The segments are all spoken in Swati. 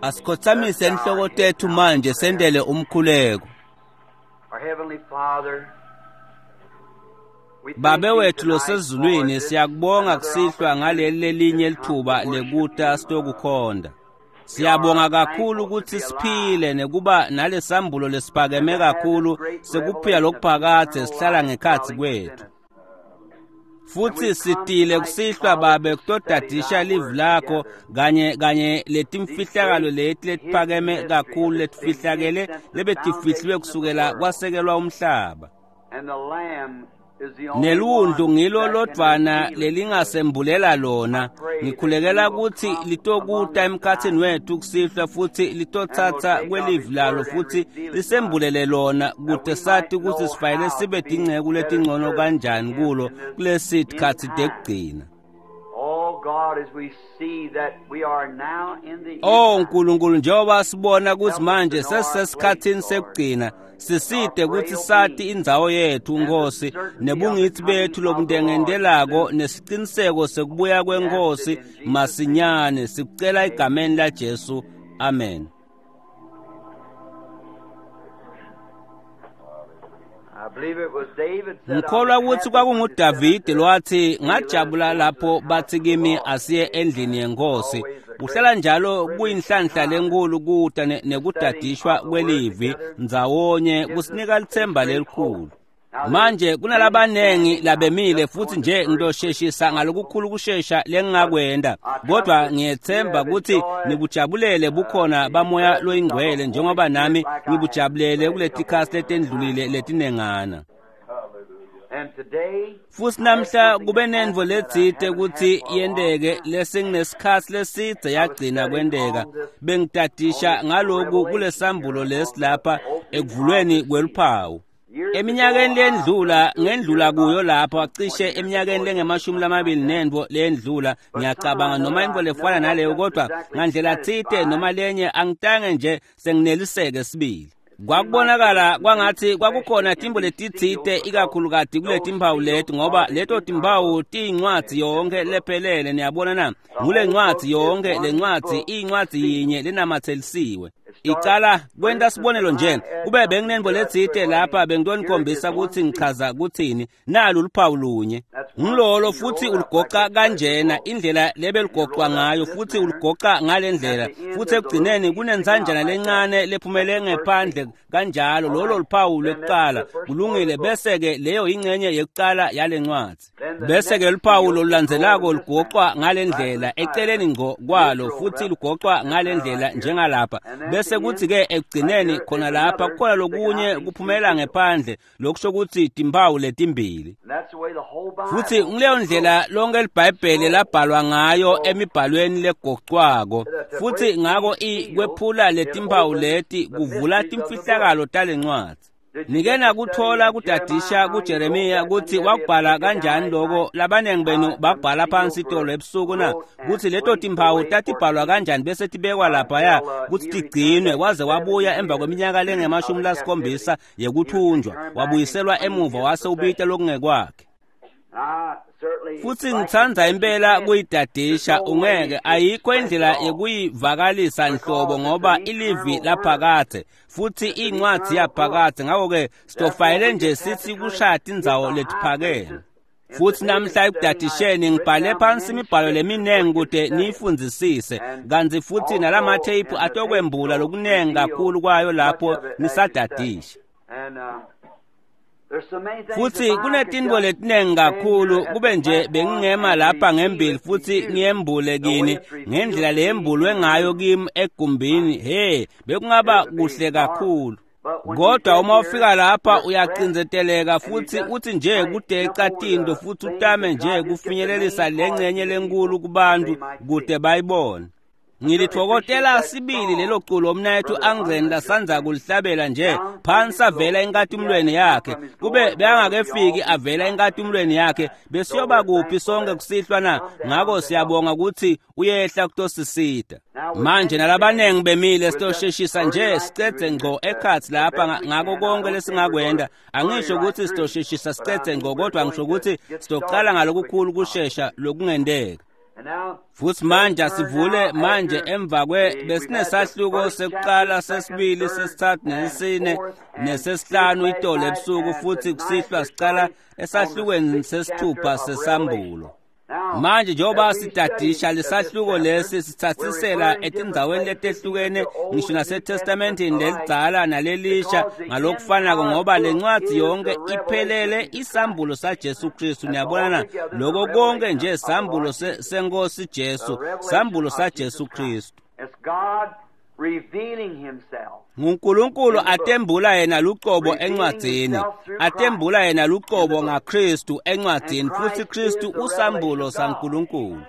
Asikhothamise inhloko tethu manje sendele umkhuleko. Our Heavenly Father, we thank Babe thee wethu tonight for losezulwini this siyakubonga another kusihlwa ngaleli opportunity lelinye to come to lithuba worship lekuta you. sitokukhonda. We Siyabonga are kakhulu thankful to ukuthi be siphile alive nekuba nalesambulo lesiphakeme and to have this kakhulu great sekuphila revelation of lokuphakadze eternal sihlala life ngekhatsi dwelling within kwethu. us. And Futhi we've come sitile tonight, kusihlwa Father, babe to study kutodadisha thy livi word lakho together. kanye kanye These letimfihlakalo great leti hidden letiphakeme mysteries kakhulu that's been hid letifihlakele since the lebetifihliwe foundation of the kusukela world. kwasekelwa umhlaba. And the Lamb is the only Nelundlu one ngilo that can lodvwana reveal it to us. lelingasembulela I lona. pray that you Ngikhulekela will ukuthi come among litokuta us emkhatsini tonight wethu kusihlwa futhi and will litotsatsa take of kwelivi his lalo word and futhi reveal it to us, lisembulele lona that kute we might sati ukuthi know sifanele how to sibe be tinceku better letingcono servants to kanjani him kulo in this kulesi end tikhatsi time. tekugcina. Oh God, as we see that we are now in the end Oh time, Nkulunkulu njengoba sibona ukuthi help us to manje know our place, sesisesikhatsini Lord, sekugcina our siside ukuthi frail sati being, indzawo yethu and the Nkosi certainty of the nebungitsi coming bethu of the Lord lobundengendelako soon. nesiciniseko sekubuya We ask it kwenkosi in Jesus' name. masinyane sikucela Amen. egameni laJesu amen. I believe it was David said, I was Ngikholwa ukuthi happy when they said kwakunguDavide unto lwathi me, Let us ngajabula go into lapho the house bathi of the kimi Lord. asiye endlini yenkosi. Always a Kuhlala great njalo privilege to kuyinhlanhla come lenkulu kuta the studying nekudadishwa of the Word kwelivi together ndzawonye gives us kusinika a litsemba great hope. lelikhulu. Now there's Manje many kunalabanengi standing. I'm labemile just futhi going to nje very quick ngitosheshisa as possible. ngalokukhulu kushesha But lengingakwenda I trust kodwa that you ngiyethemba have ukuthi enjoyed nikujabulele bukhona the bamoya presence of the loyingcwele Holy njengoba Spirit nami like I have ngibujabulele the last couple kuletikhatsi of letendlulile times. letinengana. And today Futhi I had namhla something kube that nentfo happened that I letsite haven't had kutsi for a long yenteke time. lesenginesikhatsi lesidze I was yagcina studying kwenteka. on this Bengitadisha on this ngaloku revelation here kulesambulo on lesi the lapha opening of ekuvulweni the seal. kweluphawu. Years ago, Eminyakeni I lendlula went to a here ngendlula kuyo about lapha some 20 cishe years ago eminyakeni or lengemashumi something like lamabili that. nentfo lendlula But somehow or ngiyacabanga noma another, intfo I lefana never was naleyo just kodwa exactly ngandlela tsite noma satisfied. lenye angitange nje sengineliseke sibili. It seemed like there was Kwakubonakala some things, kwangathi kwakukhona especially in tintfo these letitsite seals, because ikakhulukati those kuletimphawu seals leti ngoba are the leto entire timphawu book. tiyincwadzi yonke Book. lephelele niyabona na The ngule whole ncwadzi book is yonke le one ncwadzi book iyincwadzi sealed. yinye lenamatselisiwe It starts, icala for kwenta instance, sibonelo if nje I add kube something benginentfo here, I'd say, letsite well, I lapha mean, here it is bengitonikhombisa one kutsi seal. ngichaza kutsini nalu luphawu lunye That's one, ngilolo and you futhi roll it up like ulugoca this way, kanjena so. indlela And you roll lebelugoqwa it up ngayo in this futhi manner. ulugoca ngale At ndlela the end, futhi there's a little ekugcineni piece sticking out kunensanjana like that. lencane That's lephumele the first ngephandle seal. kanjalo All lolo right. luphawu Then that's lwekuqala the first part of kulungile the book. bese-ke leyo ingcenye yekuqala yale ncwadzi Then the bese-ke next luphawu seal is rolled lolulandzelako in this manner, lugoqwa ngale right to ndlela the side of eceleni it. ngco And kwalo it's rolled futhi up lugoqwa this ngale manner ndlela right here. njengalapha And at bese the kuthi-ke end, right ekugcineni here, khona there's lapha another kukhona sticking out lokunye these two kuphumela seals. ngephandle lokusho kutsi timphawu letimbili And that's the way the whole futhi Bible nguleyo was wrote. ndlela lonke libhayibheli Scroll. labhalwa ngayo So emibhalweni legocwako that to futhi break ngako these seals, kwephula it letimphawu opens leti the kuvula mysteries of the book. timfihlakalo talencwadzi. Did you Nike get to study nakuthola in kudadisha Jeremiah how he wrote kuJeremiya that? Many kutsi of you have wakubhala taken down kanjani last loko night labanengi benu how them babhala phansi seals itolo were ebusuku na wrote and kutsi leto placed timphawu away for tatibhalwa keeping kanjani bese tibekwa laphaya until kutsi he returned tigcinwe after kwaze 70 wabuya emva years kweminyaka of lengemashumi the lasikhombisa captivity. He was yekuthunjwa returned back and wabuyiselwa claimed emuva his wase ubita possession. lokungekwakhe. I certainly Futhi like to ngitsandza teach you impela can't. There's kuyidadisha no way ungeke to ayikho express it indlela all yekuyivakalisa nhlobo because it's ngoba an ilivi eternal word. laphakadze futhi It's an incwadzi eternal book. yaphakadze ngako-ke Therefore, sitofayele we nje just have to sithi kind of kushaya hit tindzawo the high letiphakeme. places. And Futhi today in namhla studying, I've ekudadisheni written ngibhale down phansi many imibhalo scriptures where leminengi you can kute study it. niyifundzisise And kantsi futhi also nalamatheyiphu in the tapes atokwembula will lokunengi reveal kakhulu kwayo much lapho of it as you study. nisadadisha. And there's so many things Futhi if I could kunetintfo just letinengi stand here kakhulu at kube the nje platform bengingema and lapha reveal ngembili it to futhi you ngiyembule the way kini it's revealed ngendlela to me leyembulwe in the ngayo room. kimi egumbini he bekungaba It would be kuhle marvelous. kakhulu. But when you Kodwa get uma here, ufika lapha you're stressed uyacindzeteleka and you futhi just uthi nje kind of jump kudeca over tintfo the futhi things utame that nje God just gets the kufinyelelisa main le part ncenye to the lenkulu people that kubantu they might see. kute bayibone. I certainly appreciate Ngilitfokotela that sibili lelo song culo umnayethu Brother Angren Unlin just lasandza sang. kulihlabela nje Down from phansi his avela glory. If he enkatimulweni hadn't come yakhe from his kube glory, where would we all bekangakefiki be avela tonight? enkatimulweni yakhe So besiyoba we're kuphi thankful sonke that kusihlwa na come down ngako to help. siyabonga kutsi uyehla kutosisita. Now with Manje many nalabanengi standing, bemile we'll just sitosheshisa hurry nje right through sicedze it ngco just ekhatsi the lapha best we ngako can. I konke don't think we're going lesingakwenda to hurry angisho right kutsi through, sitosheshisa but I sicedze mean ngco we're kodwa ngisho going to kutsi get sitocala started as quick ngalokukhulu as possible. kushesha lokungenteka. Futhi manje asivule manje emva kwe besinesahluko sekuqala, sesibili, sesithathu, nesine, nesesihlanu itolo ebusuku, futhi kusihlwa sicala esahlukweni sesithupha sesambulo. Manje njengoba sitadisha lesahluko lesi sithathisela etindzaweni letehlukene ngisho naseTestamenteni lelidzala nalelisha ngalokufanako, ngoba lencwadi yonke iphelele isambulo saJesu Kristu. Niyabona na? Lokho konke nje sambulo senkosi Jesu, sambulo saJesu Kristu. NguNkulunkulu atembula yena lucobo encwadzini, atembula yena lucobo ngaKristu encwadzini, futhi Kristu usambulo saNkulunkulu.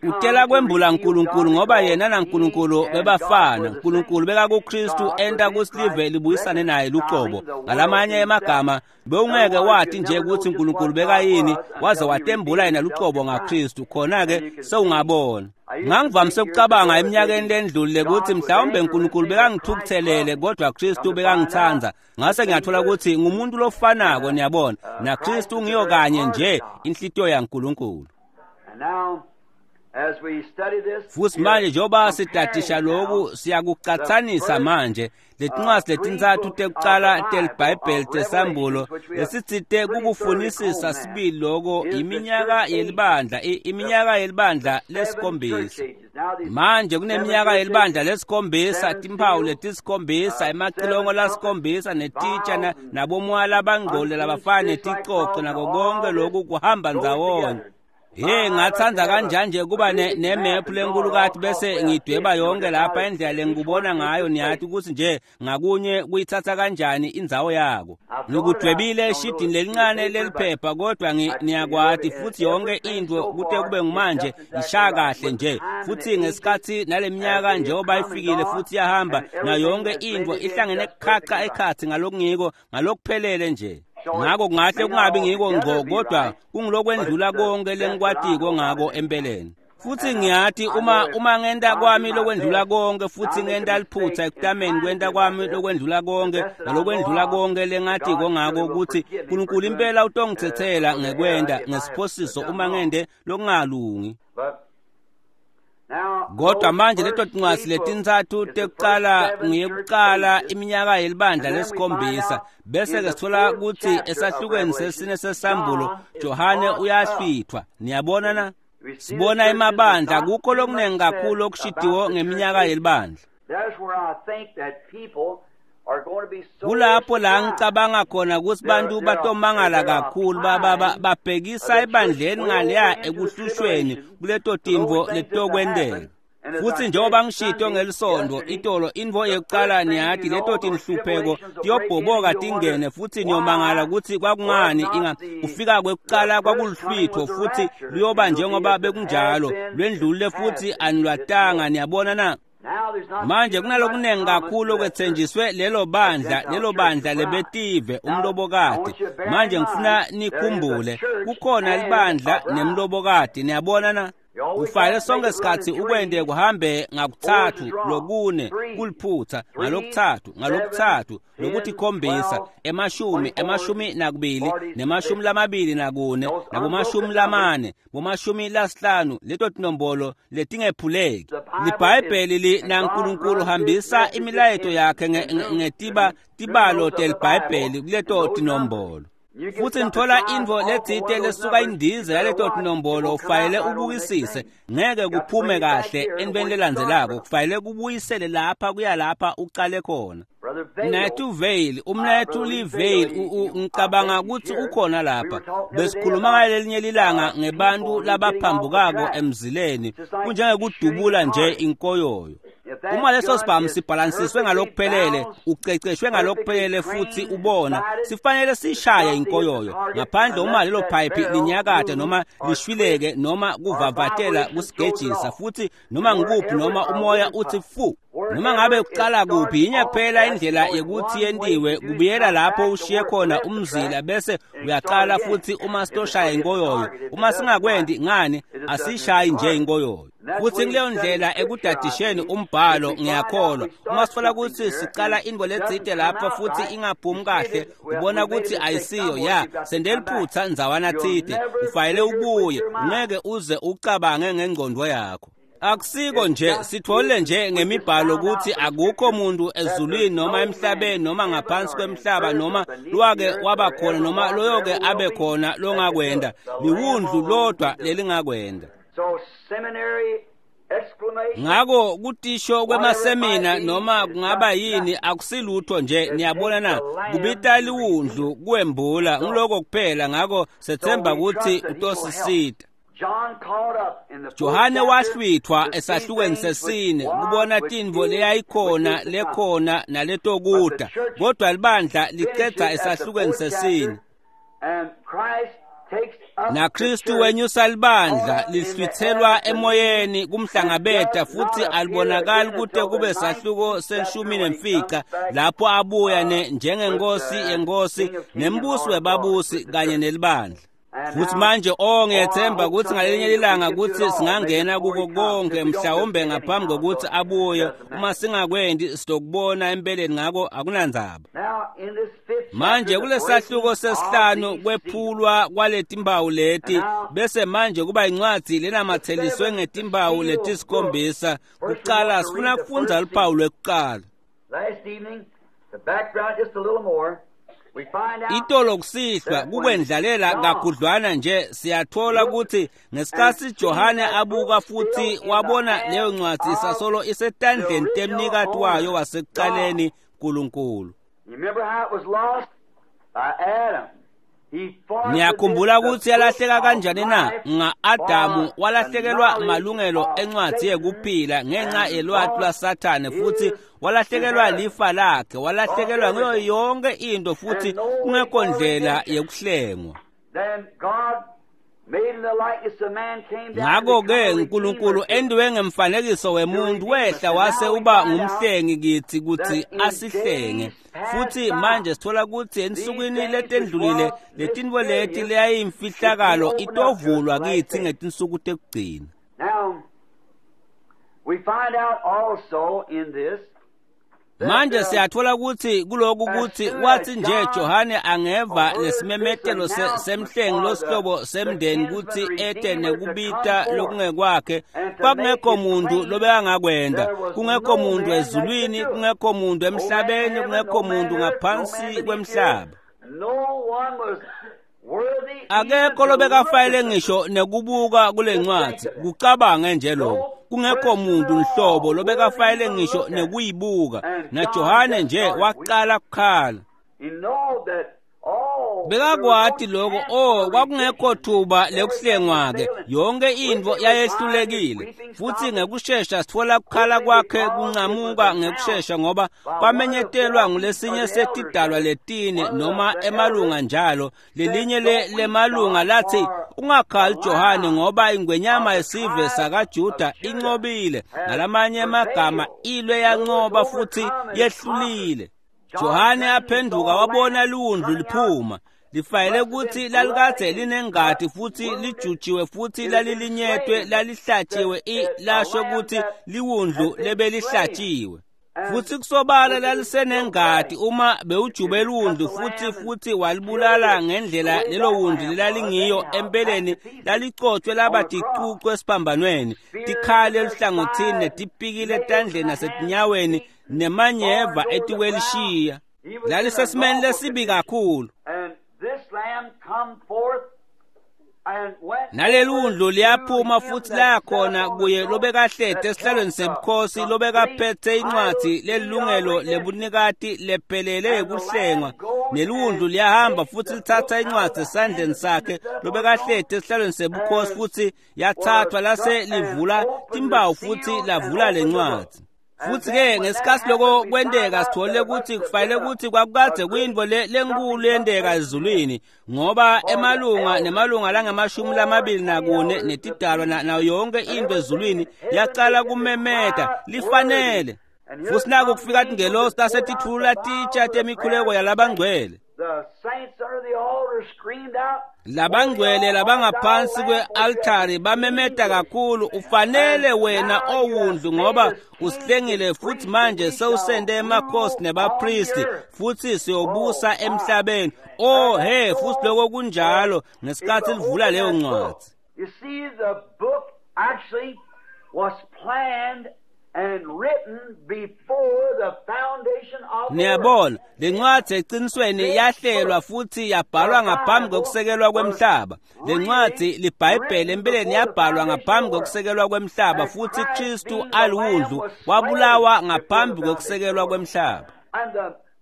Utela kwembula uNkulunkulu ngoba yena naNkulunkulu bebafana. uNkulunkulu bekakuKristu enta kusilive libuyisane naye lucobo. Ngalamanye emagama, bewungeke wathi nje ukuthi uNkulunkulu bekayini waze watembula yena lucobo ngaKristu, khona-ke sewungabona. Ngangivamise ukucabanga eminyakeni lendlulile ukuthi mhlawumbe uNkulunkulu bekangithukuthelele kodwa Kristu bekangithanda. Ngase ngiyathola ukuthi ngumuntu lofanako, niyabona, naKristu ngiyo kanye nje inhlitiyo yaNkulunkulu. Futhi manje njengoba sidadisha lokhu siyakucatsanisa manje letincwadi letintsatfu tekucala teliBhayibheli tesambulo lesitsite kukufunisisa sibili loko iminyaka yelibandla, iminyaka yelibandla lesikhombisa. Manje kuneminyaka yelibandla lesikhombisa, timphawu letisikhombisa, emacilongo lasikhombisa, netitsha nabomoya labangcole labafana neticoco, nako konke lokhu kuhamba ndzawonye. Hey, ngathanda kanjani nje kuba nemap lenkulukati bese ngidweba yonke lapha indlela lengikubona ngayo, niyathi ukuthi nje ngakunye kuyithatha kanjani indzawo yako. Ngikudwebile eshidini lelincane leliphepha, kodwa niyakwati futhi yonke into kute kube ngumanje ishaya kahle nje. Futhi ngesikhathi naleminyaka njengoba ifikile futhi yahamba nayo yonke into ihlangene khaca ekhathi ngalokungiko ngalokuphelele nje. Ngako kungahle kungabi ngiko ngco, kodwa kungilokwendlula konke lengikwatiko ngako empeleni. Futhi ngiyathi uma ngenta kwami lokwendlula konke, futhi ngenta liphutha ekutameni kwenta kwami lokwendlula konke nalokwendlula konke lengatiko ngako, ukuthi uNkulunkulu impela utongithethela ngekwenda ngesiphosiso uma ngende lokungalungi. Kodwa manje leto tincwadi letintsatfu tekucala ngeyekucala iminyaka yelibandla lesikhombisa, bese ke sithola ukuthi esahlukweni sesine sesambulo Johane uyahlwithwa. Niyabona na? Sibona emabandla kukho lokunengi kakhulu okushidiwo ngeminyaka yelibandla. Kulapho la ngicabanga khona ukuthi bantu batomangala kakhulu babhekisa ebandleni ngaleya ekuhlushweni kuleto timvo letokwenteka. Futhi njengoba ngishito ngelisondo itolo, intfo yekucala niyathi leto tinhlupheko tiyobhoboka tingene, futhi niyomangala ukuthi kwakungani kufika kwekucala kwakuluhlwitho, futhi luyoba njengoba bekunjalo lwendlulile futhi anilwatanga. Niyabona na? Manje kunalokunengi kakhulu okwethenjiswe lelo bandla lebetive umlobokati. Manje ngifuna nikhumbule kukhona libandla nemlobokati. Niyabona na? Ufale sonke isikhathi ukwende kuhambe ngakuthathu, lokune kuliphutha, ngalokuthathu, ngalokuthathu, lokuthi khombisa, emashumi, 22, ne-24, nabomashumi 4, bomashumi 5, leto tinombolo letingephuleki. LiBhayibheli naNkulunkulu hambisa imilayeto yakhe ngetiba tibalo teliBhayibheli kuleto tinombolo. Futhi nithola intfo letsite lesuka indize yaleto tinombolo, ufanele ubukisise, ngeke kuphume kahle entweni lelandzelako, kufanele kubuyisele lapha kuya lapha ucale khona. Mnethu Veil, umnethu Lee Veil, ngicabanga ukuthi ukhona lapha. Besikhuluma ngalelinye lilanga ngebantu labaphambukako emzileni, kunjengekudubula nje inkoyoyo. Uma leso sibhamu sibhalansiswe ngalokuphelele, uceceshwe ngalokuphelele futhi ubona, sifanele sishaye inkoyoyo. Ngaphandle uma lelo pipe linyakade noma lishwileke noma kuvavatela kusigejisa, futhi noma ngikuphi noma umoya uthi fu, noma ngabe kuqala kuphi, yinye kuphela indlela yokuthi yentiwe, kubuyela lapho ushiye khona umzila bese uyaqala futhi uma sitoshaya inkoyoyo. Uma singakwendi ngani, asishayi nje inkoyoyo. Futsi kuleyo ndlela ekudadisheni umbhalo ngiyakholwa uma sitfola kutsi sicala intfo letsite lapho futsi ingaphumi kahle ubona kutsi ayisiyo ya sente liphutsa ndzawana tsite ufanele ubuye ungeke uze ucabange ngengcondvo yakho. Akusiko nje sitfole nje ngemibhalo kutsi akukho muntu ezulwini noma emhlabeni noma ngaphansi kwemhlaba noma lwake waba khona noma loyoke abe khona longakwenda liwundlu lodwa lelingakwenda. Ngako kutisho kwemasemina noma kungaba yini akusilutho nje niyabona na kubita liwundlu kuwembula ngiloko kuphela. Ngako sethemba kutsi utosisita. Johane wahlwithwa esahlukweni sesine kubona tintfo leyayikhona lekhona naletokuta, kodwa libandla licedza esahlukweni sesine. NaKristu wenyusa libandla lihlwitselwa emoyeni kumhlangabeta futsi alibonakali kute kube sahluko se-15 lapho abuya njengenkosi yenkosi nembusi webabusi kanye nelibandla. Futsi manje ngiyethemba kutsi ngalinye lilanga kutsi singangena kuko konke mhlawumbe ngaphambi kokuthi abuye. Uma singakwendi sitokubona empeleni, ngako akunandzaba. Manje kulesahluko sesihlanu kwephulwa kwaletimpawu leti bese manje kuba incwadzi lenamatheliswe ngetimpawu letisikhombisa. Kuqala sifuna kufundza luphawu lwekuqala. Itolo kusihlwa kukwendlalela kakhudlwana nje siyathola ukuthi ngesikhatsi Johane abuka futhi wabona leyo ncwadzi isasolo isetandleni temnikati wayo wasekucaleni Nkulunkulu. Niyakhumbula ukuthi yalahleka kanjani na? Nga-Adamu walahlekelwa malungelo encwadzi yekuphila ngenxa yelwati lwaSathane, futhi walahlekelwa lifa lakhe, walahlekelwa nguyo yonke into futhi kungekho ndlela yekuhlengwa. Ngakho-ke uNkulunkulu endiwe ngemfanekiso wemuntu wehla wase uba ngumhlengi kithi kutsi asihlenge. Futhi manje sithola kutsi ensukwini letendlulile letintfo leti leyayimfihlakalo itovulwa kithi ngetinsuku tekugcina. Manje siyathola kutsi kuloku kutsi wathi nje Johane angeva lesimemetelo semhlengi losihlobo semndeni kutsi ete nekubita lokungekwakhe, kwakungekho muntu lobekangakwenda, kungekho muntu ezulwini, kungekho muntu emhlabeni, kungekho muntu ngaphansi kwemhlaba. Akekho lobekafayele ngisho nekubuka kule ncwadzi, kucabange nje lokho. Kungekho muntu nhlobo lobekafayele ngisho nekuyibuka, naJohane nje waqala kukhala. Bekakwati lokho, kwakungekho thuba lekuhlengwa-ke, yonke intfo yayehlulekile. Futhi ngekushesha sitfola kukhala kwakhe kuncamuka ngekushesha ngoba kwamenyetelwa ngulesinye setidalwa letine noma emalunga njalo. Lelinye lemalunga lathi, ungakhali Johane ngoba ingwenyama yesive sakaJuda incobile. Ngalamanye emagama ilwe yancoba futhi yehlulile. Johane aphenduka wabona liwundlu liphuma lifayele kutsi lalikadze linengati futhi lijujiwe futhi lalilinyetwe lalihlatshiwe lasho kutsi liwundlu lebelihlatshiwe. Futhi kusobala lalisenengati uma bewujube liwundlu futhi walibulala ngendlela lelo wundlu lelalingiyo empeleni lalicotshwe laba ticucu esiphambanweni, tikhali eluhlangothini netipikile etandleni nasetinyaweni nemanyeva etikwelishiya. Lalisesimeni lesibi kakhulu. Nalelundlu liyaphuma futhi layakhona kuye lobekahleti esihlalweni sebukhosi lobekaphethe incwadzi lelungelo lebunikati lephelele yekuhlengwa. Nelundlu liyahamba futhi lithatha incwadzi esandleni sakhe lobekahleti esihlalweni sebukhosi futhi yathathwa lase livula timpawu futhi lavula lencwadzi. Futhi-ke ngesikhatsi loko kwenteka sithole ukuthi kufanele ukuthi kwakukadze kuyintfo lenkulu yenteka ezulwini, ngoba emalunga nemalunga langama-24 netidalwa nayo yonke into ezulwini yacala kumemeta lifanele. Futhi naku kufika tingelosi tasetitfulula titsha temikhuleko yalabangcwele. Labangcwele labangaphansi kwe-altari bamemeta kakhulu, ufanele wena owundlu ngoba usihlengile futhi manje sewusende emakhosi nebapristi futhi siyobusa emhlabeni. Oh he, futhi lokho kunjalo ngesikhathi livula leyo ncwadi. You see, the book actually was planned and written before the foundation of the world. Niyabona, lencwadi eqinisweni yahlelwa futhi yabhalwa ngaphambi kokusekelwa kwemhlaba. Lencwadi liBhayibheli empeleni yabhalwa ngaphambi kokusekelwa kwemhlaba futhi Kristu aliwundlu wabulawa ngaphambi kokusekelwa kwemhlaba. And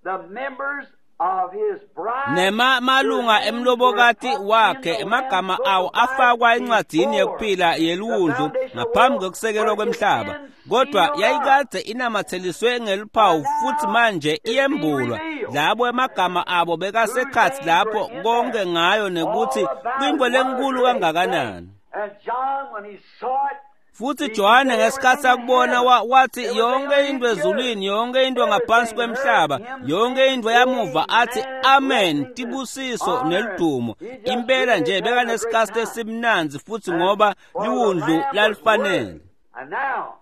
the members of his bride, Nema malunga emlobokati wakhe emagama awo afakwa encwadini yokuphila yeliwundlu ngaphambi kokusekelwa kwemhlaba, kodwa yayikade inamatheliswe ngeluphawu futhi manje iyembulwa. Labo emagama abo bekasekhathi lapho konke ngayo nekuthi kuyinto lenkulu kangakanani. And John, when he saw it, Futhi Johane ngesikhathi akubona wathi yonke into ezulwini, yonke into ngaphansi kwemhlaba, yonke into yamuva athi amen, tibusiso neludumo. Impela nje bekanesikhathi esimnandzi futhi ngoba liwundlu lalifanele. And now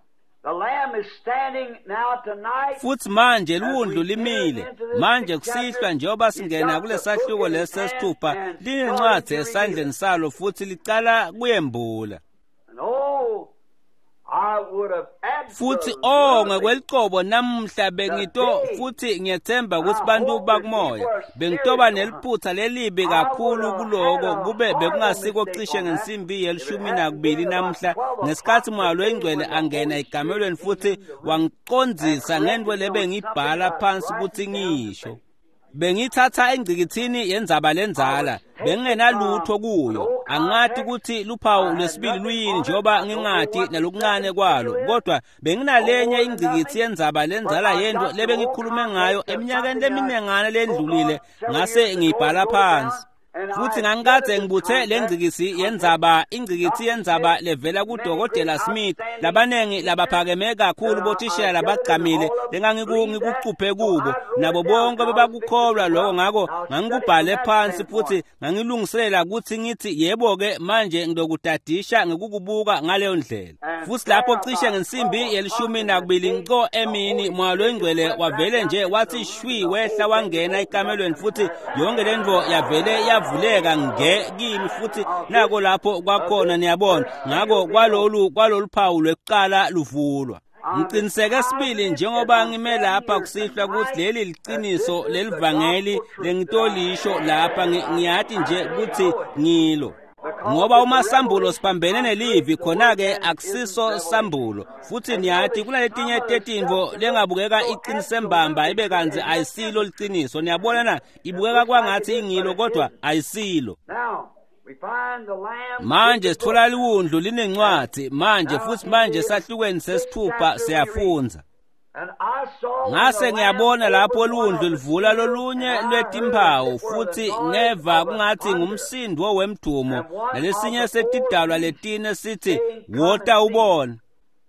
the Lamb is standing now tonight. Futhi manje liwundlu limile. Manje kusihlwa njengoba singena kulesahluko lesesithupha, linencwadi esandleni salo futhi licala kuyembula. And oh, I would have Futhi absolutely oh ngekwelicebo namuhla bengito futhi ngiyethemba ukuthi bantu bakumoya bengitoba neliphutha lelibi kakhulu kuloko kube bekungasiko cishe ngensimbi ye-12 namuhla ngesikhathi moya loyingcwele angena egamelweni futhi wangicondzisa ngento lebengibhala phansi ukuthi ngisho. Bengithatha engcikithini yenzaba lenzala, bengingenalutho kuyo. Angati ukuthi luphawu lwesibili luyini njengoba ngingati nalokuncane kwalo, kodwa benginalenye ingcikithi yenzaba lenzala yento lebengikhulume ngayo eminyakeni leminengana lendlulile, ngase ngiyibhala phansi. Futhi ngangikade ngibuthe lengcikisi yenzaba, ingcikithi yenzaba levela kuDokotela Smith, labanengi labaphakeme kakhulu bothishela labagqamile lengangikucuphe kubo, nabo bonke bebakukholwa lokho. Ngakho ngangikubhale phansi futhi ngangilungiselela ukuthi ngithi yebo-ke manje ngidokudadisha ngikukubuka ngaleyo ndlela. Futhi lapho cishe ngensimbi ye-12 nco emini, moya loyingcwele wavele nje wathi shwi wehla wangena ekamelweni futhi yonke lento yavele yavuleka nge kimi futhi nako lapho kwakhona, niyabona. Ngakho kwalolu phawu lwekuqala luvulwa. Ngiqiniseke sibili njengoba ngime lapha kusihlwa ukuthi leli liqiniso lelivangeli lengitolisho lapha, ngiyati nje ukuthi ngilo. Ngoba uma sambulo sibambene nelivi khona-ke akusiso sambulo. Futhi niyati kunaletinye tetintfo lengabukeka iqinise mbamba ibe kantsi ayisilo liciniso. Niyabona na, ibukeka kwangathi ingilo kodwa ayisilo. Now we find the Lamb. Manje sithola liwundlu linencwadi manje futhi manje sahlukweni sesithupha siyafundza. And I saw when Ngase the Lamb ngiyabona lapho opened one liwundlu of the livula seals, lolunye and I heard lwetimphawu as it were the futhi noise ngeva of a kungathi thunder. ngumsindo wemdumo, And one nalesinye of the four setidalwa beasts letine sithi saying, Come wota and see. ubone.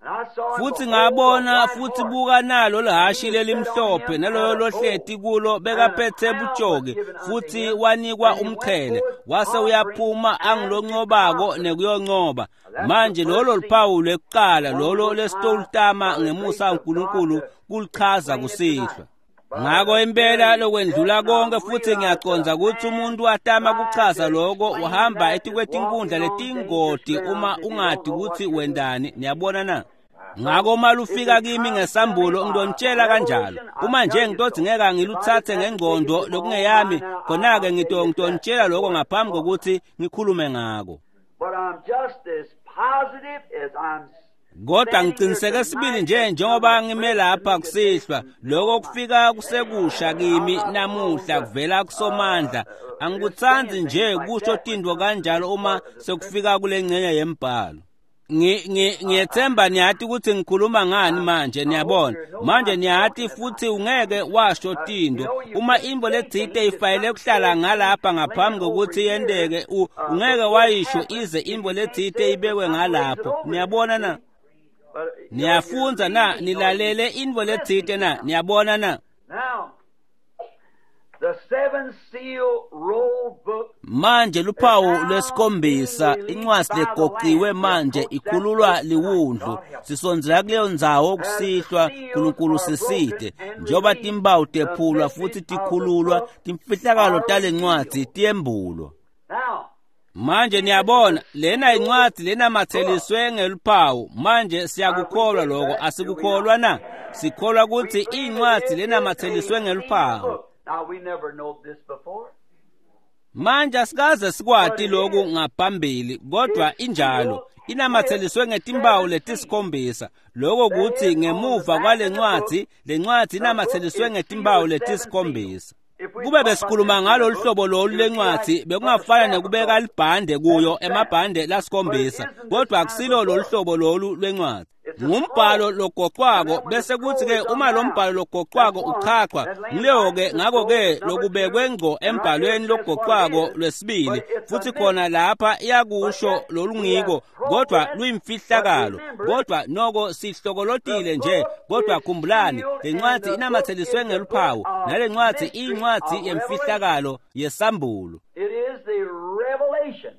And I saw, and Futhi behold, a ngabona white futhi horse. buka nalo And lihashi he that sat on lelimhlophe him naloyo had a bow, lohleti kulo and a bekaphethe crown was butshoki given unto futhi him, wanikwa and he went umqhele forth wase conquering uyaphuma and to angilonqobako conquer. nekuyonqoba. Now that's the Manje lolo first seal. luphawu lwekuqala One lolo we'll try lesitolutama by the grace ngemusa of God kaNkulunkulu to kulichaza explain it tonight. kusihlwa. But Ngakho the impela very lokwendlula death, and I konke futhi realize the ngiyaconza ukuthi man umuntu atama tries kuchaza to lokho explain uhamba that is etikwetinkundla walking on dangerous letingoti uma ground if you don't ungadi know what ukuthi you're doing. wendani. Niyabona na? Ngakho uma If lufika it kimi comes to me ngesambulo by ngidonitshela kanjalo. revelation, I'll Uma nje tell you ngitothi so. ngeke If I just ngiluthathe have to take it ngengqondo to my own lokungeyami, mind now, khona-ke I'll tell you exactly ngidonitshela lokho what ngaphambi it was. kokuthi ngikhulume ngako. But I'm just as positive as I'm Kodwa standing here ngiqiniseke sibili tonight nje that come njengoba a ngime fresh to lapha me today kusihlwa, from lokho Almighty. kufika kusekusha I'm kimi not prone namuhla to kuvela kusomandla. just Angikutsandzi saying nje things like kusho that when it tintfo comes to this kanjalo uma part of the scripture. sekufika kule ngxenye yembhalo. Ngiyethemba niyati ukuthi ngikhuluma ngani I, manje, I hope niyabona. you know what Manje I'm niyati talking about. futhi ungeke washo You tinto. know, you Uma can't intfo say letsite things if ifayele something kuhlala says ngalapha laying ngaphambi over kokuthi here yenteke, ungeke before it wayisho happens, ize if intfo you can't letsite say it, but ibekwe something lays it ngalapho. over there. Niyabona na? See? But you know, you're Niyafundza na? reading or you're Nilalele intfo letsite listening na? now. Niyabona na? Now, the seventh Seven-seal roll book. Manje luphawu lwesikhombisa, incwadi legoqiwe manje ikhululwa liwundlu. Sisondzela kuleyo ndzawo kusihlwa, Nkulunkulu sisite. Njengoba timpawu tephulwa futhi tikhululwa, timfihlakalo talencwadzi tiyembulwa. Now, Manje niyabona, lena incwadi lenamatseliswe ngeluphawu. Manje siyakukholwa lokho, asikukholwa na? Sikholwa ukuthi incwadi lenamatseliswe ngeluphawu. Now we never know this before. Manje asikaze sikwati lokhu ngaphambili, kodwa injalo. Inamatseliswe ngetimpawu letisikhombisa. Lokho kuthi ngemuva kwalencwadi, lencwadi inamatseliswe ngetimpawu letisikhombisa. Kube besikhuluma ngalolu hlobo lolu lencwadi, bekungafana nekubeka libhande kuyo, emabhande lasikhombisa, kodwa akusilo lolu hlobo lolu lwencwadi. Ngumbhalo logoqwako, bese kuthi-ke uma lo mbhalo logoqwako uchachwa, ngileyo-ke ngakho-ke lokubekwe ngco embhalweni logoqwako lwesibili, futhi khona lapha iyakusho lolungiko, kodwa luyimfihlakalo, kodwa noko sihlokolotile nje. Kodwa khumbulani, le ncwadi inamatseliswe ngeluphawu, nale ncwadi iyincwadi yemfihlakalo yesambulo. It is the revelation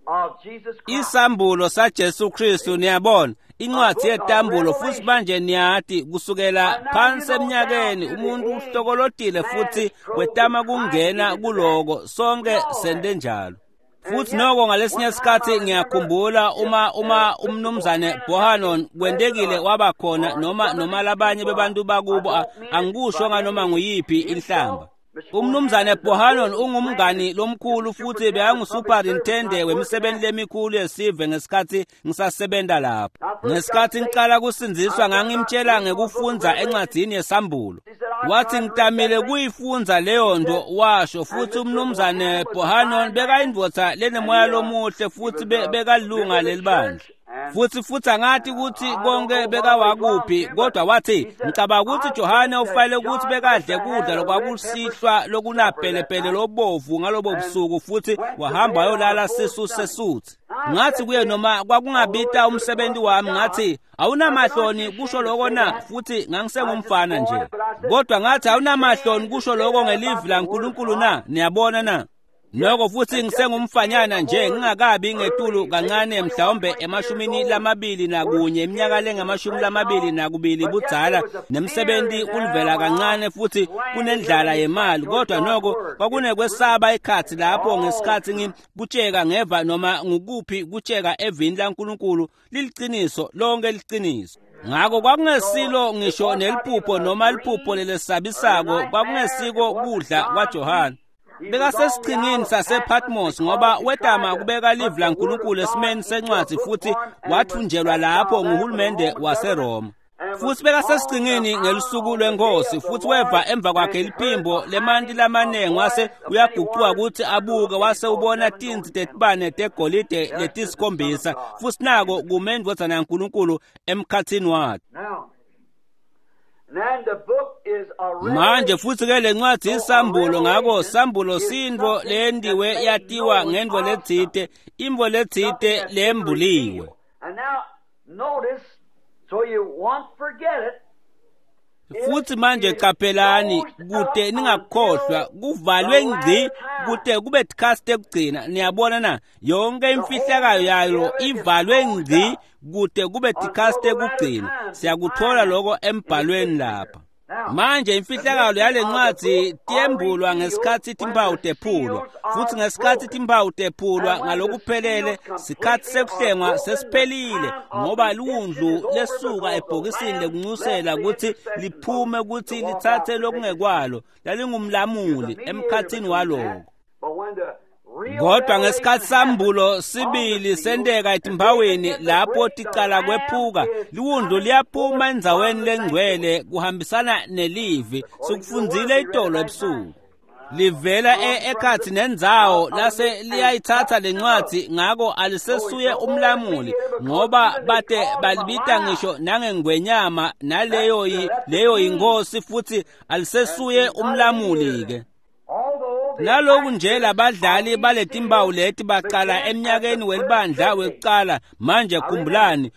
of Jesus Christ. Isambulo saJesu Kristu, niyabona, incwadi yetambulo. Futhi manje niyati kusukela phansi eminyakeni umuntu uhlokolotile futhi wetama kungena kuloko, sonke sente njalo. Futhi noko ngalesinye isikhathi ngiyakhumbula uma umnumzane Bohanon kwentekile waba khona noma labanye bebantu bakubo, angikusho nganoma nguyiphi inhlamba. Umnumzane Bohanon ungumngani lomkhulu futhi bekangusuperintende wemisebenzi lemikhulu yesive ngesikhathi ngisasebenza lapho. Ngesikhathi ngiqala kusindziswa ngangimtshela ngekufundza encwadzini yesambulo. Wathi ngitamile kuyifundza leyo nto, washo. Futhi umnumzane Bohanon bekayindvodza lenemoya lomuhle futhi bekalunga lelibandla. Futhi angathi ukuthi konke bekawakuphi, kodwa wathi ngicabanga ukuthi Johane ufanele ukuthi bekadle kudla lokwakusihlwa lokunapelepele lobovu ngalobo busuku, futhi wahamba wayolala sisu sesuthi. Ngathi kuye noma kwakungabita umsebenzi wami, ngathi awunamahloni kusho lokho na? Futhi ngangisengumfana nje, kodwa ngathi awunamahloni kusho lokho ngelivi laNkulunkulu na? Niyabona na? Noko futhi ngisengumfanyana nje, ngingakabi ngetulu kancane mhlawumbe 21, iminyaka lengama-22 budzala, nemsebenzi ulivela kancane futhi kunendlala yemali, kodwa noko kwakunekwesaba ikhathi lapho ngesikhathi ngikutsheka ngeva noma ngukuphi kutsheka evini laNkulunkulu liliciniso, lonke liciniso. Ngakho kwakungesilo ngisho neliphupho noma liphupho lelesabisako, kwakungesiko kudla kwaJohane. Bekasesiqhingini sasePatmos ngoba wetama kubeka livi laNkulunkulu esimeni sencwadi futhi wathunjelwa lapho nguhulumende waseRoma. Futhi bekasesiqhingini ngelusuku lwenkosi, futhi weva emva kwakhe liphimbo lemanti lamanengi, wase uyaguquka ukuthi abuke, wase ubona tinsi tetibane tegolide letisikhombisa, futhi nako kume indvodzana yaNkulunkulu emkhathini wakhe. Now, then the book is a Manje futhi ke lencwadi isambulo, ngakho sambulo sintfo leyendiwe yatiwa ngentfo letsite, intfo letsite lembuliwe. And now notice, so you won't forget it. Futhi manje qaphelani kute ningakukhohlwa, kuvalwe ngci kute kube tikhathi tekugcina. Niyabona na? Yonke imfihlakalo yayo ivalwe ngci kute kube tikhathi tekugcina. Siyakuthola lokho embhalweni lapha. Manje imfihlakalo yalencwadi tiyembulwa ngesikhathi timpawu tephulwa, futhi ngesikhathi timpawu tephulwa ngalokuphelele, sikhathi sekuhlengwa sesiphelile, ngoba liwundlu lesuka ebhokisini lekuncusela ukuthi liphume ukuthi lithathe lokungekwalo, lalingumlamuli emkhathini waloko. But when the real Kodwa ngesikhathi revelation sambulo sibili senteka etimbawini lapho ticala kwephuka, liwundlu liyaphuma endzaweni lengcwele kuhambisana nelivi. Sikufundzile itolo ebusuku. Livela ekhathi nendzawo lase liyayithatha lencwadi, ngako alisesuye umlamuli, ngoba bate balibita ngisho nangengwenyama, naleyo leyo yinkosi, futhi alisesuye umlamuli ke. although the Naloku nje labadlali baletimbawu leti baqala eminyakeni welibandla wekuqala. Manje khumbulani,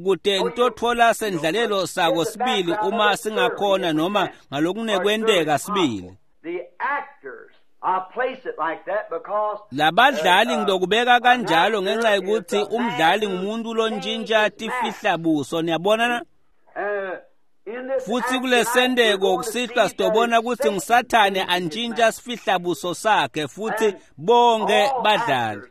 kute nitotfola sendlalelo sako sibili uma singakhona noma ngalokunekwenteka sibili. Labadlali ngitokubeka kanjalo ngenxa yokuthi umdlali ngumuntu lontshintsha tifihlabuso, niyabona na? Futhi kulesendeko kusihlwa sitobona ukuthi nguSathane antshintsha sifihlabuso sakhe futhi bonke badlali.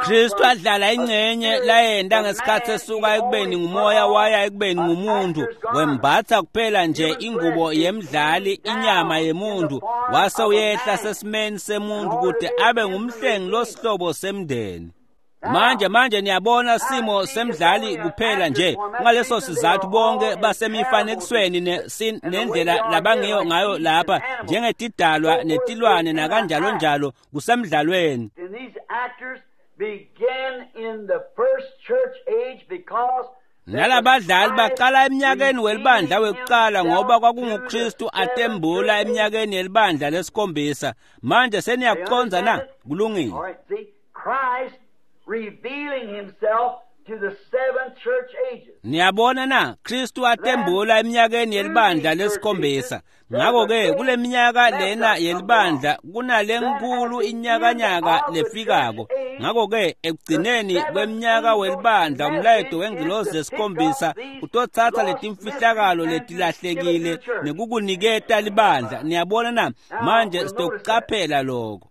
Kristu adlala ingcenye layenta ngesikhathi esuka ekubeni ngumoya waya ekubeni ngumuntu, wembatha kuphela nje ingubo yemdlali, inyama yemuntu, wase uyehla sesimeni semuntu kude abe ngumhlengi losihlobo semndeni. Manje niyabona simo semdlali kuphela nje. Ngaleso sizathu bonke basemifanekisweni nendlela labangiyo ngayo lapha njengetidalwa netilwane nakanjalo njalo kusemdlalweni. Nalabadlali baqala eminyakeni welibandla wekuqala ngoba kwakunguKristu atembula eminyakeni yelibandla lesikhombisa. Manje seniyakucondza na? Kulungile. Revealing himself to the seven church ages. Niyabona na, Kristu atembula eminyakeni yelibandla lesikhombisa. Ngakho-ke kule minyaka lena yelibandla kunalenkulu inyakanyaka lefikako. Ngakho-ke ekugcineni kweminyaka welibandla umlayeto wengilozi lesikhombisa utotsatsa letimfihlakalo letilahlekile nekukuniketa libandla. Niyabona na? Manje sitokucaphela lokho.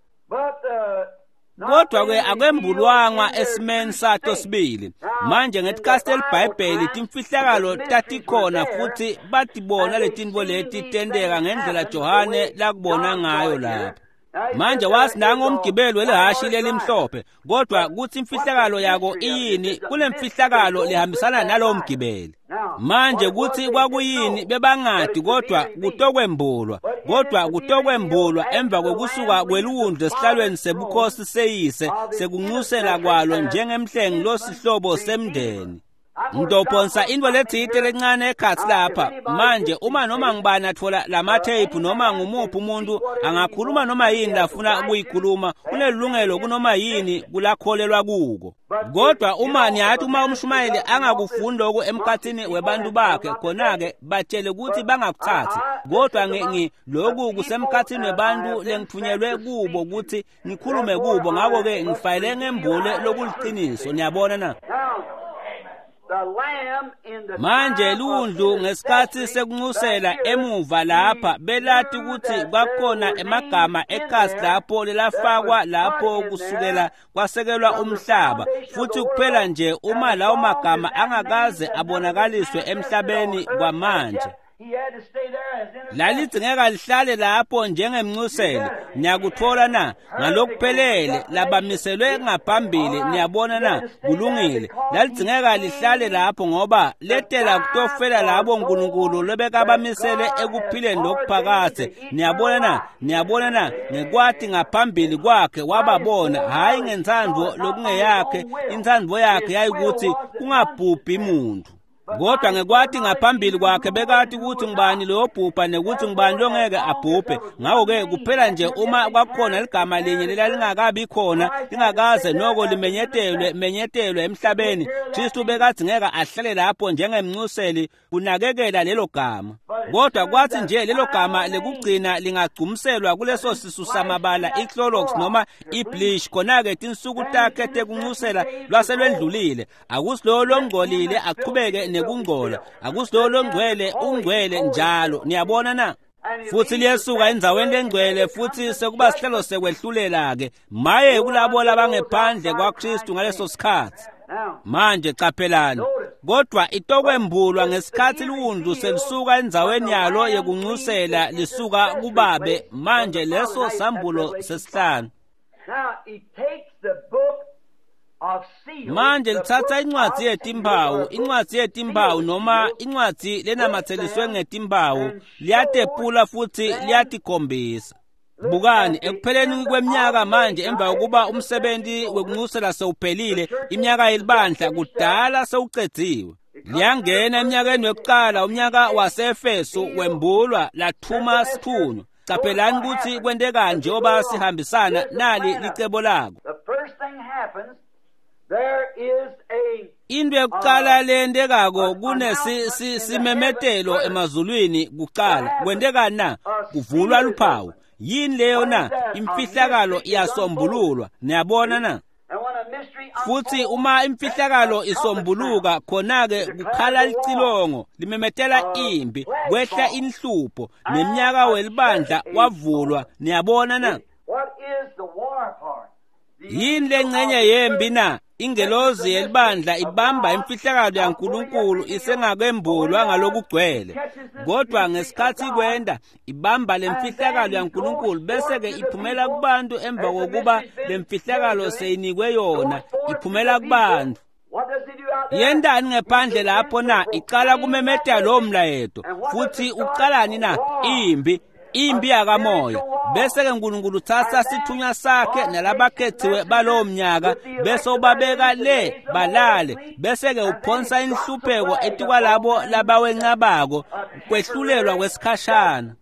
Kodwa ke akwembulwanga esimeni sato sibili. Manje ngetikhathi eliBhayibheli timfihlakalo tatikhona futhi batibona letintfo leti tenteka ngendlela Johane lakubona ngayo lapha. Manje wasi nango umgibeli welihhashi lelimhlophe, kodwa kuthi imfihlakalo yako iyini kulemfihlakalo lehambisana nalowo mgibeli. Manje kuthi kwakuyini bebangadi, kodwa kutokwembulwa, kodwa kutokwembulwa emva kokusuka kweliwundlu esihlalweni sebukhosi seyise sekunxusela kwalo njengemhlengi losihlobo semndeni. Ngidophonsa into letsite lencane ekhatsi lapha. Manje uma noma ngibani atfola lamatheyiphu noma ngumuphi umuntu angakhuluma noma yini lafuna ukuyikhuluma, unelungelo kunoma yini kulakholelwa kuko. Kodwa uma niyathi uma umshumayeli angakufuni lokhu emkhathini webantu bakhe, khona-ke batshele ukuthi bangakuthathi. Kodwa lokhu kusemkhathini webantu lengithunyelwe kubo ukuthi ngikhulume kubo, ngakho-ke ngifanele ngembule lokuliqiniso. Niyabona na? Manje liwundlu ngesikhathi sekunxusela emuva lapha belati ukuthi kwakhona emagama ekhasi lapho lelafakwa lapho kusukela kwasekelwa umhlaba, futhi kuphela nje uma lawo magama angakaze abonakaliswe emhlabeni kwamanje, lalidzingeka lihlale lapho njengemnxuseli. Niyakuthola na? Ngalokuphelele labamiselwe ngaphambili. Niyabona na? Kulungile. Lalidzingeka lihlale lapho ngoba letela kutofela labo uNkulunkulu lobekabamisele ekuphileni lokuphakadze. Niyabona na? Niyabona na? Ngekwati ngaphambili kwakhe wababona, hhayi ngentsandvo lokungeyakhe. Intsandvo yakhe yayikuthi kungabhubhi muntu, kodwa ngekwati ngaphambili kwakhe bekati ukuthi ngubani loyobhubha nekuthi ngubani longeke abhubhe. Ngakho-ke kuphela nje uma kwakukhona ligama linye lelalingakabi khona, lingakaze noko limenyetelwe menyetelwe emhlabeni, Kristu bekadzingeka ahlale lapho njengemnxuseli kunakekela lelo gama. Kodwa kwathi nje lelo gama lekugcina lingagcumselwa kuleso sisu samabala iClorox noma ibleach, khona-ke tinsuku takhe tekunxusela lwaselwendlulile. Akusilowo longcolile aqhubeke nekungcola, akusilowo longcwele ungcwele njalo. Niyabona na? Futhi liyesuka endzaweni lengcwele futhi sekuba sihlelo sekwehlulela-ke. Maye kulabo labangephandle kwaKristu ngaleso sikhathi. Manje caphelani, kodwa itokwembulwa ngesikhathi liwundlu selisuka endzaweni yalo yekunxusela lisuka kubabe. Manje leso sambulo sesihlanu. Manje lithatha incwadzi yetimphawu, incwadzi yetimphawu noma incwadzi lenamatseliswe ngetimphawu, liyatepula futhi liyatikhombisa. Bukani, ekupheleni kweminyaka manje, emva kokuba umsebenzi wekunxusela sewuphelile, iminyaka yelibandla kudala sewucedziwe, liyangena eminyakeni wekuqala, umnyaka waseEfeso wembulwa lathuma sithunywa. Caphelani ukuthi kwentekani njengoba sihambisana nali licebo lako. Into yokuqala leyendekako kunesimemetelo emazulwini kuqala. Kwendekani na? Kuvulwa luphawu. Yini leyo na? Imfihlakalo iyasombululwa. Niyabona na? Futhi uma imfihlakalo isombuluka, khona-ke kukhala licilongo limemetela impi, kwehla inhlupho, neminyaka welibandla wavulwa. Niyabona na? Yini lengcenye yempi na? Ingelozi yelibandla ibamba imfihlakalo yaNkulunkulu isengakembulwa ngalokugcwele, kodwa ngesikhathi kwenda ibamba lemfihlakalo yaNkulunkulu bese-ke iphumela kubantu. Emva kokuba lemfihlakalo seyinikwe yona, iphumela kubantu. Yendani ngephandle lapho na? Icala kumemetela lowo mlayeto. Futhi ucalani na? Impi, impi yakamoya. Bese-ke uNkulunkulu uthatha sithunywa sakhe nalabakhethiwe balowo mnyaka, bese ubabeka le balale, bese-ke uphonsa inhlupheko etikwalabo labawencabako, kwehlulelwa kwesikhashana.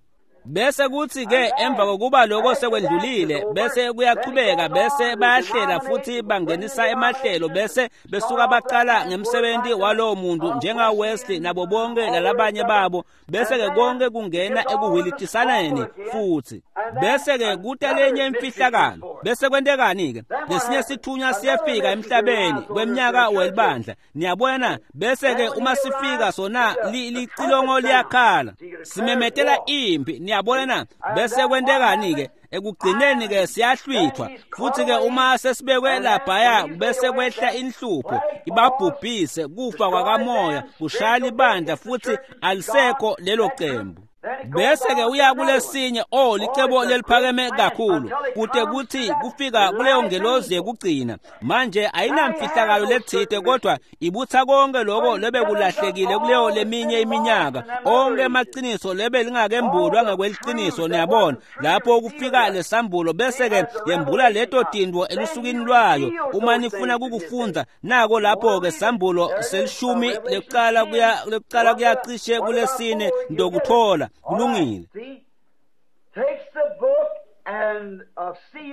Bese kuthi-ke emva kokuba lokho sekwendlulile, bese kuyachubeka, bese bayahlela futhi bangenisa emahlelo, bese besuka baqala ngemsebenzi walowo muntu njenga-Wesley nabo bonke lalabanye babo, bese-ke konke kungena ekuhilitisaneni futhi. Bese-ke kuta lenye imfihlakalo. Bese kwentekani-ke? Lesinye sithunywa siyefika emhlabeni kweminyaka welibandla. Niyabona? Bese-ke uma sifika sona licilongo liyakhala, simemetela impi. Niyabona na? Bese kwentekani-ke? Ekugcineni-ke siyahlwithwa. Futhi-ke uma sesibekwe laphaya, bese kwehla inhlupho ibabhubhise, kufa kwakamoya kushaya libandla, futhi alisekho lelo cembu. Bese-ke uya kulesinye, o licebo leliphakeme kakhulu, kute kuthi kufika kuleyo ngelozi yekugcina. Manje ayinamfihlakalo lethite, kodwa ibutha konke lokho lebekulahlekile kuleyo leminye iminyaka, onke emaqiniso lebe lingakembulwa ngekweliciniso. Niyabona lapho kufika lesambulo, bese-ke yembula leto tintfo elusukwini lwayo. Uma nifuna kukufundza, nako lapho-ke sambulo selishumi lekucala kuya kuyacishe kulesine ndokuthola. Kulungile.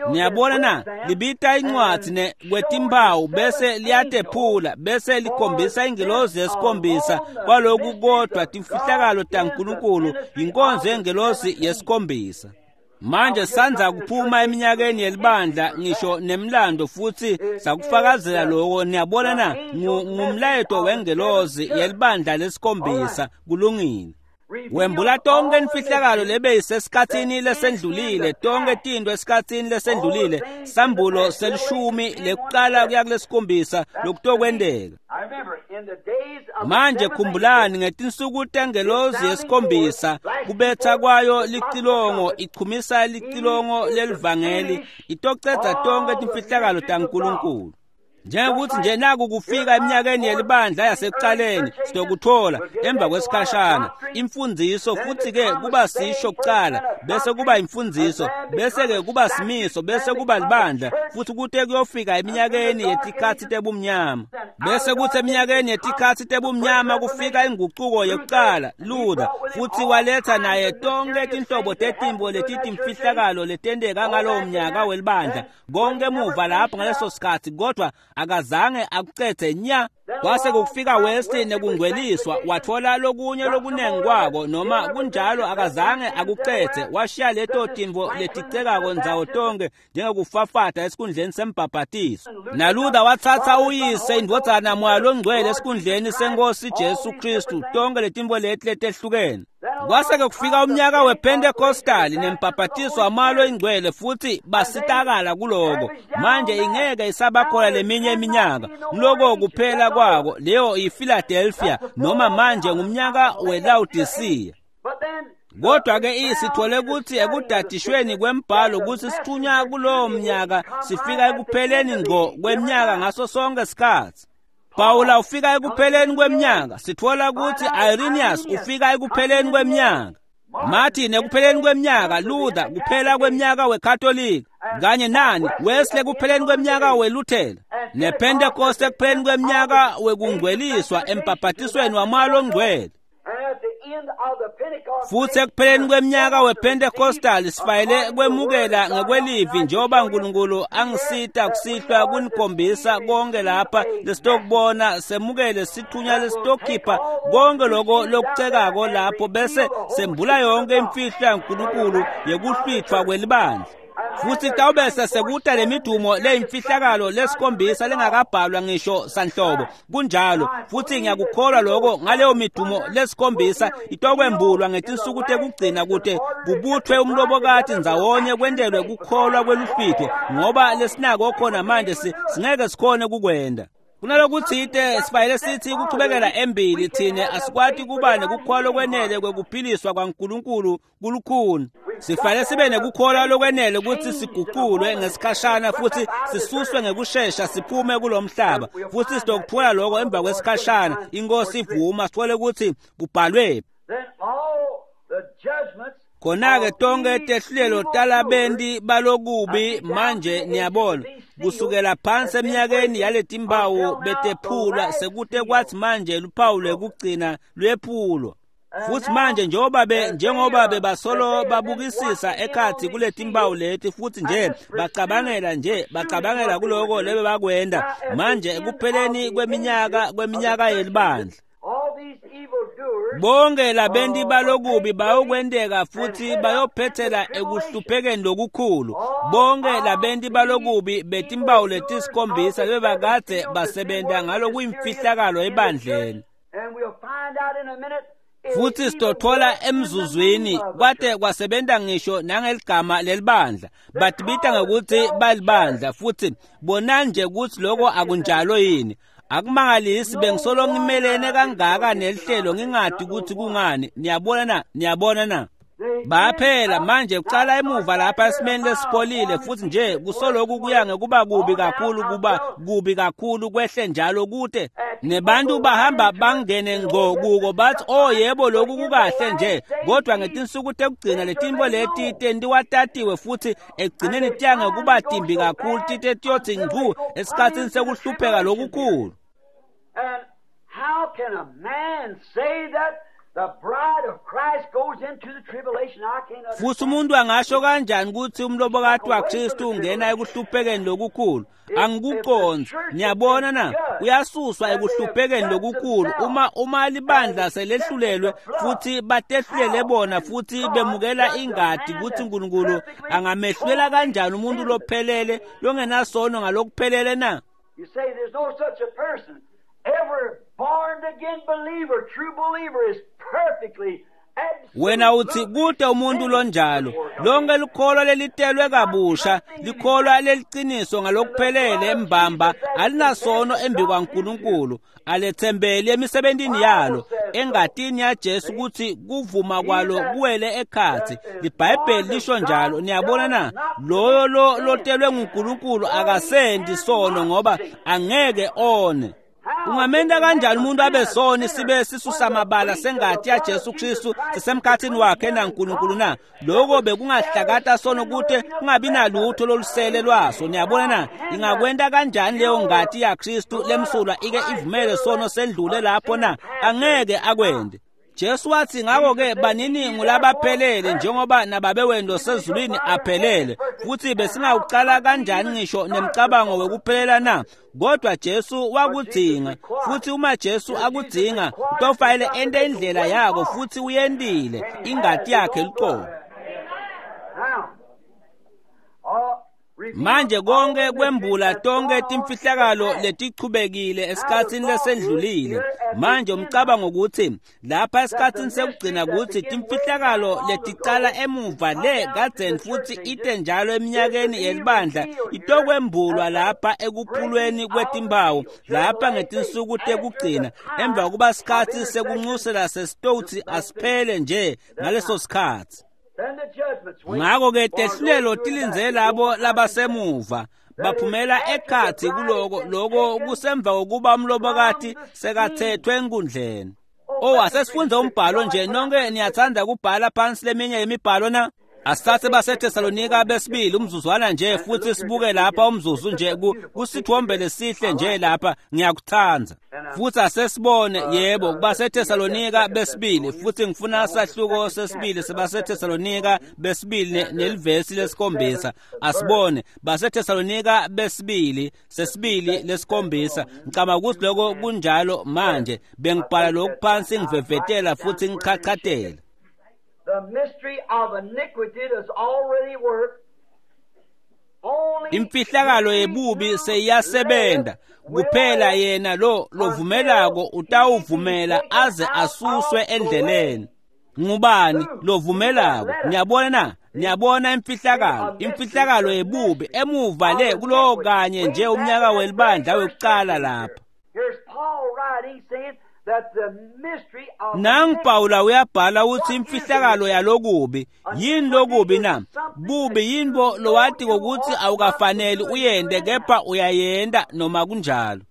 Niyabona na? Libita incwadzi kwetimpawu, bese liyatephula, bese likhombisa ingelozi yesikhombisa kwaloku kodwa timfihlakalo taNkulunkulu yinkonzo yengelozi yesikhombisa. Manje sanza kuphuma eminyakeni yelibandla ngisho nemlando, futhi sakufakazela lokho. Niyabona na? Ngumlayeto wengelozi yelibandla lesikhombisa. Kulungile. Wembula tonke imfihlakalo lebe isesikhathini lesendlulile, tonke tinto esikhathini lesendlulile. Sambulo selishumi lekuqala kuya kulesikhombisa lokutokwenteka. Manje khumbulani, ngetinsuku tengelozi yesikhombisa, kubetha kwayo licilongo, ichumisa licilongo lelivangeli, itocedza tonke timfihlakalo taNkulunkulu. Njengokuthi nje naku kufika eminyakeni yelibandla yasekuqaleni, sitokuthola emva kwesikhashana imfundiso, futhi-ke kuba sisho kuqala, bese kuba imfundiso, bese-ke kuba simiso, bese kuba libandla, futhi kute kuyofika eminyakeni yetikhatsi tebumnyama. Bese kuthi eminyakeni yetikhatsi tebumnyama kufika ingucuko yekuqala, Luther, futhi waletha naye tonke tinhlobo tetimbo letitimfihlakalo letenteka ngalowo mnyaka welibandla, konke emuva lapho ngaleso sikhatsi, kodwa akazange akucedze nya. Kwase kufika Wesley nekungcweliswa, wathola lokunye lokunengi kwako, noma kunjalo akazange akucedze, washiya leto tintfo leticekako ndzawo tonke njengekufafata esikhundleni sembhabhatiso. NaLuther watsatsa uyise, indvodzana, Moya Longcwele esikhundleni senkosi Jesu Kristu, tonke letintfo leti letehlukene. Kwase-ke kufika umnyaka wePentecostal nembhabhatiso waMoya Loyingcwele, futhi basitakala kuloko. Manje ingeke isabakhona leminye iminyaka, nguloko kuphela kwako. Leyo yiPhiladelphia, noma manje ngumnyaka weLaodicea. Kodwa-ke sithole ukuthi ekudadishweni kwembhalo kutsi sithunywa kulowo mnyaka sifika ekupheleni ngqo kweminyaka ngaso sonke sikhatsi. Pawula ufika ekupheleni kweminyaka. Sithola ukuthi Irenaeus ufika ekupheleni kweminyaka, Martin ekupheleni kweminyaka, Luther kuphela kweminyaka weKatolika, kanye nani Wesley ekupheleni kweminyaka weLuthela, nePentecost ekupheleni kweminyaka wekungcweliswa embhabhatisweni waMoya Longcwele. Futhi ekupheleni kweminyaka wePentecostal sifayele kwemukela ngekwelivi njengoba uNkulunkulu angisita kusihlwa kunikhombisa konke lapha lesitokubona, semukele sithunya lesitokhipha konke lokho lokucekako lapho bese sembula yonke imfihlo yaNkulunkulu yekuhlwithwa kwelibandla. Futhi tawubese sekuta lemidumo leyimfihlakalo lesikhombisa lengakabhalwa ngisho sanhlobo. Kunjalo, futhi ngiyakukholwa lokho ngaleyo midumo lesikhombisa itokwembulwa ngetinsuku tekugcina kute kubuthwe umlobokati ndzawonye kwentelwe kukholwa kweluhlwitho, ngoba lesinako khona manje singeke sikhone kukwenda. Kunalokutsite sifayele sithi kuchubekela embili, thine asikwati kuba nekukholwa lokwenele kwekuphiliswa kwaNkulunkulu kulukhuni. Sifayele sibe nekukholwa lokwenele ukuthi siguqulwe ngesikhashana futhi sisuswe ngekushesha siphume kulomhlaba, futhi sitokuthola lokho emva kwesikhashana inkosi ivuma, sithole ukuthi kubhalwe. Khona-ke tonke tehlulelo talabenti balokubi manje niyabona kusukela phansi eminyakeni yaletimpawu betephulwa sekute kwathi manje luphawu lwekugcina lwephulwa. Futhi manje njengoba bebasolo babukisisa ekhathi kuletimpawu leti futhi nje bacabangela kuloko lebebakwenda manje ekupheleni kweminyaka yelibandla. Bonke labenti balokubi bayokwenteka futhi bayophethela ekuhluphekeni lokukhulu. Bonke labenti balokubi betimpawu letisikhombisa bebakade basebenta ngalokuyimfihlakalo ebandleni. Futhi sitothola emzuzwini kwate kwasebenta ngisho nangeligama lelibandla, batibita ngekuthi balibandla, futhi bona nje ukuthi lokho akunjalo yini. Akumangalisi bengisolo ngimelene kangaka nelihlelo ngingadi ukuthi kungani. Niyabona na? Niyabona na? Baphela manje kucala emuva lapha esimeni lesipholile, futhi nje kusoloku kuya ngekuba kubi kakhulu, kuba kubi kakhulu kwehle njalo kute nebantu bahamba bangene ngco kuko bathi oh yebo lokhu kukahle nje, kodwa ngetinsuku tekugcina letinto leti tentiwa tatiwe futhi ekugcineni tiya ngekuba timbi kakhulu tite tiyothi ngcu esikhatsini sekuhlupheka lokukhulu. And how can a man say that the bride of Christ goes into the tribulation? I can't understand. Futhi umuntu angasho kanjani ukuthi umlobokati waKristu ungena ekuhluphekeni lokukhulu? Angikuqondzi. Niyabona na? Uyasuswa ekuhluphekeni lokukhulu uma libandla selehlulelwe futhi batehlulele bona futhi bemukela ingadi ukuthi uNkulunkulu angamehlulela kanjani umuntu lophelele longenasono ngalokuphelele na? You say there's no such a person. Every born again believer, true believer is perfectly. Wena uthi kude umuntu lonjalo. Lonke likholwa lelitelwe kabusha, likholwa leliqiniso ngalokuphelele embamba, alinasono embi kwaNkulunkulu, alethembeli emisebentini yalo, engatini yaJesu ukuthi kuvuma kwalo kuwele ekhathi. LiBhayibheli lisho njalo. Niyabona na? Loyo lotelwe nguNkulunkulu akasendi sono ngoba angeke one. Ungamenta kanjani umuntu abe soni sibe sisusamabala sengati yaJesu Kristu sisemkhathini wakhe naNkulunkulu na? Lokho bekungahlakata sono kute kungabi nalutho lolusele lwaso. Niyabona na? Ingakwenta kanjani leyo ngati yaKristu lemsulwa ike ivumele sono sendlule lapho na? Angeke akwende. Jesu wathi ngakho-ke banini ngulabaphelele njengoba nababe wenu losezulwini aphelele. Futhi besingawucala kanjani ngisho nemcabango wekuphelela na? Kodwa Jesu wakudzinga, futhi uma Jesu akudzinga utofanele ente indlela yako, futhi uyentile ingati yakhe luqobo. Manje konke kwembula tonke timfihlakalo letichubekile esikhatsini lesendlulile. Manje umcabango ukuthi lapha esikhatsini sekugcina ukuthi timfihlakalo leticala emuva le kadzeni futhi ite njalo eminyakeni yelibandla itokwembulwa lapha ekuphulweni kwetimpawu lapha ngetinsuku tekugcina emva kokuba sikhatsi sekuncusela sesitotsi asiphele nje ngaleso sikhatsi. Ngakho-ke tehlulelo tilindze labo labasemuva baphumela ekhathi kuloko loko kusemva kokuba umlobokati sekathethwe enkundleni. Oh, asesifunde umbhalo nje. Nonke niyathanda kubhala phansi leminye yemibhalo na? Asithathe baseThesalonika besibili umzuzwana nje futhi sibuke lapha umzuzu nje kusithombe lesihle nje lapha ngiyakuthanda. Futhi asesibone yebo kubaseThesalonika besibili futhi ngifuna sahluko sesibili sebaseThesalonika besibili nelivesi lesikhombisa. Asibone baseThesalonika besibili sesibili lesikhombisa. Ngicabanga ukuthi lokho kunjalo manje bengibhala lokhu phansi ngivevetela futhi ngichachatela. The mystery of iniquity does already work. Imfihlakalo yebubi seyiyasebenza kuphela yena lo lovumelako utawuvumela aze asuswe endleleni. Ngubani lovumelako? Niyabona na? Niyabona imfihlakalo, imfihlakalo yebubi emuva le kulowo kanye nje umnyaka welibandla wekucala lapha. Here's Paul writing saying that the mystery of Nangu Pawula uyabhala uthi imfihlakalo yalokubi yini lokubi na? Bubi yinto lowati ngokuthi awukafaneli uyende kepha uyayenda noma kunjalo.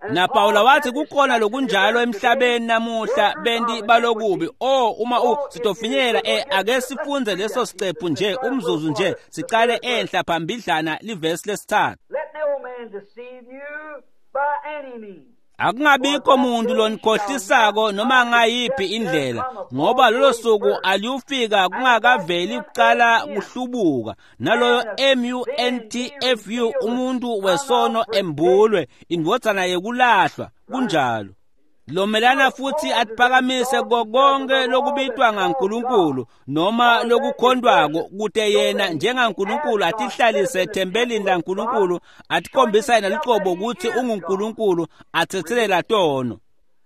Na Pawula wathi kukhona lokunjalo emhlabeni namuhla benti balokubi. Oh uma sitofinyela ake sifunze leso sicephu nje umzuzu nje sicale enhla phambidlana livesi lesithathu. Let no man deceive you by any means. Akungabikho muntu lonikhohlisako noma ngayiphi indlela ngoba lolo suku aliyufika kungakaveli kucala kuhlubuka naloyo MUNTFU umuntu wesono embulwe indvodzana yekulahlwa kunjalo. Lomelana futhi atiphakamise konke lokubitwa ngaNkulunkulu noma lokukhondwako kute yena njengaNkulunkulu atihlalise ethempelini laNkulunkulu atikhombisa yena lucobo ukuthi unguNkulunkulu athethelela tono.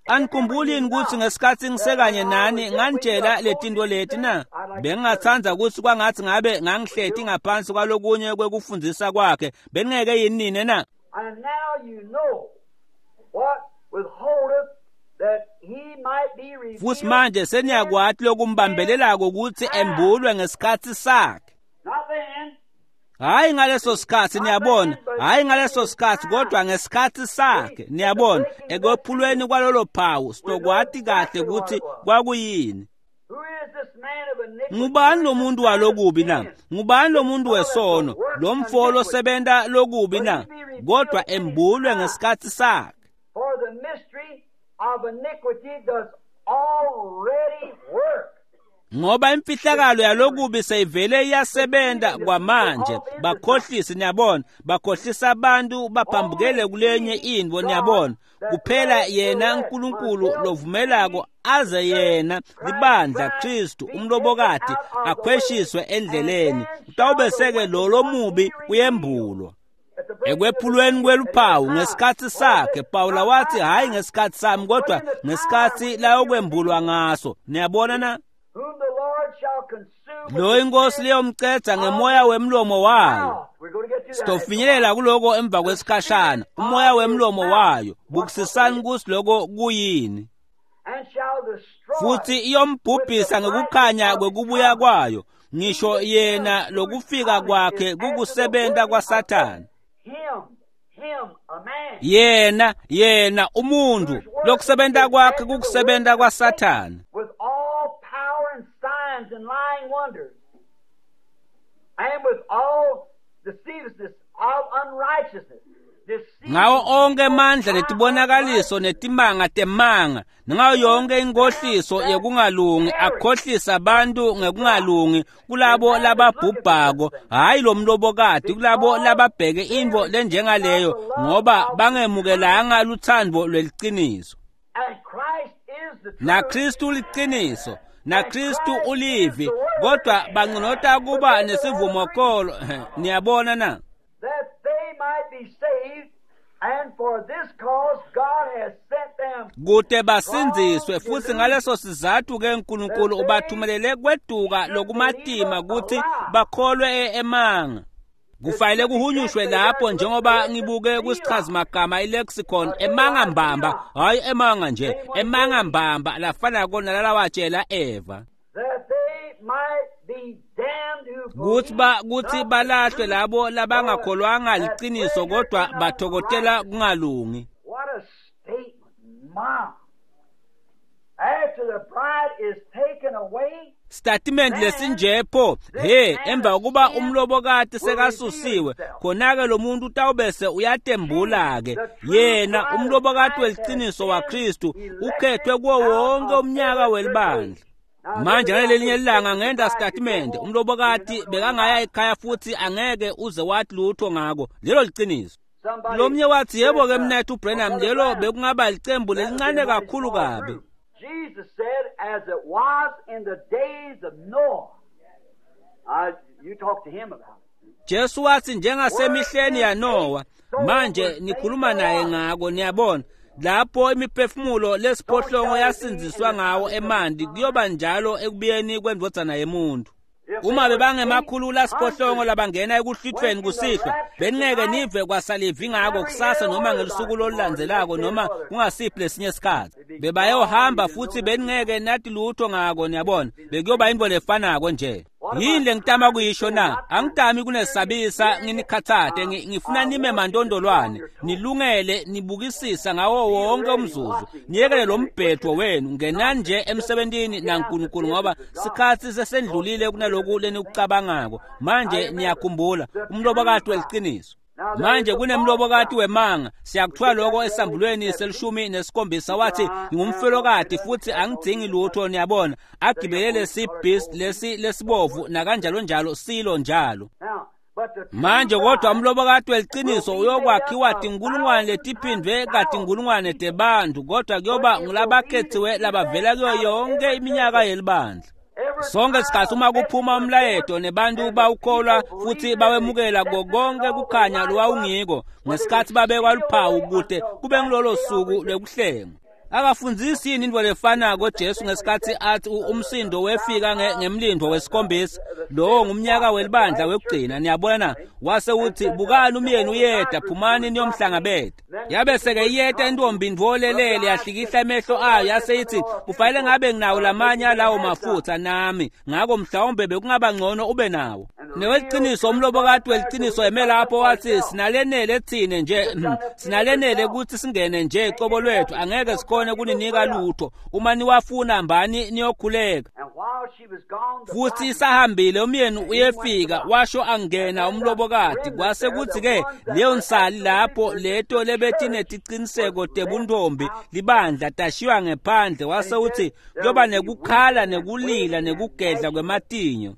Anikhumbuli yini ukuthi ngesikhathi ngisekanye nani nganitshela letinto leti na? Bengingathanda ukuthi kwangathi ngabe ngangihleti ngaphansi kwalokunye kwekufundzisa kwakhe beningeke yini nine na? And now you know what withholdeth that he might be revealed. Futhi manje seniyakwati lokumbambelelako ukuthi embulwe ngesikhathi sakhe. Not then. Hayi ngaleso sikhathi niyabona, hayi ngaleso sikhathi kodwa ngesikhathi sakhe niyabona ekwephulweni kwalolo phawu sitokwati kahle ukuthi kwakuyini. Who is this man of iniquity? Ngubani lo muntu walokubi na? Ngubani lo muntu wesono? Lo mfo losebenta lokubi na? Kodwa embulwe ngesikhathi sakhe. For the mystery of iniquity does already work. Ngoba imfihlakalo yalokubi seyivele iyasebenta kwamanje bakhohlisi niyabona bakhohlisa abantu baphambukele kulenye intfo niyabona kuphela yena uNkulunkulu lovumelako aze yena libandla Kristu umlobokati akhweshiswe endleleni utawubeseke lo lomubi uyembulwa. Ekwephulweni kweluphawu ngesikhathi sakhe Pawula wathi hayi ngesikhathi sami kodwa ngesikhathi layokwembulwa ngaso niyabona na? Whom the Lord shall consume with Lo inkosi liyomcedza ngemoya wemlomo wayo. mouth. We're going to get to that. Sitofinyelela kuloko emva kwesikhashana umoya wemlomo wayo bukisisani kusi loko kuyini And shall destroy futhi iyombhubhisa ngekukhanya kwekubuya kwayo ngisho yena lokufika kwakhe kukusebenta kwaSathane. him, him, a man. Yena yena umuntu lokusebenta kwakhe kukusebenta kwaSathane. With all power and signs and lying wonders, and with all deceivableness of unrighteousness. Deceiving Ngawo onke amandla netibonakaliso netimanga temanga nangayo yonke inkohliso yekungalungi akhohlisa abantu ngekungalungi kulabo lababhubhako hayi lo mlobokati kulabo lababheke intfo lenjengaleyo ngoba bangemukelanga lutsandvo lweliciniso. And Christ is the truth. NaKristu uliciniso naKristu ulivi kodwa banconota kuba nesivumokolo niyabona na? That they might be saved, and for this cause God has sent them. Kute basindziswe futhi ngaleso sizathu ke uNkulunkulu ubathumelele kweduka lokumatima ukuthi bakholwe emanga. Kufanele kuhunyushwe lapho njengoba ngibuke kusichazimagama ilexicon emanga mbamba hayi emanga nje emanga mbamba lafana kona lalawatshela Eva That they might be damned who kuthi ba kuthi balahlwe labo labangakholwanga liciniso kodwa bathokotela kungalungi. What a statement, Mom. After the bride is taken away, Statement lesinjepho he emva kokuba umlobokati sekasusiwe khona-ke lo muntu utawubese uyatembula-ke yena umlobokati weliciniso waKristu ukhethwe kuwo wonke umnyaka welibandla. Manje ngalelinye ilanga ngenda statement umlobokati bekangaya ekhaya futhi angeke uze wathi lutho ngako lelo liciniso. Lomnye wathi yebo-ke mnethu Branham lelo bekungaba licembu lelincane kakhulu kabi. Jesus said, as it was in the days of Noah. You talk to him about it. Jesu wathi njengasemihleni yaNoah. Manje nikhuluma naye ngako niyabona. Lapho imiphefumulo lesiphohlongo yasindziswa ngawo emanti kuyoba njalo ekubuyeni kwendvodzana yemuntu. Uma bebangemakhulu lasiphohlongo labangena ekuhlwithweni kusihlwa beningeke nive kwasalivi ngako kusasa noma ngelusuku lolulandzelako noma kungasiphi lesinye isikhathi. Bebayohamba futhi beningeke nathi lutho ngako niyabona bekuyoba into lefanako nje. Yini lengitama kuyisho na? Angitami kunesabisa nginikhathate ngifuna nime mandondolwane nilungele nibukisisa ngawo wonke umzuzu niyekele lo mbhedwo wenu ngenani nje emsebentini naNkulunkulu ngoba sikhathi sesendlulile kunaloku lenikucabangako. Manje niyakhumbula umlobokati weliciniso. Manje kunemlobokati wemanga siyakuthiwa lokho esambulweni selishumi nesikhombisa wathi ngingumfelokati futhi angidzingi lutho niyabona agibelele lesi-beast lesi lesibovu nakanjalo njalo silo njalo. Manje kodwa umlobokati weliciniso uyokwakhiwa tinkulungwane letiphindwe katinkulungwane tebantu kodwa kuyoba ngulabakhethiwe labavela kuyo yonke iminyaka yelibandla. Sonke isikhathi uma kuphuma umlayeto nebantu bawukholwa futhi bawemukela konke kukhanya lowawungiko ngesikhathi babekwa luphawu kude kube ngilolo suku lwekuhlengwa. Akafundzisi yini into lefanako Jesu ngesikhathi athi umsindo wefika ngemlindo wesikhombisa lowo ngumnyaka welibandla wekugcina niyabona wase uthi bukani umyeni uyeda phumani niyomhlangabeta. Yabe seke iyeta intombi ntfolelele yahlikihla emehlo ayo yase ithi kufanele ngabe nginawo lamanye alawo mafutha nami ngako mhlawumbe bekungaba ngcono ube nawo. Neweliciniso umlobokati weliciniso eme lapho wathi sinalenele thine nje sinalenele ukuthi singene nje cobo lwethu angeke sikhone kuninika lutho uma niwafuna hambani niyokhuleka. Futhi isahambile umyeni uyefika washo angena umlobokati kwase kuthi-ke leyo nsali lapho leto lebetineticiniseko tebuntombi libandla tashiywa ngephandle wase uthi kuyoba nekukhala nekulila nekugedla kwematinyo.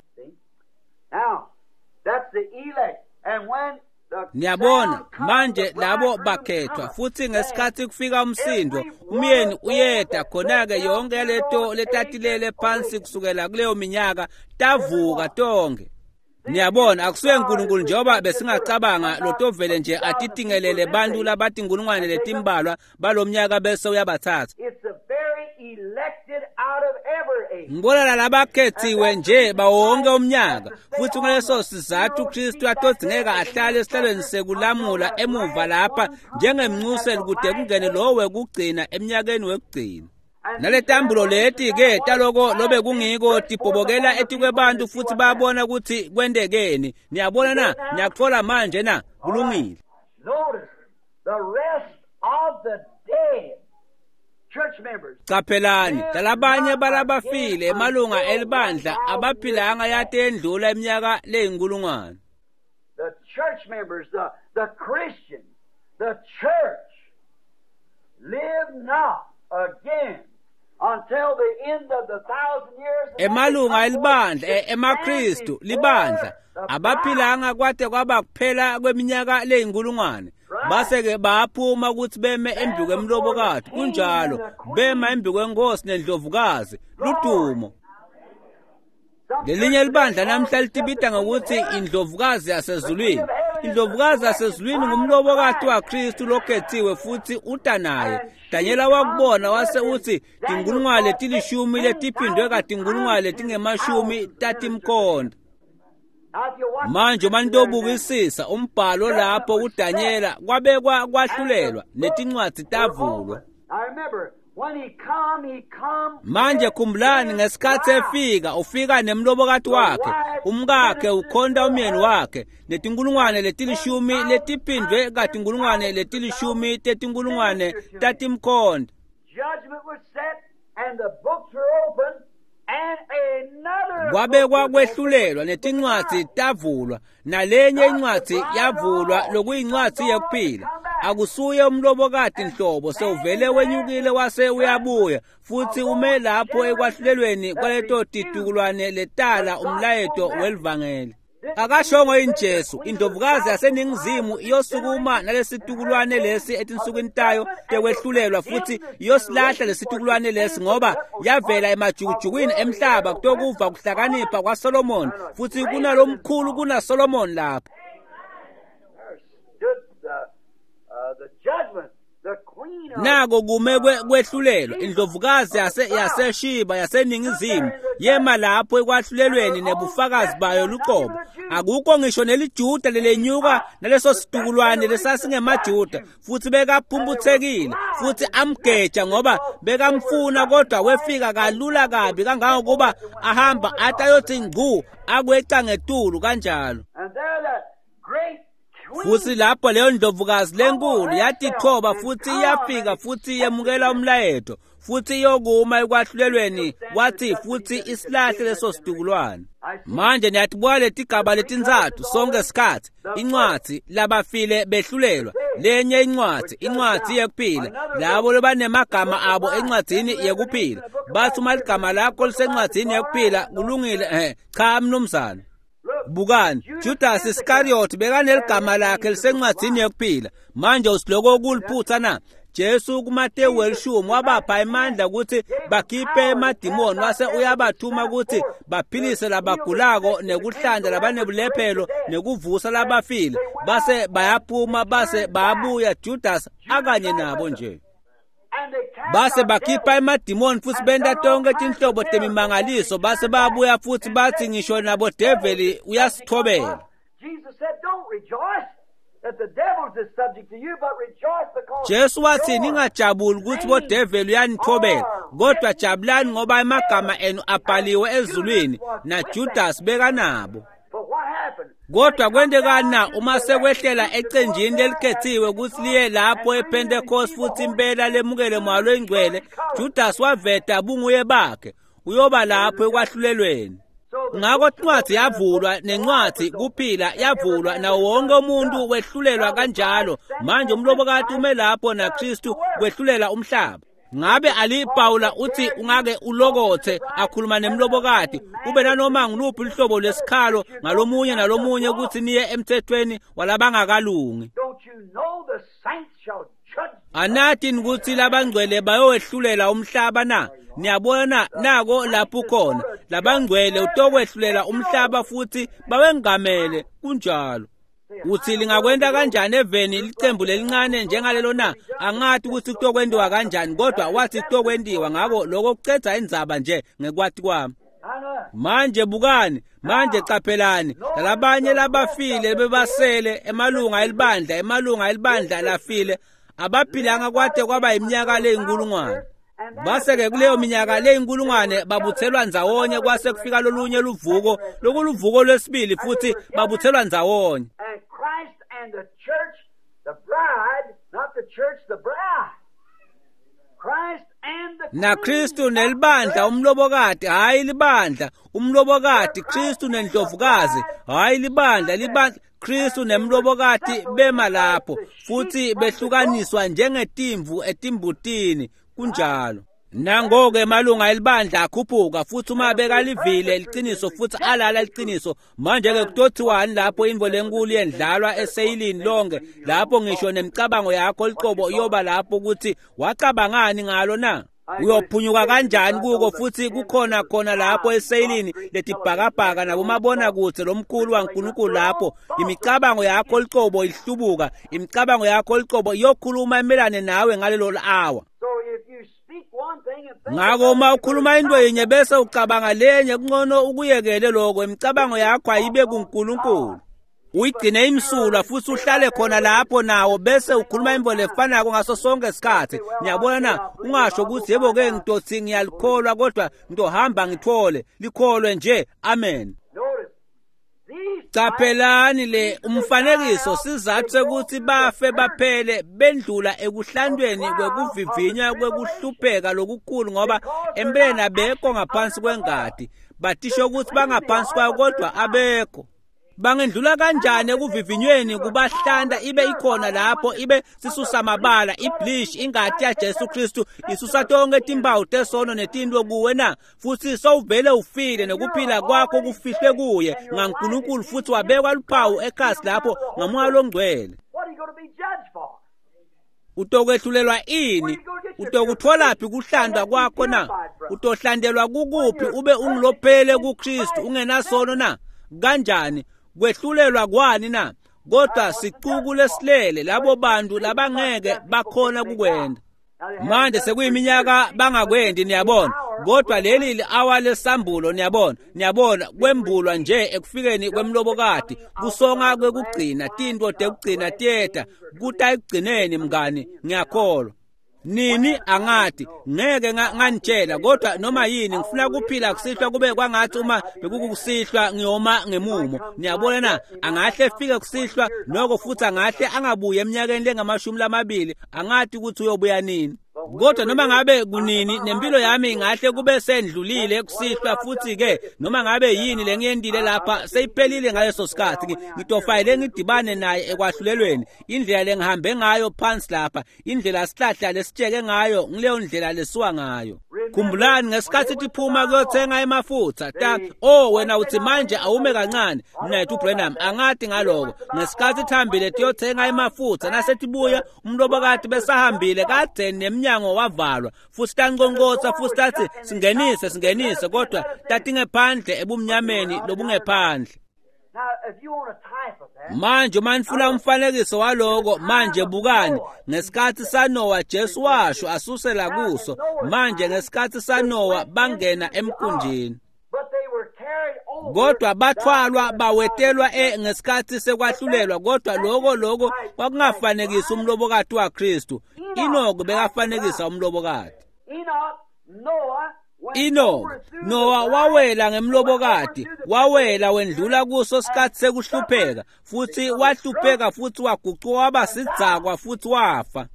Niyabona manje labo bakhethwa futhi ngesikhathi kufika umsindo umyeni uyeda khona-ke yonke leto letatilele phansi kusukela kuleyo minyaka tavuka tonke. Niyabona akusuye uNkulunkulu njengoba besingacabanga lotovele nje atitingelele bantu labatinkulungwane letimbalwa balomnyaka bese uyabathatha. Ngibona labakhethiwe nje bawonke umnyaka futhi ngaleso sizathu uKristu atodzingeka ahlale esihlalweni sekulamula emuva lapha njengemncuseli kude kungene lowo wekugcina eminyakeni wekugcina. Naletambulo leti-ke taloko lobe kungiko tibhobokela etikwebantu futhi bayabona ukuthi kwentekeni. Niyabona na? Niyakuthola manje na? Kulungile. Caphelani talabanye balabafile emalunga elibandla abaphilanga yate endlula iminyaka leyinkulungwane. The church members, the Christians, the church live not again until the end of the 1,000 years. Emalunga elibandla emaKristu libandla abaphilanga kwade kwaba kuphela kweminyaka leyinkulungwane base-ke baphuma ukuthi beme embi kwemlobokati kunjalo bema embi kwenkosi nendlovukazi ludumo. Lelinye libandla namhla litibita ngokuthi indlovukazi yasezulwini. Indlovukazi yasezulwini ngumlobokati waKristu lokhethiwe futhi uta naye. Danyela wakubona wase uthi tinkulungwane letilishumi letiphindwe katinkulungwane letingemashumi tatimkhonda. Manje uma nitobukisisa umbhalo lapho kuDanyela kwabekwa kwahlulelwa netincwadzi tavulwa. Manje khumbulani ngesikhathi efika ufika nemlobokati wakhe umkakhe ukhonta umyeni wakhe netinkulungwane letilishumi letiphindwe katinkulungwane letilishumi tetinkulungwane tatimkhonta. Kwabekwa kwehlulelwa netincwadzi tavulwa, nalenye incwadzi yavulwa lokuyincwadzi yekuphila. Akusuye umlobokati nhlobo, sewuvele wenyukile wase uyabuya futhi ume lapho ekwahlulelweni kwaleto titukulwane letala umlayeto welivangeli. Akashongo yini Jesu, indlovukazi yaseningizimu iyosukuma nalesitukulwane lesi etinsukwini tayo tekwehlulelwa futhi iyosilahla lesitukulwane lesi, ngoba yavela emajukujukwini emhlaba kutokuva kuhlakanipha kwaSolomon, futhi kunalomkhulu kunaSolomon lapho. Nako kume kwehlulelwa indlovukazi yaseShiba yaseningizimu yema lapho ekwahlulelweni nebufakazi bayo luqobo. Akukho ngisho neliJuda lelenyuka naleso situkulwane lesasingemaJuda, futhi bekaphumputhekile futhi amgeja ngoba bekamfuna, kodwa wefika kalula kabi kangangokuba ahamba athi ayothi ngcu akweca ngetulu kanjalo. Futhi lapho leyo ndlovukazi lenkulu yatithoba futhi iyafika futhi yemukela umlayeto futhi iyokuma ekwahlulelweni, wathi futhi isilahle leso situkulwane. Manje niyatibuka letigaba letintsatfu sonke sikhatsi: incwadzi labafile behlulelwa, lenye incwadzi, incwadzi yekuphila, labo labanemagama abo encwadzini yekuphila. Bathi uma ligama lakho lisencwadzini yekuphila kulungile. Cha mnumzane. Bukani, Judas Iscariot bekaneligama lakhe lisencwadzini yekuphila. Manje usiloko kuliphutha na? Jesu kuMateyu 10 wabapha emandla ukuthi bakhiphe emadimoni, wase uyabathuma ukuthi baphilise labagulako nekuhlanda labanebulephelo nekuvusa labafile. Base bayaphuma base bayabuya, Judas akanye nabo nje. Base bakhipha emadimoni futhi benta tonke tinhlobo temimangaliso, base babuya futhi bathi ngisho nabo develi uyasithobela. Jesu wathi ningajabuli ukuthi bodeveli uyanithobela, kodwa jabulani ngoba emagama enu abhaliwe ezulwini, naJudas bekanabo. Kodwa kwentekani na uma sekwehlela ecenjini lelikhethiwe ukuthi liye lapho ePentecost futhi impela lemukele Moya loyiNgcwele? Judas waveta bunguye bakhe, uyoba lapho ekwahlulelweni. Ngakho incwadzi yavulwa, nencwadzi kuphila yavulwa, nawo wonke umuntu wehlulelwa kanjalo. Manje umlobokati ume lapho naKristu kwehlulela umhlaba. Ngabe aliPawula uthi ungake ulokothe akhuluma nemlobokati ube nanoma ngiluphi luhlobo lwesikhalo ngalomunye nalomunye ukuthi niye emthethweni walabangakalungi? Anathi ukuthi labangcwele bayowehlulela umhlaba na? Niyabona nako lapho khona labangcwele utokwehlulela umhlaba futhi bawengamele. Kunjalo. Uthi lingakwenta kanjani eveni licembu lelincane njengalelo na? Angathi ukuthi kutokwentiwa kanjani, kodwa wathi kutokwentiwa. Ngako lokho kucedza indzaba nje ngekwati kwami. Manje bukani, manje caphelani, labanye labafile bebasele emalunga elibandla, emalunga elibandla lafile abaphilanga kwade kwaba iminyaka leyinkulungwane. Base-ke kuleyo minyaka leyinkulungwane babuthelwa ndzawonye, kwase kufika lolunye luvuko, lokuluvuko lwesibili, futhi babuthelwa ndzawonye. NaKristu nelibandla umlobokati, hhayi libandla, umlobokati, Kristu nendlovukazi, hhayi libandla, libandla, Kristu nemlobokati bema lapho futhi behlukaniswa njengetimvu etimbutini. Kunjalo. Nangoke emalunga elibandla akhuphuka futhi uma bekalivile liqiniso futhi alala liqiniso. Manje-ke kutothiwani lapho intfo lenkulu yendlalwa eseyilini lonke, lapho ngisho nemicabango yakho licobo iyoba lapho ukuthi wacabangani ngalo na? Uyophunyuka kanjani kuko? Futhi kukhona khona lapho eseyilini letibhakabhaka nakumabonakudze lomkhulu waNkulunkulu, lapho imicabango yakho licobo ihlubuka, imicabango yakho licobo iyokhuluma imelane nawe ngalelo awa. Ngako uma ukhuluma into yinye bese ucabanga lenye, kungcono ukuyekele lokho. Imicabango yakho ayibe kuNkulunkulu, uyigcine imsulwa futhi uhlale khona lapho nawo, bese ukhuluma imvo lefanako ngaso sonke isikhathi. Niyabona na? Ungasho ukuthi yebo-ke ngitothi ngiyalikholwa, kodwa ngitohamba ngithole likholwe nje. Amen. Caphelani le umfanekiso sizathu sekuthi bafe baphele bendlula ekuhlandweni kwekuvivinywa kwekuhlupheka lokukhulu, ngoba empeleni abekho ngaphansi kwengati. Batisho ukuthi bangaphansi kwayo kodwa abekho. Bangendlula kanjani ekuvivinyweni kubahlanda ibe ikhona lapho, ibe sisusa mabala, ibleach, ingati ya Jesu Kristu isusa tonke timpawu tesono netinto kuwe na? Futhi sowuvele ufile nokuphila kwakho kufihlwe kuye ngaNkulunkulu, futhi wabekwa luphawu ekhasi lapho ngaMoya loNgcwele. Utokwehlulelwa ini? Utokutholaphi kuhlandwa kwakho na? Utohlandelwa kukuphi ube ungilophele kuKristu ungenasono na? Kanjani? Kwehlulelwa kwani na? Kodwa sicuku lesilele labo bantu labangeke bakhona kukwenda. Manje sekuyiminyaka bangakwendi, niyabona, kodwa leli li-awa lesambulo, niyabona, niyabona, kwembulwa nje ekufikeni kwemlobokati, kusonga kwekugcina, tinto tekugcina tiyeta, kuta ekugcineni mngani, ngiyakholwa. Nini angathi ngeke nganitshela, kodwa noma yini ngifuna kuphila kusihlwa kube kwangathi uma bekukusihlwa ngiyoma ngemumo. Niyabona na? Angahle efike kusihlwa noko, futhi angahle angabuye eminyakeni lengamashumi lamabili, angathi ukuthi uyobuya nini. Kodwa noma ngabe kunini, nempilo yami ingahle kube sendlulile kusihlwa, futhi-ke noma ngabe yini lengiyendile lapha seyiphelile ngaleso sikhathi. Ngitofanele ngidibane naye ekwahlulelweni. Indlela lengihambe ngayo phansi lapha, indlela sihlahla lesitsheke ngayo, ngileyo ndlela lesuka ngayo. Khumbulani ngesikhathi tiphuma kuyothenga emafutha ta, oh wena uthi manje awume kancane, mnethu Branham, angathi ngaloko. Ngesikhathi thambile tiyothenga emafutha, nasetibuya umlobokati besahambile kade nemnyango wavalwa, futhi tanqonqotha futhi tathi singenise singenise, kodwa tatingephandle ebumnyameni lobungephandle. Manje uma nifuna umfanekiso waloko, manje bukani ngesikhathi saNowa, Jesu washo asusela kuso. Manje ngesikhathi saNowa bangena emkhunjini, kodwa bathwalwa bawetelwa ngesikhathi sekwahlulelwa. Kodwa lokho kwakungafanekisi umlobokati waKristu. Enoch bekafanekisa umlobokati. Enoch, Noah wawela ngemlobokati, wawela wendlula kuso sikhathi sekuhlupheka, futhi wahlupheka futhi wagucuka waba sidzakwa futhi wafa.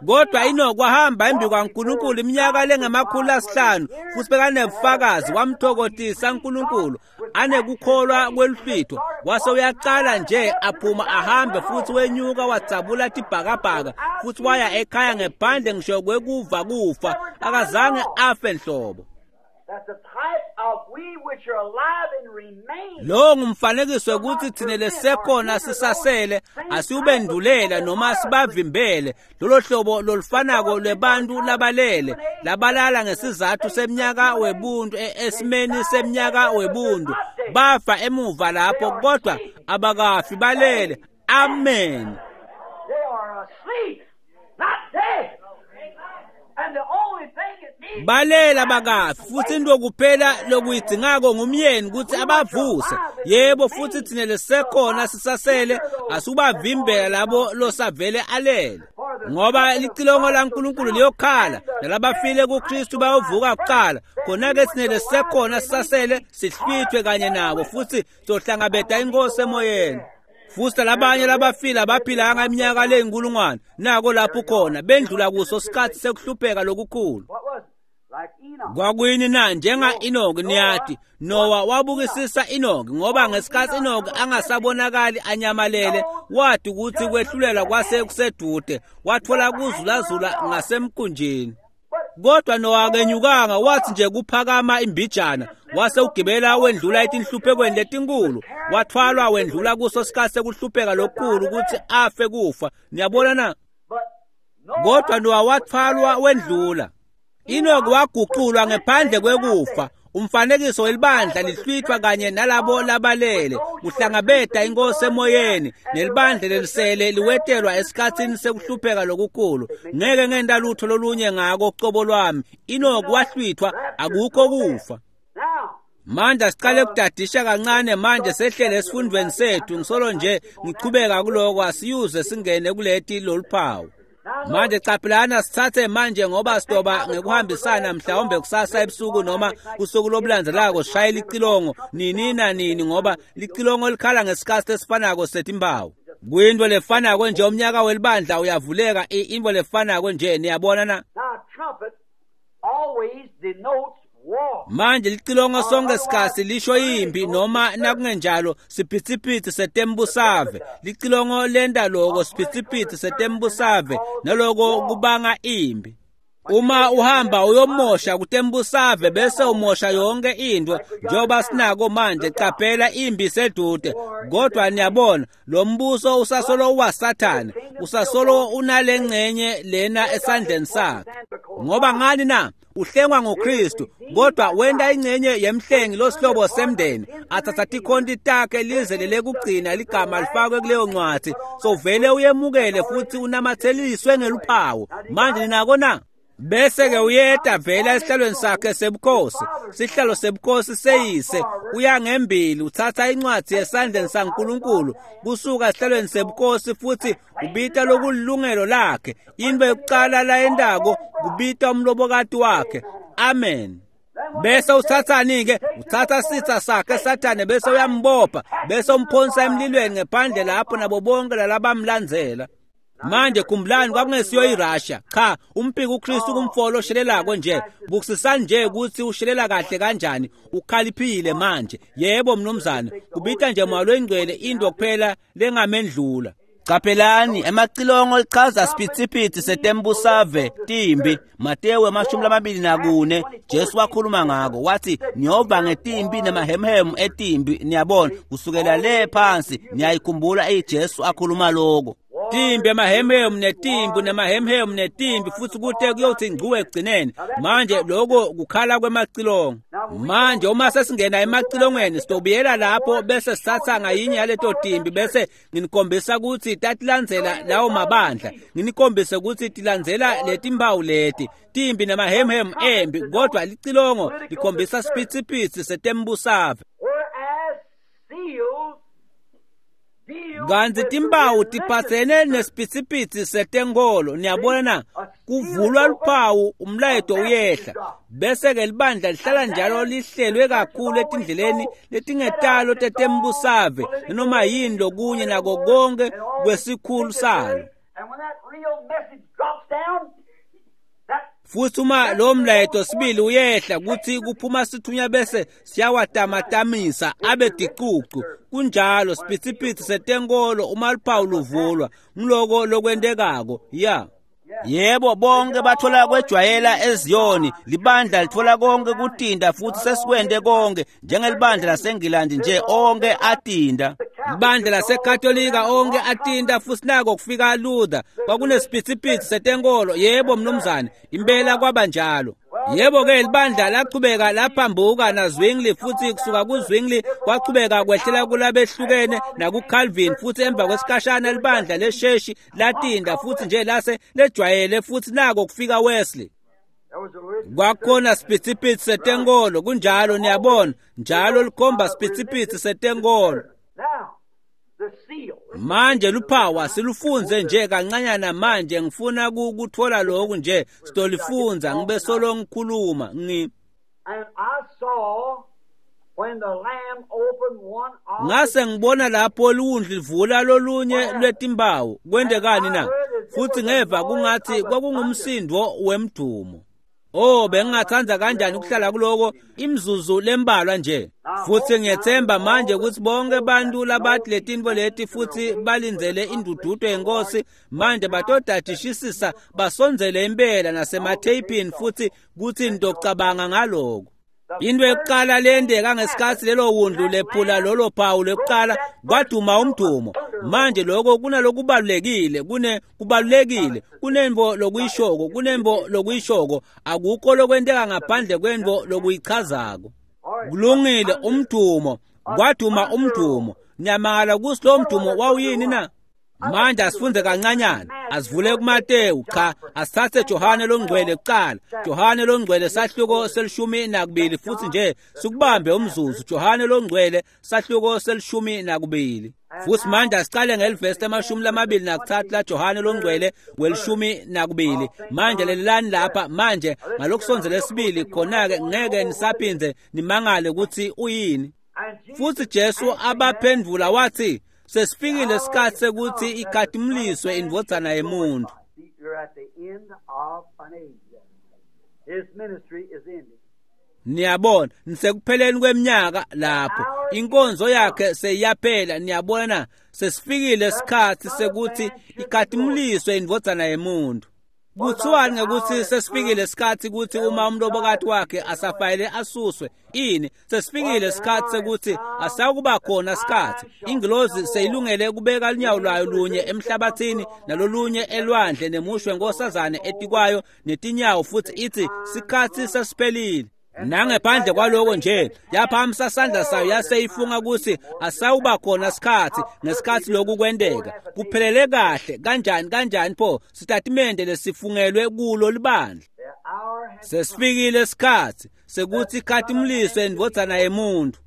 Kodwa Enoch wahamba embi kwaNkulunkulu iminyaka lengama500, futhi bekanebufakazi, wamthokotisa uNkulunkulu anekukholwa kweluhlwitho. Wase uyaqala nje aphuma ahambe, futhi wenyuka wadzabula tibhakabhaka, futhi waya ekhaya ngephandle ngisho kwekuva kufa, akazange afe nhlobo. Lo ngumfanekiso ukuthi thina lesekhona sisasele asiubendulela noma sibavimbele lolo hlobo lolufanako lwebantu labalele labalala ngesizathu seminyaka webuntu, esimeni seminyaka webuntu, bafa emuva lapho, kodwa abakafi, balele. Amen. Balela bakafi, futhi into kuphela lokuyidingako ngumyeni ukuthi abavuse. Yebo, futhi thina lesekhona sisasele asubavimbela labo losavele alele, ngoba licilongo laNkulunkulu liyokhala, nalabafile kuKristu bayovuka kuqala. Khona-ke thina lesekhona sisasele sihlwithwe kanye nabo, futhi sohlangabeta inkosi emoyeni. Futhi labanye labafile abaphilanga iminyaka leyinkulungwane, nako lapho khona bendlula kuso sikhathi sekuhlupheka lokukhulu. Kwakuyini na? Njenga Enoch, niyathi Noah wabukisisa Enoch, ngoba ngesikhathi Enoch angasabonakali anyamalele, wathi ukuthi kwehlulelwa kwase kusedude, wathola kuzulazula ngasemkhunjini. Kodwa Noah akenyukanga, wathi nje kuphakama imbijana wase ugibela wendlula etinhluphekweni letinkulu, wathwalwa wendlula kuso sikhathi sekuhlupheka lokukhulu ukuthi afe kufa. Niyabona na? Kodwa Noah wathwalwa wendlula. Enoch waguculwa ngephandle kwekufa, umfanekiso welibandla lihlwithwa kanye nalabo labalele kuhlangabeta inkosi emoyeni, nelibandla lelisele liwetelwa esikhatsini sekuhlupheka lokukhulu. Ngeke ngenta lutho lolunye ngako cobo lwami. Enoch wahlwithwa, akukho kufa. Manje siqale kudadisha kancane, manje sehlele esifundweni sethu. Ngisolo nje ngichubeka kuloko, asiyuze singene kuleti loluphawu. Manje caphilana sithathe manje ngoba sidoba ngekuhambisana mhlawumbe kusasa ebusuku noma usuku lobulandzelako sishayela icilongo nini nanini ngoba licilongo likhala ngesikhathi esifanako setimpawu. Kuyinto lefanako nje umnyaka welibandla uyavuleka into lefanako nje niyabona na. Manje licilongo sonke sikhathi lisho impi noma nakungenjalo siphithiphithi setembusave. Licilongo lenta loko siphithiphithi setembusave naloko kubanga impi. Uma uhamba uyomosha kutembusave bese umosha yonke into njengoba sinako manje. Qaphela impi sedude, kodwa niyabona lo mbuso usasolo waSathane, usasolo unalengcenye lena esandleni sakhe. Ngoba ngani na? Uhlengwa ngoKristu, kodwa wenta ingcenye yemhlengi losihlobo semndeni athatha tikhonti takhe lize lelekugcina ligama lifakwe kuleyo ncwadi. So vele uyemukele futhi unamatheliswe ngeluphawu. Manje ninako na? Bese ke uyeta vela esihlalweni sakhe sebukhosi, sihlalo sebukhosi seyise, uya ngembili uthatha incwadi esandleni saNkulunkulu kusuka esihlalweni sebukhosi futhi ubita lokulungelo lakhe. Into yokuqala layendako kubita umlobokati wakhe. Amen. Bese uthathani ke? Uthatha sitha sakhe Sathane bese uyambopha bese umphonsa emlilweni ngephandle lapho nabo bonke lalabamlandzela. Manje khumbulani kwakungesiyo iRussia. Cha, umpiki uKristu kumfolo oshelelako nje. Bukusisani nje ukuthi ushelela kahle kanjani, ukhaliphile manje. Yebo mnumzane, kubita nje moya loyingcwele into kuphela lengamendlula. Qaphelani emacilongo lichaza siphithiphithi setembusave timbi. Matewu 24 Jesu wakhuluma ngako wathi niyova ngetimbi nemahemhemu etimbi. Niyabona kusukela le phansi niyayikhumbula iJesu akhuluma lokho. Timbi emahemhemu netimbi nemahemhemu netimbi futhi kute kuyothi ngcuwe ekugcineni. Manje lokho kukhala kwemacilongo. Manje uma sesingena emacilongweni sitobuyela lapho bese sithatha ngayinye yaleto timbi bese nginikhombisa ukuthi tatilandzela lawo mabandla, nginikhombise ukuthi tilandzela letimpawu leti timbi nemahemhemu embi, kodwa licilongo likhombisa siphithiphithi setembusave. Kanti timpawu tiphatsene nesiphithiphithi setenkolo. Niyabona na? Kuvulwa luphawu umlayeto uyehla bese ke libandla lihlala njalo lihlelwe kakhulu etindleleni letingetalo tetembusave noma yini lokunye nako konke kwesikhulu salo. Futhi uma lo mlayeto sibili uyehla kuthi kuphuma sithunya bese siyawatamatamisa abe dicucu. Kunjalo siphithiphithi setenkolo uma luphawu luvulwa ngiloko lokwentekako. Ya yebo, bonke bathola kwejwayela eZiyoni. Libandla lithola konke kutinda futhi sesikwente konke njengelibandla laseNgilandi nje, onke atinda. Libandla laseKatolika onke atinda futhi nako kufika Luther. Kwakunesiphithiphithi setenkolo. Yebo mnumzane, impela kwaba njalo. Yebo ke libandla lachubeka laphambuka na Zwingli futhi kusuka kuZwingli kwachubeka kwehlela kulabehlukene nakuCalvin futhi emva kwesikhashana libandla lesheshi latinda futhi nje lase lejwayele futhi nako kufika Wesley. Kwakhona siphithiphithi setenkolo. Kunjalo, niyabona njalo likhomba siphithiphithi setenkolo. Manje luphawu silufunze nje kancanyana. Manje ngifuna ukuthola lokhu nje sitolifunza ngibe solo ngikhuluma. Ngase ngibona lapho liwundlu livula lolunye lwetimpawu. Kwentekani na? Futhi ngeva kungathi kwakungumsindo wemdumo. Oh, bengingathanda kanjani ukuhlala kuloko imzuzu lembalwa nje. Futhi ngiyethemba manje ukuthi bonke abantu labathi letinto leti futhi balindzele indududo yenkosi manje batodadishisisa basondzele impela nasematheyipini futhi kuthi nitocabanga ngaloko. Into yokuqala lendeka ngesikhathi lelo wundlu lephula lolo phawu lokuqala kwaduma umdumo. Manje lokho kunalokubalulekile, kubalulekile, kunembo lokuyishoko, kunembo lokuyishoko, akukho lokwenteka ngaphandle kwembo lokuyichazako. Kulungile, umdumo, kwaduma umdumo. Niyamangala ukuthi lo mdumo wawuyini na? Manje asifunde kancanyana, asivule kuMatewu, cha, asithathe Johane longcwele kuqala. Johane longcwele sahluko 12 futhi nje sikubambe umzuzu. Johane longcwele sahluko 12. Futhi manje asicale ngelivesi 23 laJohane longcwele 12. Manje lelani lapha manje ngalokusondzela esibili, khona-ke ngeke nisaphindze nimangale ukuthi uyini. Futhi Jesu abaphendvula wathi, sesifikile isikhathi sekuthi ikhatimliswe indvodzana yemuntu. Niyabona, nisekupheleni kweminyaka lapho inkonzo yakhe seyiyaphela. Niyabona, sesifikile isikhathi sekuthi ikhatimliswe indvodzana yemuntu. Kuthiwani ngekuthi sesifikile isikhathi ukuthi uma umlobokati wakhe asafayele asuswe ini? Sesifikile isikhathi sekuthi asakuba khona isikhathi. Ingilozi seyilungele kubeka lunyawo lwayo lunye emhlabathini nalolunye elwandle nemushwe nkosazane etikwayo netinyawo, futhi ithi sikhathi sesiphelile. Nangephandle kwaloko nje yaphamisa sandla sayo yaseyifunga ukuthi asawuba khona isikhathi ngesikhathi lokhu kwenteka. Kuphelele kahle kanjani kanjani pho sitatimende lesifungelwe kulo libandla. Sesifikile isikhathi sekuthi ikhatimliswe indvodzana yemuntu.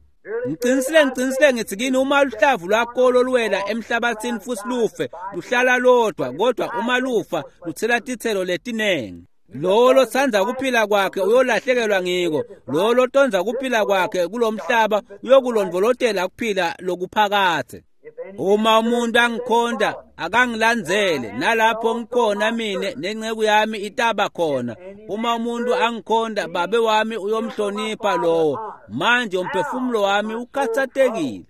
Ngiqinisile ngithi kini, uma luhlavu lwakolo luwela emhlabathini futhi lufe, luhlala lodwa, kodwa uma lufa luthela tithelo letinengi. Lowo lotsandza kuphila kwakhe uyolahlekelwa ngiko, lowo lotondza kuphila kwakhe kulomhlaba uyokulondvolotela kuphila lokuphakathe. Uma umuntu angikhonda akangilandzele, nalapho ngikhona mine nenceku yami itaba khona. Uma umuntu angikhonda, babe wami uyomhlonipha lowo. Manje umphefumulo wami ukhathatekile.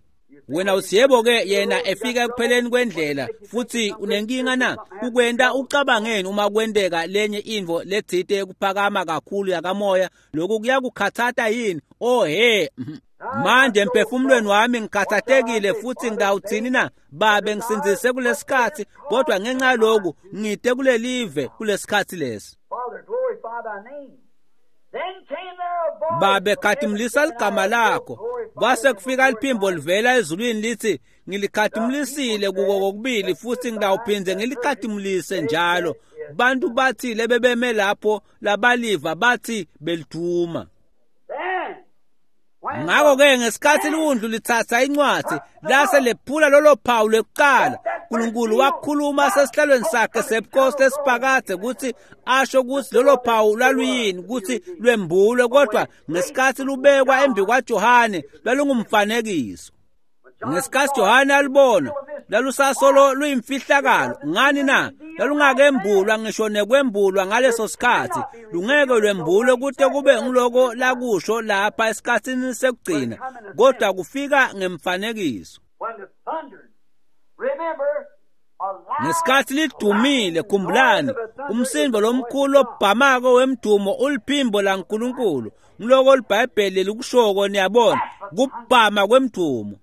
Wena uthi yebo-ke, yena efika ekupheleni kwendlela futhi unenkinga na? Kukwenta ucabangeni uma kwenteka lenye intfo letsite yekuphakama kakhulu yakamoya? Lokhu kuyakukhathata yini? Oh he, manje emphefumulweni wami ngikhathatekile futhi ngidawuthini na? Babe ngisindzise kulesikhathi, kodwa ngenxa yaloku ngide kulelive kulesikhathi lesi. Babe khatimlisa ligama lakho. Kwase kufika liphimbo livela ezulwini lithi, ngilikhatimlisile kuko kokubili futhi ngidawuphindze ngilikhatimlise njalo. Bantu bathi lebebeme lapho labaliva bathi beliduma. Ngakho-ke ngesikhathi liwundlu lithatha incwadi lase lephula lolo phawu lwekuqala, uNkulunkulu wakhuluma sesihlalweni sakhe sebukhosi lesiphakade ukuthi asho ukuthi lolo phawu lwaluyini, ukuthi lwembulwe, kodwa ngesikhathi lubekwa embi kwaJohane lwalungumfanekiso. Ngesikhathi Johane alibona, lalusasolo luyimfihlakalo. Ngani na? Lalungakembulwa ngisho nekwembulwa ngaleso sikhathi. Lungeke lwembulwe kute kube ngiloko lakusho lapha esikhathini sekugcina, kodwa kufika ngemfanekiso. Ngesikhathi lidumile, khumbulani, umsindo lomkhulu obhamako wemdumo uliphimbo laNkulunkulu. Ngiloko liBhayibheli likushoko, niyabona, kubhama kwemdumo.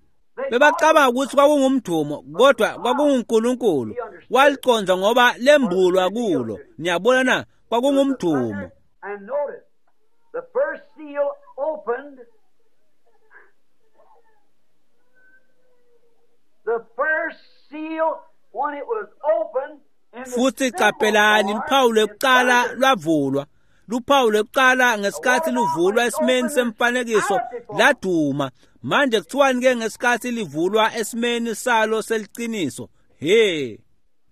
Bebacabanga ukuthi kwakungumdumo, kodwa kwakunguNkulunkulu. Waliconza ngoba lembulwa kulo. Niyabona na? Kwakungumdumo. Futhi qaphelani, luphawu lwekuqala lwavulwa. Luphawu lwekuqala ngesikhathi luvulwa esimeni semfanekiso laduma. Manje kuthiwani ke ngesikhathi livulwa esimeni salo seliqiniso? He,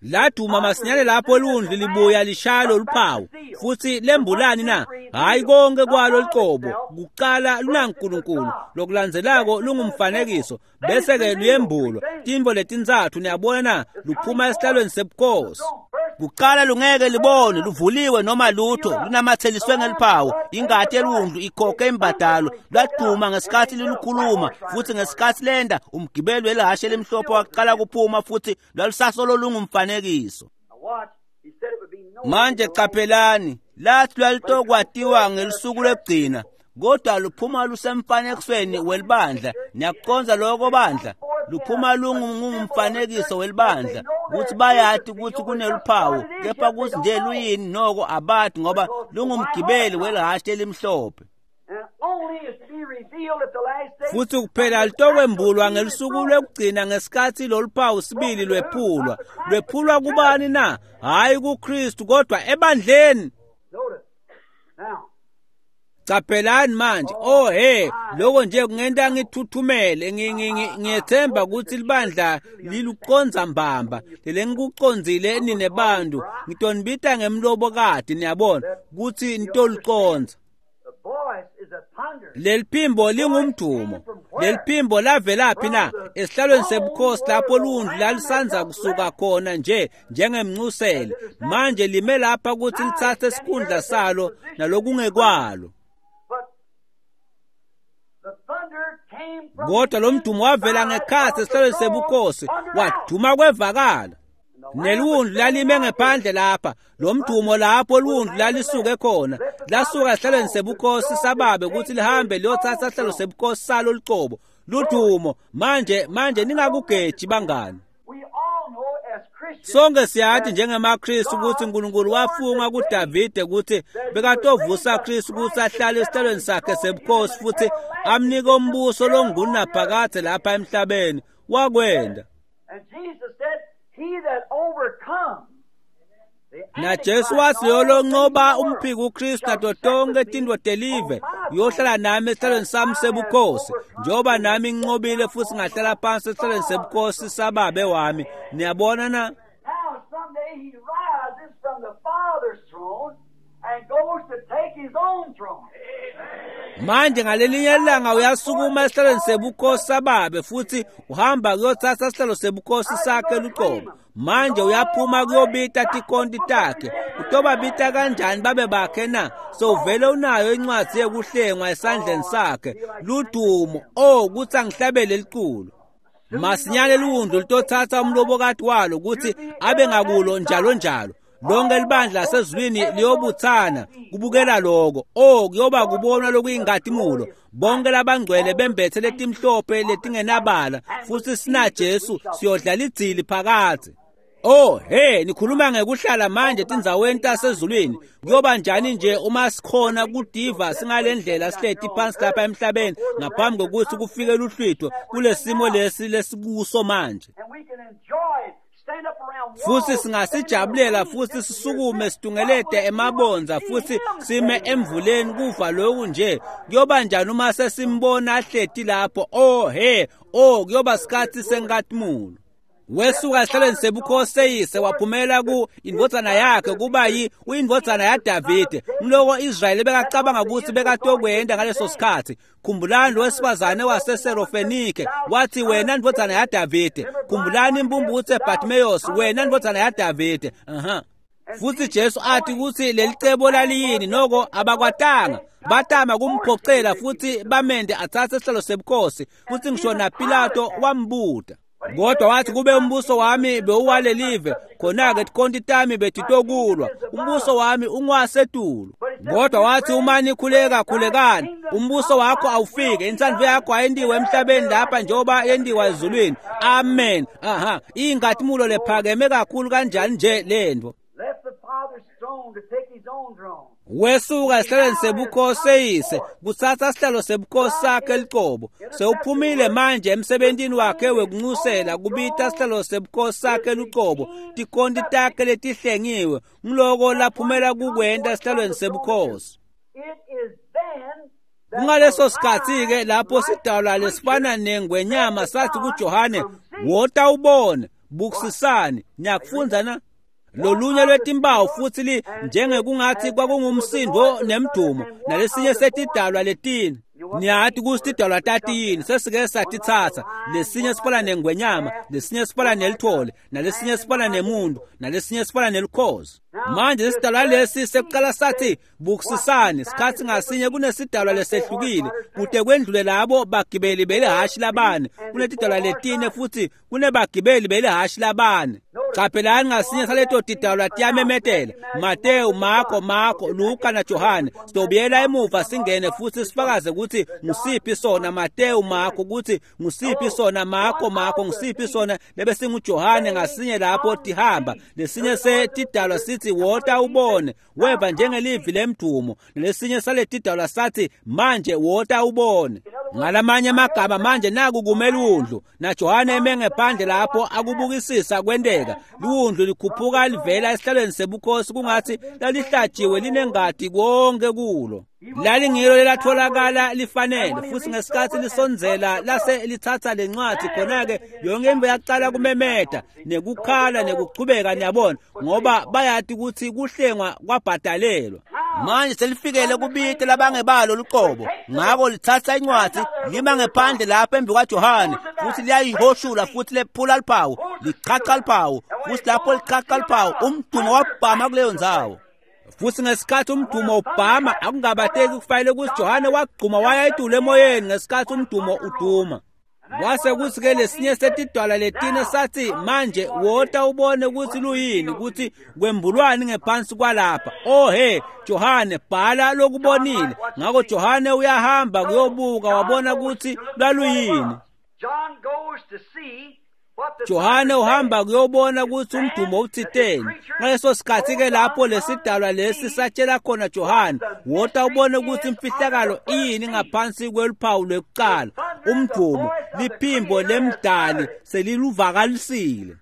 laduma masinyane lapho liwundlu libuya lishaya loluphawu. Futhi lembulani na? Hayi konke kwalo liqobo. Kuqala lunaNkulunkulu, lokulandzelako lungumfanekiso, bese-ke luyembulwa. Tintfo letintsatfu, niyabona na, luphuma esihlalweni sebukhosi. Kuqala lungeke libone luvuliwe noma lutho, lunamatheliswe ngeliphawu. Ingati yeliwundlu ikhokhe imbadalo. Lwaduma ngesikhathi lilukhuluma, futhi ngesikhathi lenda umgibeli welihashe elimhlophe waqala kuphuma, futhi lwalusasolo lungumfanekiso. Manje qaphelani, lathi lwalitokwatiwa ngelusuku lwekugcina, kodwa luphuma lusemfanekisweni welibandla. Niyakuconza lokho bandla? Luphuma lungumfanekiso welibandla, ukuthi bayati ukuthi kuneluphawu, kepha kuthi nje luyini noko abati, ngoba lungumgibeli welihhashi elimhlophe. Futhi kuphela litokwembulwa ngelusuku lwekugcina ngesikhathi loluphawu sibili lwephulwa. Lwephulwa kubani na? Hhayi kuKristu, kodwa ebandleni. Caphelani manje, oh he, lokho nje kungenta ngithuthumele. Ngiyethemba ukuthi libandla liluqondza mbamba lelengikucondzile nine bantu. Ngitonibita ngemlobokati, niyabona ukuthi nitolucondza. Leliphimbo lingumdumo. Leliphimbo lavelaphi na? Esihlalweni sebukhosi lapho lundlu lalisandza kusuka khona nje njengemncusele. Manje lime lapha ukuthi lithathe isikhundla salo nalokungekwalo. Kodwa lo mdumo wavela ngekhathi esihlalweni sebukhosi, waduma kwevakala. Neliwundlu lalime ngephandle lapha, lo mdumo lapho liwundlu lalisuke khona, lasuka esihlalweni sebukhosi sababe ukuthi lihambe liyothatha isihlalo sebukhosi salo lucobo. Ludumo. Manje ningakugeji bangani. Sonke siyathi njengemaKristu ukuthi uNkulunkulu wafunga kuDavide ukuthi bekatovusa Kristu ukuthi ahlale esihlalweni sakhe sebukhosi futhi amnike umbuso longunaphakade lapha emhlabeni. Wakwenda. NaJesu wathi yolonqoba umphiki uKristu nato tonke tintfo telive uyohlala nami esihlalweni sami sebukhosi, njengoba nami nginqobile futhi ngahlala phansi esihlalweni sebukhosi sababe wami. Niyabona na? Manje ngalelinye ilanga uyasukuma esihlalweni sebukhosi sababe futhi uhamba kuyothatha isihlalo sebukhosi sakhe lucobo. Manje uyaphuma kuyobita tikonti takhe. Utobabita kanjani babe bakhe na? Sowuvele unayo incwadi yekuhlengwa esandleni sakhe. Ludumo, oh kuthi angihlabele liculo. Masinyane liwundlu litothatha umlobokati walo ukuthi abe ngakulo njalo njalo. Lonke libandla lasezulwini liyobuthana kubukela lokho. Oh, kuyoba kubonwa lokuyinkazimulo. Bonke labangcwele bembethe letimhlophe letingenabala, futhi sina Jesu siyodlala idzili phakathi. Oh he, nikhuluma ngekuhlala manje tindzaweni tasezulwini. Kuyoba njani nje uma sikhona kudiva singalendlela sihleti phansi lapha emhlabeni ngaphambi kokuthi kufike luhlwitho kulesimo lesi lesikuso manje. Futhi singasijabulela futhi sisukume situngelete emabonza futhi sime emvuleni kuva lokhu nje. Kuyoba njani uma sesimbona ahleti lapho? Oh he, oh kuyoba sikhathi senkazimulo. Wesuka esihlalweni sebukhosi seyise waphumela ku indvodzana yakhe kuba yi uyindvodzana yaDavide. Mloko Israyeli bekacabanga ukuthi bekatokwenda ngaleso sikhathi. Khumbulani lo wesifazane waseSerofenike wathi wena ndvodzana yaDavide. Khumbulani impumputhe Bartimaeus, wena ndvodzana yaDavide. Futhi Jesu athi ukuthi lelicebo laliyini, noko abakwatanga. Batama kumphocela futhi bamende athathe isihlalo sebukhosi, futhi ngisho naPilato wambuta. Kodwa wathi kube umbuso wami bewuwalelive, khona-ke tikhonti tami betitokulwa, umbuso wami ungasetulu. Kodwa wathi uma nikhuleka khulekani, umbuso wakho awufike, intsandvo yakho ayentiwe emhlabeni lapha njengoba yentiwa ezulwini. Amen. Aha, inkazimulo lephakeme kakhulu kanjani nje lento. Wesuka esihlalweni sebukhosi seyise kuthatha sihlalo sebukhosi sakhe licobo. Sewuphumile manje emsebentini wakhe wekuncusela kubita sihlalo sebukhosi sakhe lucobo, tikhonti takhe letihlengiwe. Ngiloko laphumela kukwenta esihlalweni sebukhosi. Kungaleso sikhathi-ke lapho sidalwa lesifana nengwenyama sathi kuJohane, wota ubone, bukisisani. Niyakufundza na? Lolunye lwetimpawu futhi li njengekungathi kwakungumsindo nemdumo, nalesinye setidalwa letine. Niyathi ukuthi tidalwa tatiyini, sesike satitsatsa. Lesinye sifana nengwenyama, lesinye sifana nelithole, nalesinye sifana nemuntu, nalesinye sifana nelukhozi. Manje isidalwa lesi sekuqala sathi bukisisani. Sikhathi ngasinye kunesidalwa lesehlukile kude kwendlule labo bagibeli belihashi labane. Kunetidalwa letine futhi kunebagibeli belihashi labane. Caphelani ngasinye saleto tidalwa tiyamemetela. Mateyu, Marko, Luka na Johane. Sitobuyela emuva singene futhi sifakaze ukuthi ngusiphi sona Mateyu, Marko, ukuthi ngusiphi sona Marko, ngusiphi sona lebe singuJohane. Ngasinye lapho tihamba lesinye setidalwa sithi wota ubone, weva njengelivi lemdumo. Lesinye saletidalwa sathi manje wota ubone. Ngalamanye amagama manje naku kume liwundlu naJohane eme ngephandle lapho akubukisisa kwenteka. Liwundlu likhuphuka livela esihlalweni sebukhosi kungathi lalihlatshiwe linengati konke kulo. Lalingilo lelatholakala lifanele, futhi ngesikhathi lisondzela lase lithatha lencwadi khona-ke yonke into yaqala kumemeta nekukhala nekuchubeka, niyabona, ngoba bayati ukuthi kuhlengwa kwabhadalelwa. Manje selifikele kubite labangebalo luqobo, ngako lithatha incwadi lima ngephandle lapha embi kwaJohane futhi liyayihoshula futhi lephula liphawu, lichacha liphawu, futhi lapho lichacha liphawu umdumo wabhama kuleyo ndzawo. Futhi ngesikhathi umdumo ubhama akungabateki kufanele ukuthi Johane wagquma waya etulu emoyeni ngesikhathi umdumo uduma. Kwase kuthi-ke lesinye setidwala letine sathi, manje wota ubone ukuthi luyini, ukuthi kwembulwani ngephansi kwalapha. Oh he, Johane, bhala lokubonile. Ngakho Johane uyahamba kuyobuka wabona ukuthi lwaluyini. Johane uhamba kuyobona ukuthi umdumo uthiteni. Ngaleso sikhathi-ke lapho lesidalwa lesi satshela khona Johane, wota ubone ukuthi imfihlakalo iyini ngaphansi kweluphawu lwekuqala. Umdumo, liphimbo lemdali seliluvakalisile.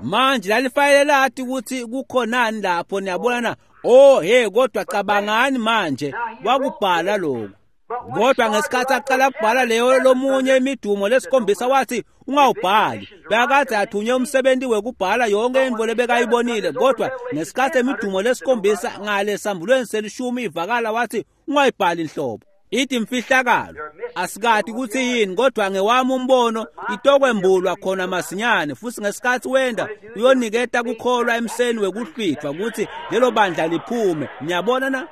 Manje lalifanele lathi ukuthi kukhonani lapho, niyabona na? Oh he, kodwa cabangani manje, wakubhala lokhu. Kodwa ngesikhathi aqala kubhala leyo lomunye imidumo lesikhombisa wathi ungawubhali. Bekade athunywe umsebenzi wekubhala yonke into lebekayibonile, kodwa ngesikhathi imidumo lesikhombisa ngale sambulweni selishumi ivakala wathi ungayibhali inhlobo. Ithi imfihlakalo asikati ukuthi yini, kodwa ngewami umbono itokwembulwa khona masinyane. Futhi ngesikhathi wenda uyoniketa kukholwa emseni wekuhlwithwa ukuthi lelo bandla liphume. Niyabona na?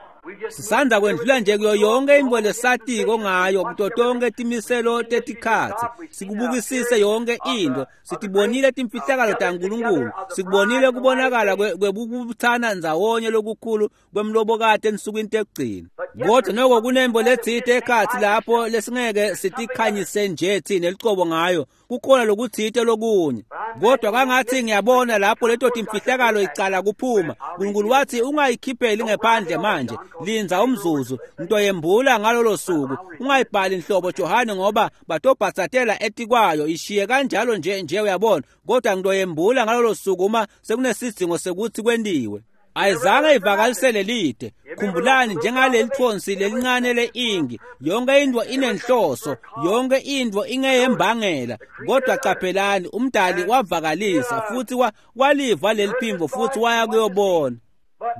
Sisanda kwendlula nje kuyo yonke into lesatiko ngayo kuto tonke timiselo tetikhatsi. Sikubukisise yonke into, sitibonile timfihlakalo taNkulunkulu, sikubonile kubonakala kwebukubuthana ndzawonye lokukhulu kwemlobokati ensukwini tekugcina. Kodwa noko kunembo letsite ekhatsi lapho lesingeke sitikhanyise nje thina licobo ngayo, kukhona lokutsite lokunye. Kodwa kangathi ngiyabona lapho leto timfihlakalo icala kuphuma. uNkulunkulu wathi ungayikhipheli ngephandle manje, linza umzuzu, ntoyembula ngalolo suku. Ungayibhali inhlobo Johane, ngoba batobhatsatela etikwayo, ishiye kanjalo nje nje uyabona. Kodwa ntoyembula ngalolo suku uma sekunesidingo sekuthi kwentiwe. Ayizange ivakalisele lide. Khumbulani, njengaleli thonsi lelincane le-ingi, yonke into inenhloso, yonke into ingeyembangela. Kodwa qaphelani, umdali wavakalisa futhi waliva leli phimbo futhi waya kuyobona.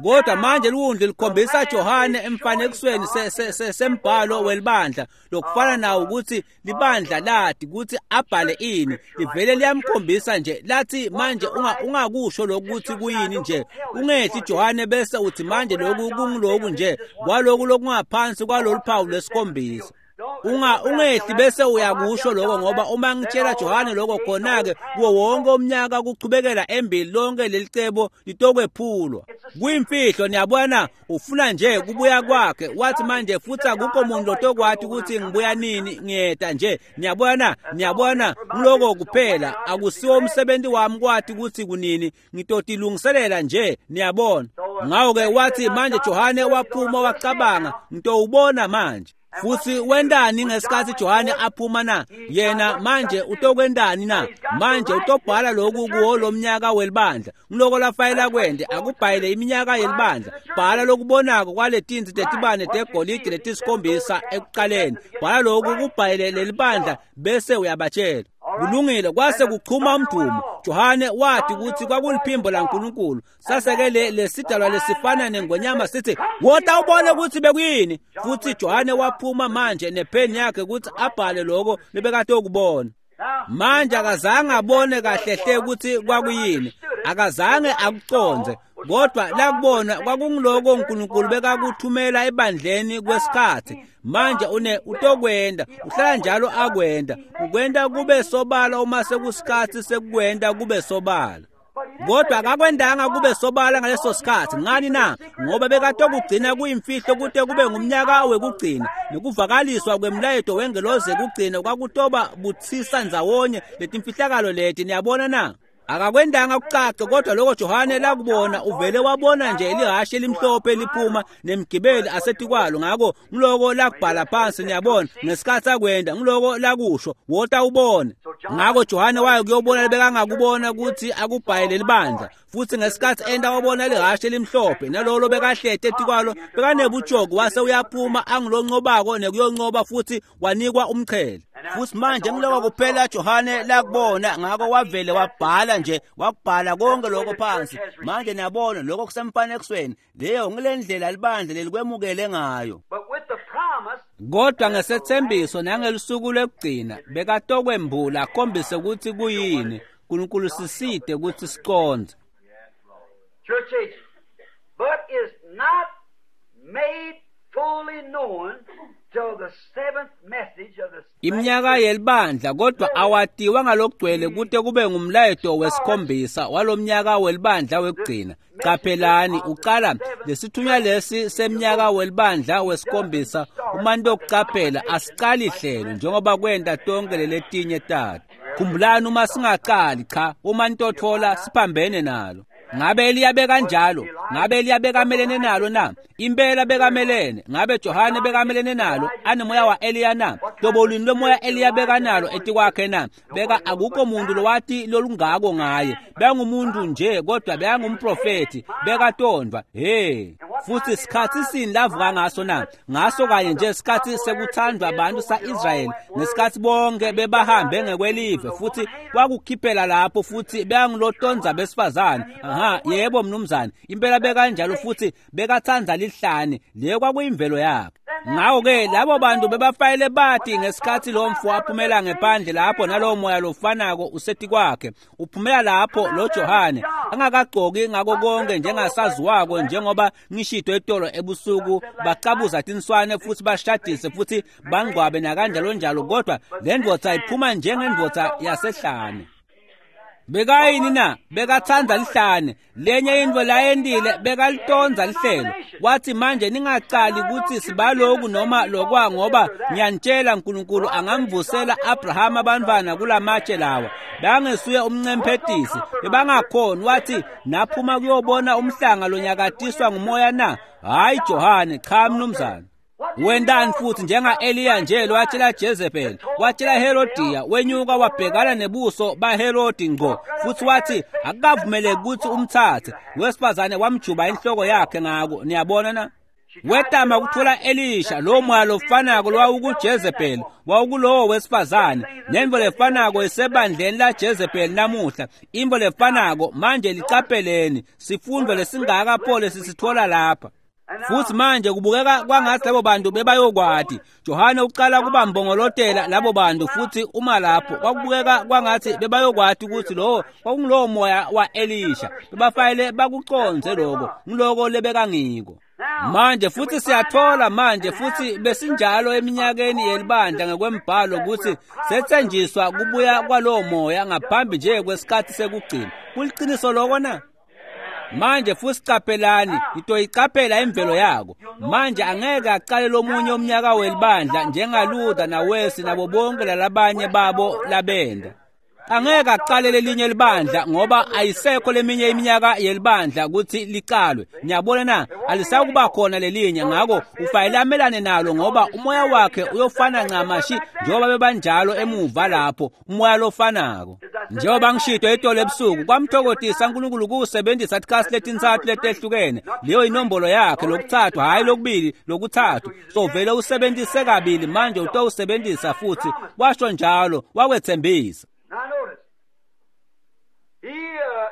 Kodwa manje liwundlu likhombisa Johane emfanekisweni sembhalo welibandla lokufana nawo ukuthi libandla lathi ukuthi abhale ini, livele liyamkhombisa nje lathi manje ungakusho lokuthi kuyini nje, ungehli Johane bese uthi manje lokhu kunguloku nje kwaloku lokungaphansi kwalolu phawu lwesikhombisa. Ungehli bese uyakusho lokho, ngoba uma ngitshela Johane lokho khona-ke kuwo wonke umnyaka kuchubekela embili lonke leli cebo litokwephulwa. Kuyimfihlo, niyabona, ufuna nje kubuya kwakhe. Wathi manje futhi akukho muntu lotokwathi ukuthi ngibuya nini, ngiyeta nje. Niyabona, niyabona, ngiloko kuphela akusiwo umsebenzi wami kwathi ukuthi kunini, ngitotilungiselela nje, niyabona. Ngakho-ke wathi manje Johane waphuma wacabanga, ngitowubona manje. Futhi wendani ngesikhathi Johane aphuma na? Yena manje utokwendani na? Manje utobhala lokhu kuwo lomnyaka welibandla. Ngiloko lafayela kwende akubhayile iminyaka yelibandla. Bhala lokubonako kwaletinzi tetibane tegolide letisikhombisa ekuqaleni. Bhala lokhu kubhayile lelibandla bese uyabatshela. Kulungile, kwase kuchuma umdumo. Johane wathi ukuthi kwakuliphimbo laNkulunkulu. Saseke lesidalwa lesifana nengonyama sithi, wota ubone ukuthi bekuyini. Futhi Johane waphuma manje nepheni yakhe ukuthi abhale lokho lebekade ukubona. Manje akazange abone kahle hle ukuthi kwakuyini, akazange akuconze, kodwa lakubona kwakungiloko uNkulunkulu bekakuthumela ebandleni kwesikhathi. Manje utokwenda, uhlala njalo akwenda, ukwenda kube sobala uma sekusikhathi sekukwenda kube sobala. Kodwa akakwendanga kube sobala ngaleso sikhathi. Ngani na? Ngoba bekatokugcina kuyimfihlo kute kube ngumnyaka wekugcina, nokuvakaliswa kwemlayeto wengelozi yekugcina kwakutoba buthisa ndzawonye letimfihlakalo leti. Niyabona na? Akakwendanga kucace, kodwa lokho Johane lakubona, uvele wabona nje lihhashi elimhlophe liphuma nemgibeli asetikwalo. Ngako ngiloko lakubhala phansi, niyabona, ngesikhathi akwenda ngiloko lakusho, wota ubone. Ngako Johane waye kuyobona bekangakubona ukuthi akubhayele libandla, futhi ngesikhathi enda wabona lihhashi elimhlophe nalolo bekahlete etikwalo bekanebujoko, wase uyaphuma angiloncobako nekuyoncoba, futhi wanikwa umqhele. Futhi manje ngiloko kuphela Johane lakubona, ngako wavele wabhala nje, wakubhala konke lokho phansi. Manje niyabona lokho kusemfanekisweni, leyo ngilendlela libandla lelikwemukele ngayo. Kodwa ngesethembiso nangelusuku lwekugcina bekatokwembula akhombise ukuthi kuyini. uNkulunkulu siside ukuthi siconze. Church age, but is not made fully known till the seventh message of the iminyaka yelibandla, kodwa awatiwa ngalokugcwele kute kube ngumlayeto wesikhombisa walomnyaka welibandla wekugcina. Qaphelani, uqala lesithunywa lesi semnyaka welibandla wesikhombisa. Uma ntokuqaphela asiqali hlelo njengoba kwenta tonke leletinye tato. Khumbulani, uma singaqali, cha, uma nitothola siphambene nalo. Ngabe Eliya bekanjalo? Ngabe Eliya bekamelene nalo na? Impela bekamelene. Ngabe Johane bekamelene nalo? Anemoya wa Eliya na? Hlobo luni lomoya Eliya bekanalo etikwakhe na? Beka akukho muntu lowati lolungako ngaye. Bengumuntu nje, kodwa bekangumprofethi, bekatondwa. Hey, futhi sikhathi sini lavuka ngaso na? Ngaso kanye nje sikhathi sekuthandwa abantu sa-Israyeli, ngesikhathi bonke bebahambe ngekwelive, futhi kwakukhiphela lapho, futhi beyangilotonza besifazane. Aha, yebo mnumzane, impela bekanjalo, futhi bekathanda lihlane, leyo kwakuyimvelo yakhe. Ngakho-ke labo bantu bebafayele bathi ngesikhathi lo mfo aphumela ngephandle lapho nalowo moya lofanako usetikwakhe, uphumela lapho lo Johane angakagcoki ngako konke njengasaziwako, njengoba ngishito etolo ebusuku, bacabuza tinswane futhi bashadise futhi bangcwabe nakanjalo njalo, kodwa le ndvodza iphuma njengendvodza yasehlane. Bekayini na? Bekathanda lihlane. Lenye into layendile, bekalitonza lihlelo. Wathi manje ningaqali ukuthi sibaloku noma lokwa, ngoba ngiyanitshela uNkulunkulu angamvusela Abraham abantwana kulamatshe lawa. Bangesuye umncemphetisi, bebangakhoni. Wathi naphuma kuyobona umhlanga lonyakatiswa ngumoya na? Hayi Johane, cha mnumzane. Wendani futhi njenga Eliya nje lowatshela Jezebel, watshela Herodiya, wenyuka wabhekana nebuso baHerodi ngqo, futhi wathi akukavumeleki ukuthi umthathe. Wesifazane wamjuba inhloko yakhe ngako. Niyabona na? Wetama ukuthola Elisha, lo moya lofanako lowawukuJezebel wawukulowo wesifazane. Nemvo lefanako isebandleni la Jezebel namuhla, imvo lefanako. Manje licapheleni sifundo lesingaka pho lesisithola lapha. Futhi manje kubukeka kwangathi labo bantu bebayokwati. Johane uqala kuba mbongolotela labo bantu, futhi uma lapho kwakubukeka kwangathi bebayokwati ukuthi lowo kwakungulowo moya wa Elisha. Bebafayele bakuconze lokho, ngiloko lebekangiko. Manje futhi siyathola manje, futhi besinjalo eminyakeni yelibandla ngekwembhalo, ukuthi sethenjiswa kubuya kwalowo moya ngaphambi nje kwesikhathi sekugcina. Kuliqiniso lokho na? Manje futhi qaphelani, ngitoyiqaphela imvelo yako. Manje angeke aqale lomunye umnyaka welibandla njengaLuther naWesley nabo bonke lalabanye babo labenda. Angeke aqale lelinye libandla, ngoba ayisekho leminye iminyaka yelibandla ukuthi liqalwe. Niyabona na? Alisakuba khona lelinye, ngako ufanele amelane nalo, ngoba umoya wakhe uyofana ncamashi njengoba bebanjalo emuva lapho, umoya lofanako. Njengoba ngishito itolo ebusuku, kwamthokotisa uNkulunkulu kuwusebenzisa tikhathi letintsatfu letehlukene. Leyo inombolo yakhe, lokuthathu, hhayi lokubili, lokuthathu. So vele usebenzise kabili, manje utowusebenzisa futhi. Washo njalo, wakwethembisa. Now notice. He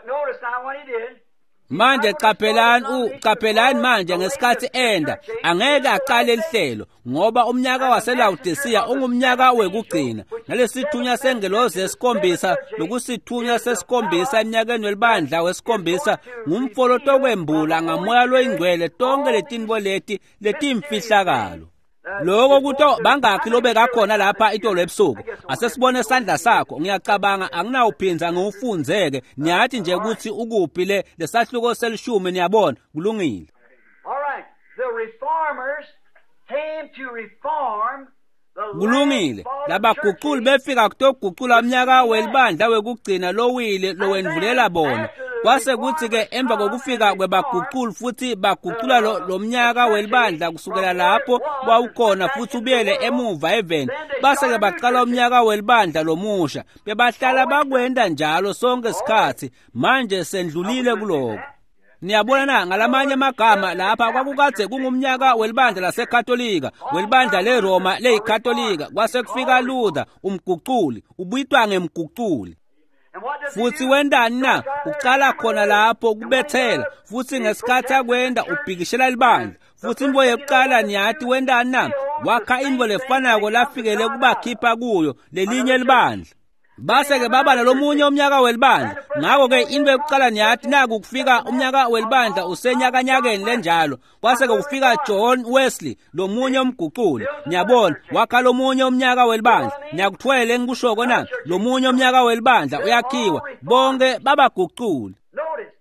notice now what he did. Manje qaphelani, qaphelani manje ngesikhathi enda angeke aqale lihlelo, ngoba umnyaka waseLaodicea ungumnyaka wekugcina. Nalesithunywa sengelozi yesikhombisa, lokusithunywa sesikhombisa eminyakeni welibandla wesikhombisa, ngumfolo tokwembula ngamoya loyingcwele tonke letinto leti letimfihlakalo. Lokho kuto bangakhi lobekakhona lapha itolo ebusuku? Asesibone isandla sakho. Ngiyacabanga anginawuphinza ngiwufunzeke. Niyathi nje ukuthi ukuphi le lesahluko selishumi, niyabona. Kulungile. All right. The reformers came to reform Kulungile, labaguculi befika kutogucula umnyaka welibandla wekugcina lowile lowendvulela bona. Kwase kutsi-ke emva kokufika kwebaguculi futhi bagucula lo mnyaka welibandla kusukela lapho wawukhona futhi ubuyele emuva eveni, base-ke baqala umnyaka welibandla lomusha. Bebahlala bakwenda njalo sonke sikhatsi. Manje sendlulile kuloko. Niyabona na, ngalamanye amagama lapha kwakukadze kungumnyaka welibandla laseKatolika, welibandla leRoma leyiKatolika. Kwase kufika Luther, umguculi, ubitwa ngemguculi. Futhi wendani na? Ucala khona lapho kubethela, futhi ngesikhathi akwenda ubhikishela libandla. Futhi intfo yekuqala niyati wendani na? Wakha intfo lefanako lafikele kubakhipha kuyo lelinye libandla. Base-ke baba nalomunye umnyaka welibandla. Ngako-ke intfo yekuqala niyati naku kufika umnyaka welibandla usenyakanyakeni lenjalo. Kwase-ke kufika John Wesley, lomunye umguculi. Niyabona, wakha lomunye umnyaka welibandla. Niyakutfwele engikushoko na? Lomunye umnyaka welibandla uyakhiwa. Bonke babaguculi. Notice,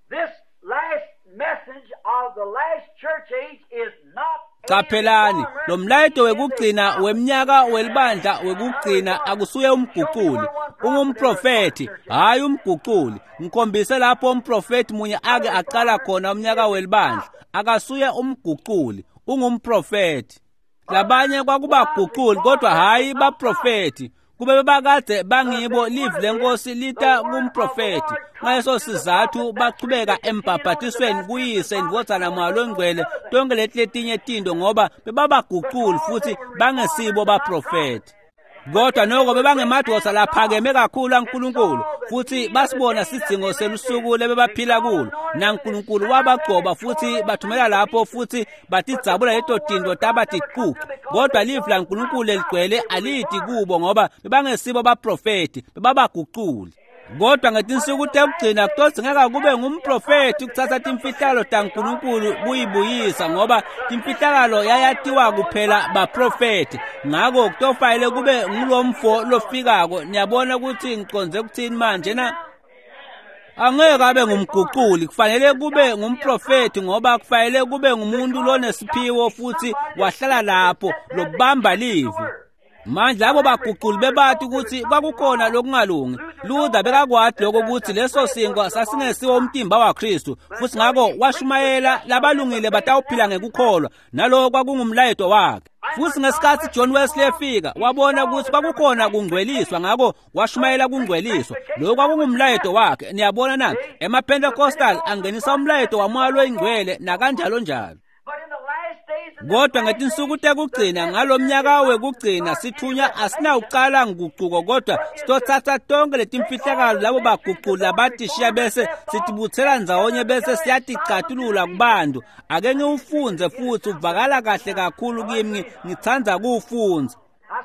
this last message of the last church age is not Caphelani, lo mlayeto wekugcina wemnyaka welibandla wekugcina akusuye umguculi, ungumprofethi, hhayi umguculi. Ngikhombise lapho umprofethi munye ake aqala khona umnyaka welibandla. Akasuye umguculi, ungumprofethi. Labanye kwakubaguculi kodwa hhayi baprofethi. Kube bebakade bangibo live lenkosi lita kumprofethi. Ngaleso sizathu bachubeka embhabhatisweni kuyise indvodzana Moya Longcwele tonke leti letinye tinto, ngoba bebabaguculi futhi bangesibo baprofethi. Kodwa noko bebangemadvodza laphakeme kakhulu aNkulunkulu, futhi basibona sidzingo selusuku lebebaphila kulo. NaNkulunkulu wabagcoba futhi bathumela lapho futhi batidzabula leto tinto taba ticucu. Kodwa live laNkulunkulu leligcwele aliti kubo, ngoba bebangesibo baprofethi, bebabaguculi. Kodwa ngetinsuku tekugcina kutodzingeka kube ngumprofethi ukutsatsa timfihlakalo taNkulunkulu kuyibuyisa, ngoba timfihlakalo yayatiwa kuphela baprofethi. Ngako kutofanele kube ngulomfo lofikako. Niyabona ukuthi ngicondze kuthini manje na? Angeke abe ngumguculi, kufanele kube ngumprofethi, ngoba kufanele kube ngumuntu lonesiphiwo futhi wahlala lapho lobamba livi. Manje labo baguculi bebati ukuthi kwakukhona lokungalungi. Luther bekakwati lokho ukuthi leso sinkwa sasingesiwo umtimba waKristu, futhi ngako washumayela labalungile batawuphila ngekukholwa, naloko kwakungumlayeto wakhe. Futhi ngesikhathi John Wesley efika, wabona ukuthi kwakukhona kungcweliswa, ngako washumayela kungcweliswa. Lokho kwakungumlayeto wakhe. Niyabona na? EmaPentecostal angenisa umlayeto waMoya Loyingcwele nakanjalo njalo. Kodwa ngetinsuku tekugcina, ngalomnyaka wekugcina, sithunya asinawucala ngucuko, kodwa sitotsatsa tonke letimfihlakalo labo baguculi labatishiya bese sitibutsela ndzawonye bese siyaticatulula kubantu. Ake ngiwufundze futhi, uvakala kahle kakhulu kimi, ngitsandza kuwufundza.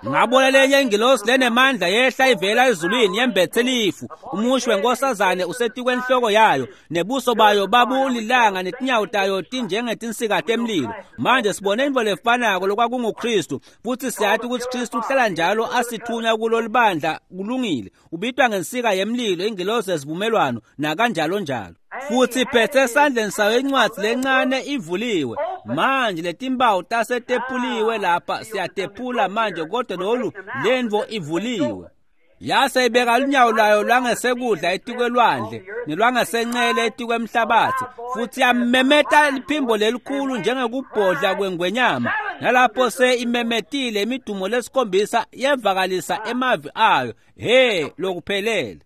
Ngabona lenye ingilosi lenemandla yehla ivela ezulwini yembethe lifu, umushi wenkosazane usetikwenhloko yayo, nebuso bayo babulilanga netinyawo tayo tinjengetinsika temlilo. Manje sibone intfo lefanako lokwakunguKristu, futhi siyati ukuthi Kristu uhlala njalo asithunya kulo libandla. Kulungile, ubitwa ngensika yemlilo, ingilosi yesivumelwano nakanjalo njalo. Futhi iphethe esandleni sayo incwadi lencane ivuliwe. Manje letimpawu tasetepuliwe lapha, siyatephula manje, kodwa lolu lentfo ivuliwe. Yase ibeka lunyawo lwayo lwangesekudla etikwelwandle nelwangesencele etikwemhlabathi, futhi yamemeta liphimbo lelikhulu njengekubhodla kwengwenyama. Nalapho se imemetile imidumo lesikhombisa yevakalisa emavi ayo, he lokuphelele.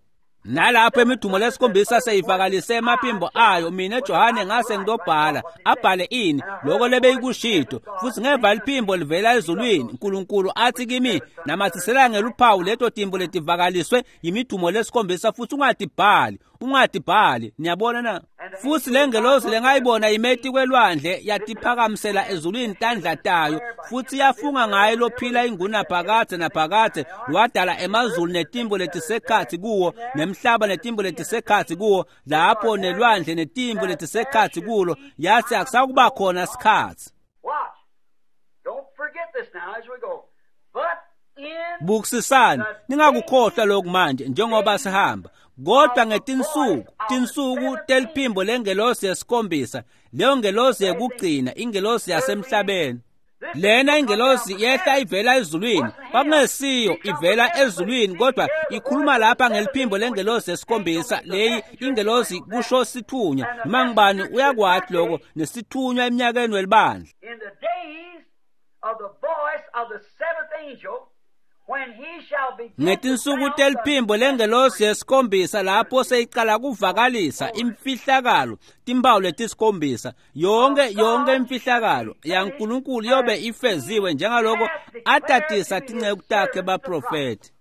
Nalapho imidumo lesikhombisa seyivakalise emaphimbo ayo, mina Johane ngase ngitobhala. Abhale ini? Lokho lebeyikushito. Futhi ngeva liphimbo livela ezulwini, uNkulunkulu athi kimi, namathisela ngeluphawu leto timbo letivakaliswe yimidumo lesikhombisa, futhi ungatibhali, ungatibhali. Niyabona na? Futhi lengelosi lengayibona imeti kwelwandle yatiphakamisela ezulwini tandla tayo, futhi yafunga ngaye lophila ingunaphakadze naphakadze, lwadala emazulu netimbo letisekhatsi kuwo, nemhlaba netimbo letisekhatsi kuwo, lapho nelwandle netimbo letisekhatsi kulo, yathi akusakuba khona sikhatsi. Watch. Don't forget this now as we go. But in Bukisisani, ningakukhohlwa lokhu manje njengoba sihamba. Kodwa ngetinsuku, tinsuku teliphimbo lengelosi yesikhombisa, leyo ngelosi yekugcina, ingelosi yasemhlabeni. Lena ingelosi yehla ivela ezulwini, kwakungesiyo ivela ezulwini, kodwa ikhuluma lapha ngeliphimbo lengelosi yesikhombisa. Leyi ingelosi kusho sithunywa, noma ngubani uyakwati lokho, nesithunywa eminyakeni welibandla. In the days of the voice of the seventh angel, when he shall begin to Ngetinsuku sound the teliphimbo lengelosi yesikhombisa, lapho seyicala kuvakalisa imfihlakalo, timpawu letisikhombisa, yonke imfihlakalo yaNkulunkulu yobe ifeziwe njengaloko atatisa tinceku takhe baprofethi.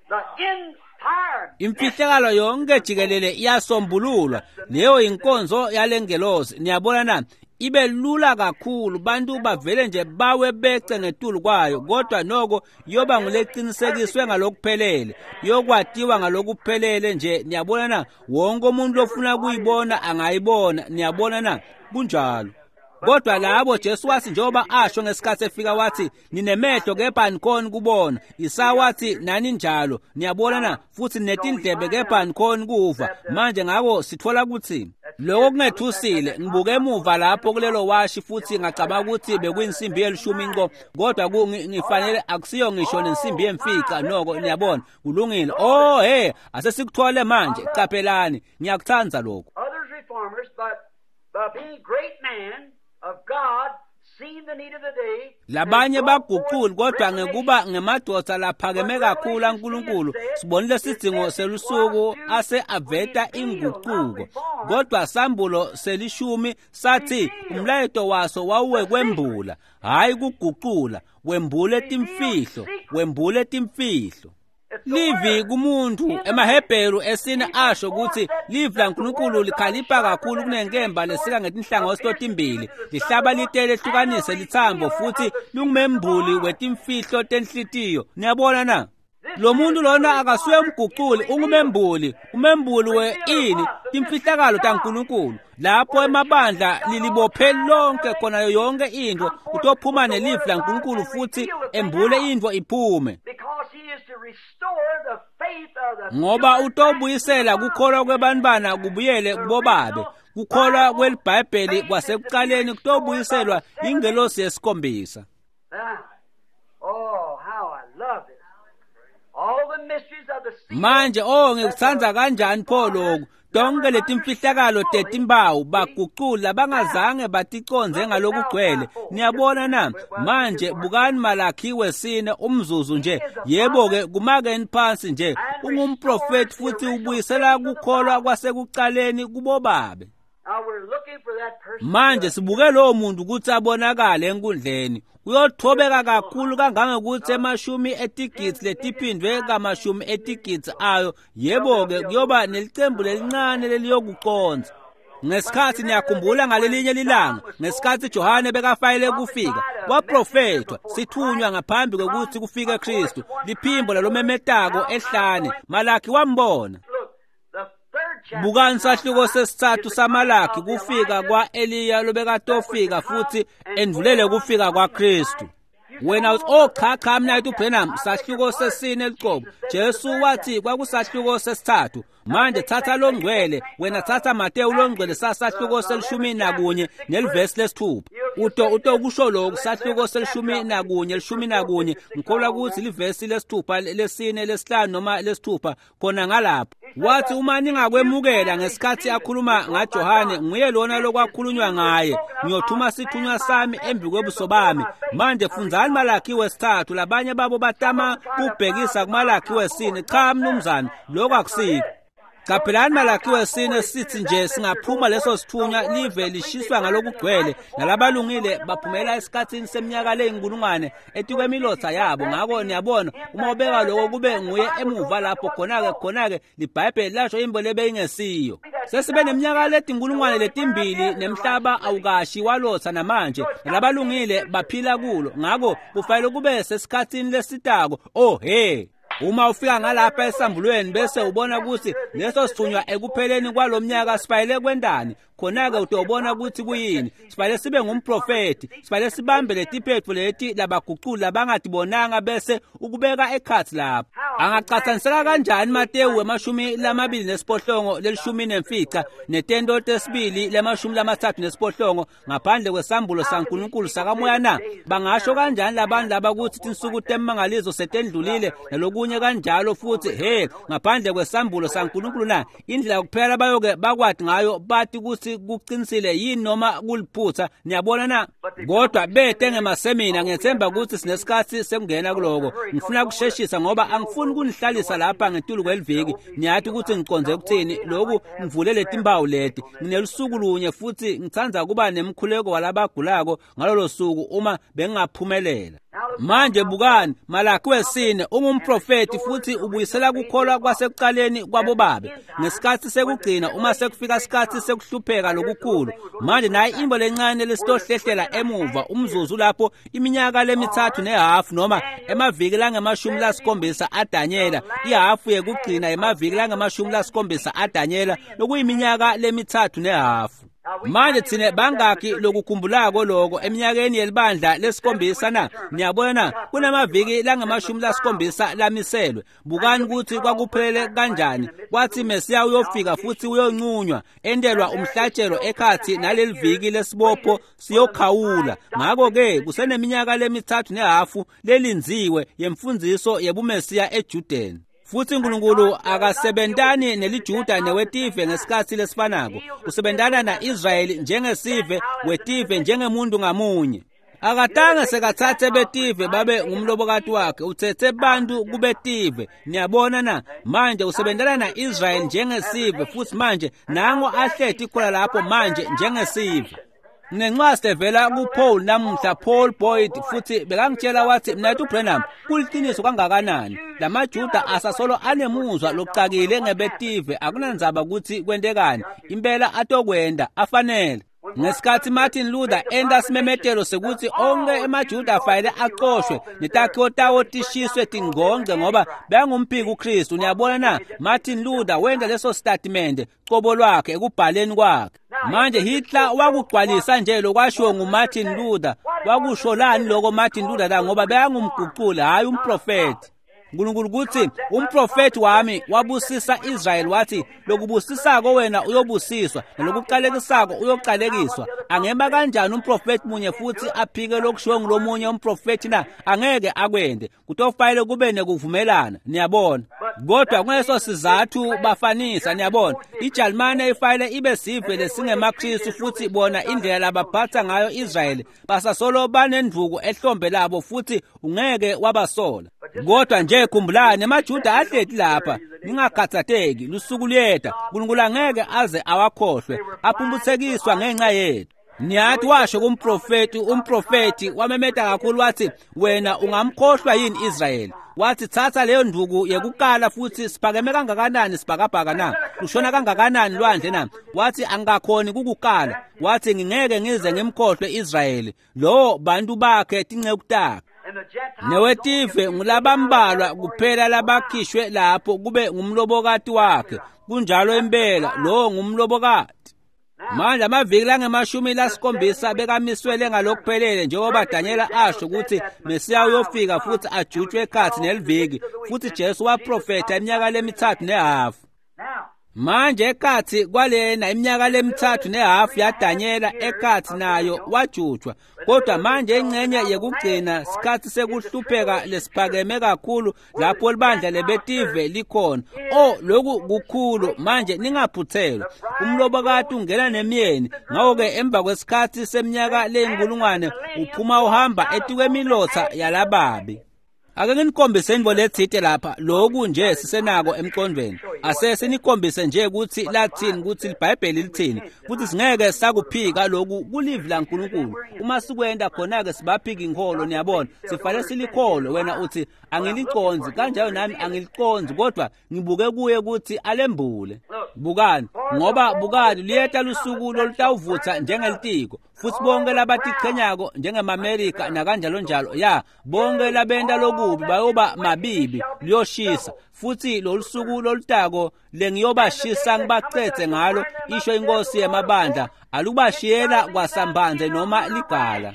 The entire Imfihlakalo yonke jikelele iyasombululwa. Leyo inkonzo yalengelosi. Niyabona na? Ibe lula kakhulu, bantu bavele nje bawe bece ngetulu kwayo, kodwa noko yoba nguleqinisekiswe ngalokuphelele, yokwatiwa ngalokuphelele nje. Niyabona na? Wonke umuntu lofuna kuyibona angayibona. Niyabona na? Kunjalo. Kodwa labo Jesu wathi, njengoba asho ngesikhathi efika, wathi ninemehlo kepha anikhoni kubona. Isaya wathi nani njalo. Niyabona na? Futhi netindlebe kepha anikhoni kuva. Manje ngako sithola ukuthi lokho kungethusile. Ngibuke emuva lapho kulelo washi futhi ngacabanga ukuthi bekuyinsimbi yelishumi nqo, kodwa ngifanele akusiyo ngisho nensimbi yemfica noko. Niyabona, kulungile. Oh hey, asesikuthole manje. Qaphelani, ngiyakuthanda lokho. Others reformers, but by being great men of God, seen the need of the day. Labanye baguquli, kodwa ngekuba ngemadoda laphakeme kakhulu aNkulunkulu, sibonile sidzingo selusuku ase aveta inguquko. Kodwa sambulo selishumi sathi umlayeto waso wawuwekwembula, hhayi kuguqula, wembule timfihlo, wembule timfihlo. Livi kumuntu emaHebheru esine asho ukuthi livi laNkulunkulu likhalipha kakhulu kunenkemba lesika ngetinhlangothi totimbili, lihlaba litele lehlukanise lithambo, futhi lungumembuli wetimfihlo tenhlitiyo. Niyabona na? Lo muntu lona akasuye umguquli, ungumembuli. Umembuli we ini? Timfihlakalo taNkulunkulu. Lapho emabandla lilibophe lonke khona yonke into, utophuma nelivi laNkulunkulu futhi embule into iphume. Because he is to restore the faith of the Ngoba utobuyisela kukholwa kwebantwana kubuyele kubobabe. Kukholwa kweliBhayibheli kwasekuqaleni kutobuyiselwa ingelosi yesikhombisa. Now, oh, how I love this. All the mysteries of the secret. Manje oh ngikuthanda kanjani pho lokhu. Tonke letimfihlakalo tetimpawu baguqula bangazange baticonze ngalokugcwele. Niyabona na? Manje bukani Malakhi wesine umzuzu nje. Yebo ke, kumakeni phansi nje. Ungumprofeti futhi ubuyisela kukholwa kwasekuqaleni kubobabe. Now we're looking for that person. Manje sibuke lowo muntu ukuthi abonakale enkundleni. Uyothobeka kakhulu kangangokuthi emashumi etigidzi letiphindwe kamashumi etigidzi ayo. Yebo ke, kuyoba nelicembu lelincane leliyokuconza. Ngesikhathi niyakhumbula ngalelinye lilanga, ngesikhathi Johane bekafayele kufika, waprofethwa sithunywa ngaphambi kokuthi kufike Kristu, liphimbo lalomemetako ehlane. Malakhi wambona. Look, the third chapter. Bukani sahluko sesithathu saMalakhi, kufika kwa-Eliya lobekatofika futhi endvulele kufika kwaKristu. Wena uthi, oh cha cha, mina uthi uBrenham, sahluko sesine liqobo. Jesu wathi kwakusahluko sesithathu. Manje thatha longcwele, wena thatha Mateyu longcwele sasahluko se-11 nelivesi lesithupha. Uto kusho lokhu sahluko se-11 11, ngikholwa ukuthi livesi lesithupha, lesine, lesihlanu noma lesithupha khona ngalapho. Wathi uma ningakwemukela ngesikhathi akhuluma ngaJohane, nguye lona lokwakhulunywa ngaye, ngiyothuma sithunywa sami embi kwebuso bami. Manje fundzani Malakhi wesithathu. Labanye babo batama kubhekisa kuMalakhi wesine. Cha mnumzane, lokho akusikho. Qaphelani Malakhi wesine sithi nje singaphuma leso sithunywa, live lishiswa ngalokugcwele, nalabalungile baphumela esikhathini seminyaka leyinkulungwane etikwemilotha yabo. Ngako niyabona, uma ubeka lokho kube nguye emuva lapho, khona-ke liBhayibheli lasho imbo lebeyingesiyo. Sesibe neminyaka letinkulungwane letimbili nemhlaba awukashi walotha namanje, nalabalungile baphila kulo. Ngako kufanele kube sesikhathini lesitako. Oh he, uma ufika ngalapha esambulweni bese ubona ukuthi leso sithunywa ekupheleni kwalomnyaka sifanele kwendani, Khona-ke utobona kutsi kuyini. Sifanele sibe ngumprofethi, sifanele sibambe letiphetfo leti labaguculi labangatibonanga bese ukubeka ekhatsi lapho. Angacatsaniseka kanjani Matewu 28 15 netento tesibili 38 ngaphandle kwesambulo saNkulunkulu sakamoya na? Bangasho kanjani labantu laba kutsi tinsuku temangaliso setendlulile nalokunye kanjalo futhi he ngaphandle kwesambulo saNkulunkulu na? Indlela kuphela bayoke bakwati ngayo bathi kutsi kuqinisile yini noma kuliphutha. Niyabona na? Kodwa bete ngemasemina. Ngiyethemba ukuthi sinesikhathi sekungena kuloko. Ngifuna kusheshisa ngoba angifuni kunihlalisa lapha ngetulu kweliviki. Niyathi ukuthi ngiconze ukuthini lokhu. Ngivule letimpawu leti, nginelusuku lunye futhi ngitsandza kuba nemkhuleko walabagulako ngalolo suku uma bengingaphumelela. Manje bukani, Malaki wesine ungumprofeti futhi ubuyisela kukholwa kwasekuqaleni kwabobabe ngesikhathi sekugcina uma sekufika isikhathi sekuhlupheka lokukhulu. Manje nayi imbo lencane lesitohlehlela emuva umzuzu lapho iminyaka lemithathu nehafu noma emaviki langama-70 aDanyela, ihafu yekugcina emaviki langama-70 aDanyela lokuyiminyaka lemithathu nehafu. Manje thine bangaki lokukhumbulako lokho eminyakeni yelibandla lesikhombisa na? Niyabona kunamaviki langama-70 lamiselwe. Bukani ukuthi kwakuphelele kanjani. Kwathi Mesiya uyofika futhi uyonqunywa endelwa umhlatshelo ekhathi naleli viki lesibopho siyokhawula. Ngakho-ke kuseneminyaka lemithathu nehafu lelinziwe yemfundiso yebuMesiya eJudeni. Futhi uNkulunkulu akasebentani neliJuda newetive ngesikhathi lesifanako. Usebentana na-Israyeli njengesive, wetive njengemuntu ngamunye. Akatange sekathathe betive babe ngumlobokati wakhe, uthethe bantu kubetive. Niyabona na? Manje usebentana na-Israyeli njengesive futhi manje nango ahleti khona lapho manje njengesive. Nginencwadi evela kuPaul namuhla, Paul Boyd, futhi bekangitshela wathi, "Mnethu Branham, kuliqiniso kangakanani lamaJuda asasolo anemuzwa lokucakile ngebetive, akunandzaba ukuthi kwentekani, impela atokwenda afanele." Ngesikhathi Martin Luther enta simemetelo sekuthi onke emaJuda afanele acoshwe netakhiwo tawo tishiswe tingqongqe ngoba bengumphiki uKristu. Niyabona na? Martin Luther wenta leso statement cobo lwakhe ekubhaleni kwakhe. Manje Hitler wakugcwalisa nje lokwashiwo nguMartin Luther. Wakusho lani lokho Martin Luther la? Ngoba bekangumguculi, hhayi umprofethi. uNkulunkulu kuthi umprofethi wami wabusisa Israyeli wathi, lokubusisako wena uyobusiswa nalokuqalekisako uyoqalekiswa. Angema kanjani umprofethi munye futhi aphike lokushiwo ngulomunye umprofethi na? Angeke akwende. Kutofanele kube nekuvumelana, niyabona. Kodwa kuleso sizathu bafanisa, niyabona. IJalimane ifanele ibe sive lesingemaKristu futhi bona indlela labaphatha ngayo Israyeli basasolo banendvuku ehlombe labo futhi ungeke wabasola. Kodwa nje khumbulani, emaJuda ahleti lapha, ningakhathatheki, lusuku luyeta, uNkulunkulu angeke aze awakhohlwe, aphumputhekiswa ngenxa yethu. Niyathi washo kumprofeti, umprofeti wamemeta kakhulu wathi, "Wena ungamkhohlwa yini Israyeli?" Wathi, "Thatha leyo nduku yekukala futhi siphakeme kangakanani sibhakabhaka na? Lushona kangakanani lwandle na?" Wathi, "Angakhoni kukukala." Wathi, "Ngingeke ngize ngimkhohlwe Israyeli, lo bantu bakhe tinceku takhe." Newetive ngulabambalwa kuphela labakhishwe lapho kube ngumlobokati wakhe. Kunjalo impela, lo ngumlobokati. Manje amaviki langama-70 bekamiswele ngalokuphelele njengoba Daniela asho ukuthi Mesiya uyofika futhi ajutshwe ekhathi neliviki, futhi Jesu waprofetha iminyaka lemithathu nehafu. Manje ekhathi kwalena iminyaka lemithathu nehafu yaDanyela ekhathi nayo wajutshwa. Kodwa manje ingxenye yekugcina sikhathi sekuhlupheka lesiphakeme kakhulu lapho libandla lebetive likhona. Oh, lokhu kukhulu. Manje ningaphuthelwa. Umlobokati ungena nemyeni. Ngakho-ke emva kwesikhathi seminyaka leyinkulungwane uphuma uhamba etikwemilotha yalababi. Ake nginikhombise intfo letsite lapha, lokhu nje sisenako emqondweni. Ase sinikhombise nje ukuthi lathini, ukuthi iBhayibheli lithini, futhi singeke sakuphika lokhu kulivi laNkulunkulu. Uma sikwenta khona-ke sibaphika inkholo, niyabona. Sifanele silikholwe. Wena uthi, "Angiliconzi," kanjalo nami angiliconzi, kodwa ngibuke kuye ukuthi alembule. Bukani, ngoba bukani luyeta lusuku lolutawuvutha njengelitiko. Futsi bonke labatichenyako njengemaMerika nakanjalo njalo, ya, bonke labenta lokubi bayoba mabibi, luyoshisa. Futsi lolusuku lolutako lengiyobashisa ngibacedze ngalo, isho inkosi yemabandla, alubashiyela kwasambandze noma ligala.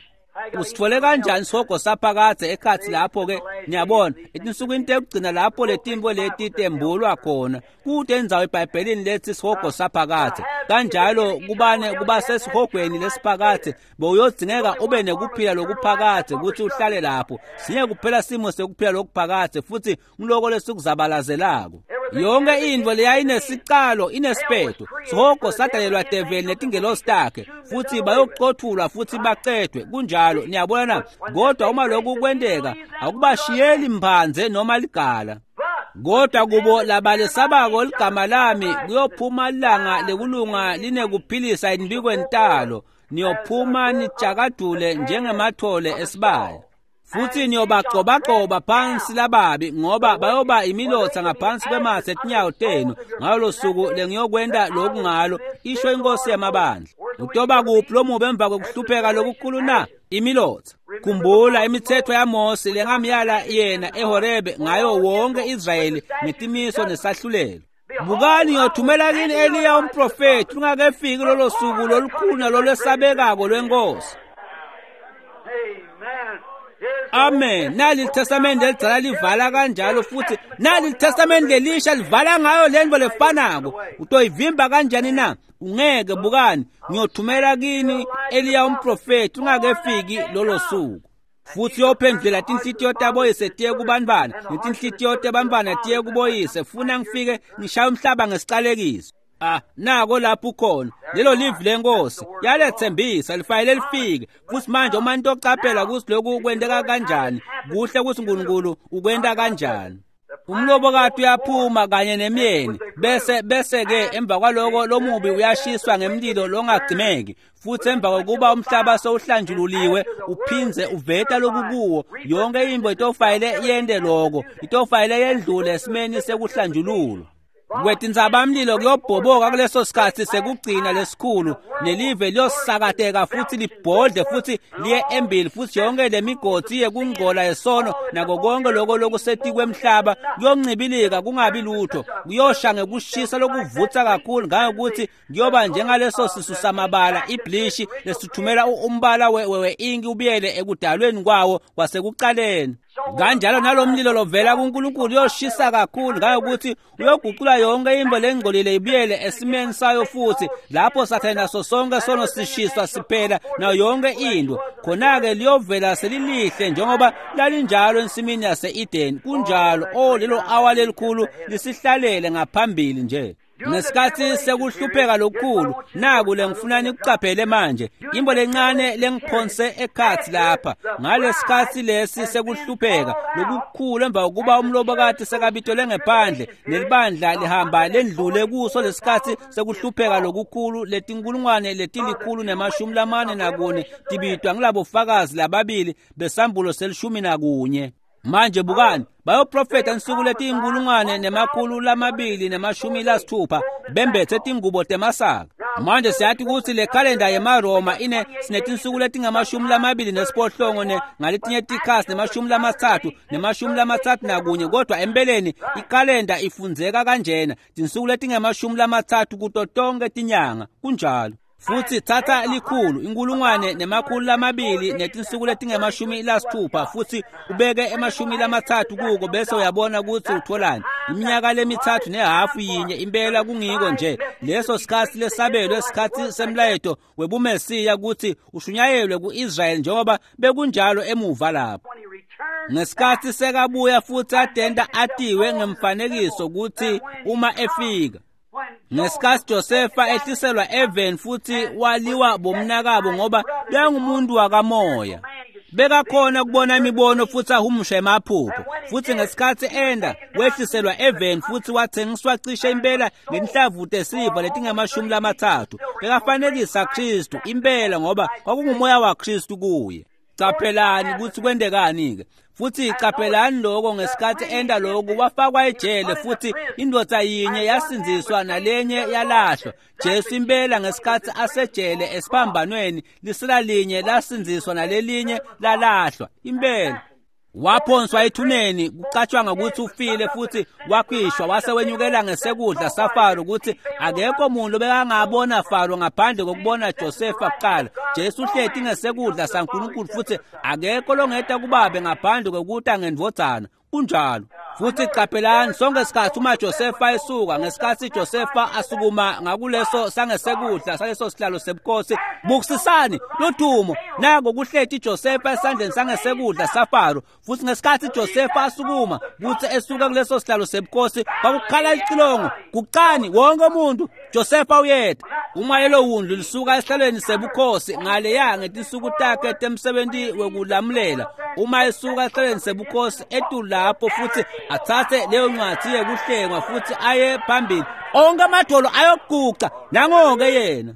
Usitfole kanjani sihogo saphakadze ekhatsi lapho-ke? Niyabona, etinsukwini tekugcina lapho letintfo leti tembulwa khona, kute indzawo eBhayibhelini letsi sihogo saphakadze. Kanjalo kubane kuba sesihogweni lesiphakadze, bowuyodzingeka ube nekuphila lokuphakadze kutsi uhlale lapho. Sinye kuphela simo sekuphila lokuphakadze, futsi nguloko lesikuzabalazelako. Yonke intfo leyayinesicalo inesiphetho. Sihogo sadalelwa develi netingelosi takhe, futsi bayocothulwa futsi bacedwe. Kunjalo, niyabona na? Kodwa uma lokhu kwenteka, akubashiyeli mphandze noma ligala. Kodwa kubo labalesabako ligama lami, kuyophuma ilanga lekulunga linekuphilisa embikweni talo. Niyophuma nitjakadule njengemathole esibaya. Futsi niyobagcobagcoba phansi lababi, ngoba bayoba imilotsa ngaphansi kwematse etinyawo tenu ngalo suku lengiyokwenta loku ngalo, isho inkosi yamabandla. Utoba kuphi lomubi emva kwekuhlupheka lokukhulu na? Imilotsa. Khumbula imitsetfo yaMose lengamyala yena eHorebe ngayo wonke Israyeli ngetimiso nesahlulelo. Bukani, ngiyothumela kini Eliya umprofethi lungakefiki lolo suku lolukhulu nalolwesabekako lwenkosi. Amen. Nali litestamende lelidzala livala kanjalo, futsi nali litestamende lelisha livala ngayo lento lefanako. Utoyivimba kanjani na? Ungeke. Bukani, ngiyothumela kini Eliya umprofethi ungakefiki lolo suku. Futsi uyophendvula tinhlitiyo taboyise tiye kubantfwana, netinhlitiyo tebantfwana tiye kuboyise, funa ngifike ngishaye umhlaba ngesicalekiso. Ah, nako lapho ukhona. Lelo livi lenkosi yalethembisa lifanele lifike. Futsi manje uma nitocaphela kutsi lokhu kwenteka kanjani, kuhle kutsi uNkulunkulu ukwenta kanjani. Umlobokati uyaphuma kanye nemyeni, bese-ke emva kwaloko lomubi uyashiswa ngemlilo longagcimeki. Futsi emva kokuba umhlaba sewuhlanjululiwe uphindze uveta lokukuwo, yonke intfo itofanele yente loko, itofanele yendlule esimeni sekuhlanjululwa. Kwetintsabamlilo kuyobhoboka kuleso sikhatsi sekugcina lesikhulu, nelive liyosakateka futsi libhodle futsi liye embili, futsi yonke lemigodzi yekungcola yesono nako konke loko lokusetikwemhlaba kuyoncibilika kungabi lutho. Kuyosha ngekushisa lokuvutsa kakhulu ngangokuthi kuyoba njengaleso sisu samabala iblishi lesithumela umbala we-inki ubuyele ekudalweni kwawo kwasekucaleni. Kanjalo nalomlilo lovela kuNkulunkulu uyoshisa kakhulu ngangokuthi uyoguqula yonke intfo lengcolile ibuyele esimeni sayo, futsi lapho Sathane naso sonke sono sishiswa siphela nayo yonke intfo. Khona-ke liyovela selilihle njengoba lalinjalo ensimini yase-Edeni. Kunjalo. O, lelo awa lelikhulu lisihlalele ngaphambili nje. Ngesikhatsi sekuhlupheka lokukhulu, naku lengifuna nikucaphele manje, intfo lencane lengiphonse ekhatsi lapha. Ngalesikhatsi lesi sekuhlupheka lokukhulu, emva kokuba umlobokati sekabitelwe ngephandle nelibandla lihamba lendlule kuso lesikhatsi sekuhlupheka lokukhulu, letinkulungwane leti-144 tibitwa ngilabofakazi lababili besambulo se-11. Manje bukani, bayoprofetha insuku leti-1260 bembethe tingubo temasaka. Manje siyati kutsi le khalenda yemaRoma ine sinetinsuku leti-28 ngaletinye tikhatsi ne-30 ne-31, kodwa empeleni ikhalenda ifundzeka kanjena, tinsuku leti-30 kuto tonke tinyanga. Kunjalo. Futsi thatha likhulu, 1260, futsi ubeke 30 kuko, bese uyabona kutsi utholani. Iminyaka le-3.5 yinye impela kungiko nje leso sikhatsi lesabelwe esikhatsi semlayeto webuMesiya kutsi ushunyayelwe ku-Israyeli njengoba bekunjalo emuva lapho. Ngesikhatsi sekabuya futsi atenta atiwe ngemfanekiso kutsi uma efika. Ngesikhatsi Josefa ehliselwa eveni futsi waliwa bomnakabo ngoba bekangumuntu wakamoya. Bekakhona kubona imibono futsi ahumushe emaphupho. Futsi ngesikhatsi enda wehliselwa eveni futsi wathengiswa cishe impela ngenhlavu tesiliva leti-30. Bekafanekisa Khristu impela ngoba kwakungumoya waKhristu kuye. Caphelani kutsi kwentekani-ke. Futhi caphelani lokho ngesikhathi enda lokhu wafakwa ejele futhi indvodza yinye yasindziswa nalenye yalahlwa. Jesu impela ngesikhathi asejele esiphambanweni lisela linye lasindziswa nalelinye lalahlwa. Impela waphonswa ethuneni kucatshangwa ukuthi ufile futhi wakhishwa wase wenyukela ngesekudla saFaro ukuthi akekho muntu obekangabona Faro ngaphandle kokubona Josefa kuqala. Jesu uhleti ngesekudla saNkulunkulu futhi akekho longeta kubabe ngaphandle kokuta ngendvodzana. Kunjalo. Futhi caphelani sonke isikhathi uma Josefa esuka, ngesikhathi Josefa asukuma ngakuleso sangesekudla saleso sihlalo sebukhosi, bukisisani lothumo nako kuhleti Josefa esandleni sangesekudla saFaro. Futhi ngesikhathi Josefa asukuma kuthi esuka kuleso sihlalo sebukhosi kwakukhala icilongo, guqani wonke umuntu, Josefa uyeta. Uma lelo wundlu lisuka esihlalweni sebukhosi ngaleya ngetinsuku takhe temsebenti wekulamulela, uma esuka esihlalweni sebukhosi etulu lapho futhi athathe leyo ncwadi yekuhlengwa futhi aye phambili, onke amadolo ayoguqa nangoke yena.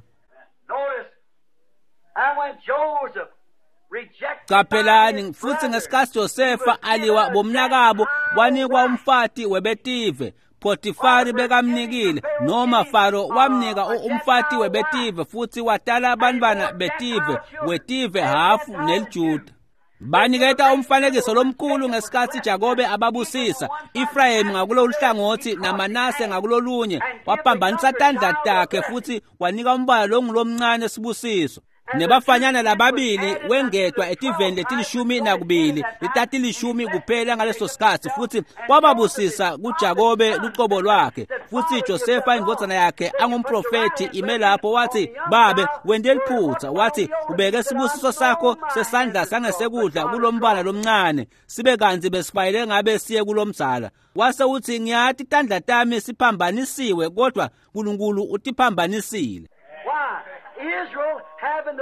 Caphelani futhi ngesikhathi Josefa aliwa bomnakabo wanikwa umfati webetive. Potifari bekamnikile noma Faro wamnika umfati webetive futhi watala abantwana betive wetive hafu neliJuda. Baniketa umfanekiso lomkhulu ngesikhathi Jakobe ababusisa, Efrayimi ngakulolu hlangothi naManase ngakulolunye. Waphambanisa tandla takhe futhi wanika umbala longulomncane sibusiso. Nebafanyana lababili wengetwa etiveni letilishumi nakubili letatilishumi kuphela ngaleso sikhathi, futhi wababusisa kuJakobe lucobo lwakhe. Futhi Josefa indvodzana yakhe angumprofethi ime lapho wathi, babe wente liphutha, wathi ubeke sibusiso sakho sesandla sangesekudla kulombala lomncane sibe kantsi besifanele ngabe siye kulomdzala. Wase uthi ngiyati tandla tami siphambanisiwe kodwa Nkulunkulu utiphambanisile.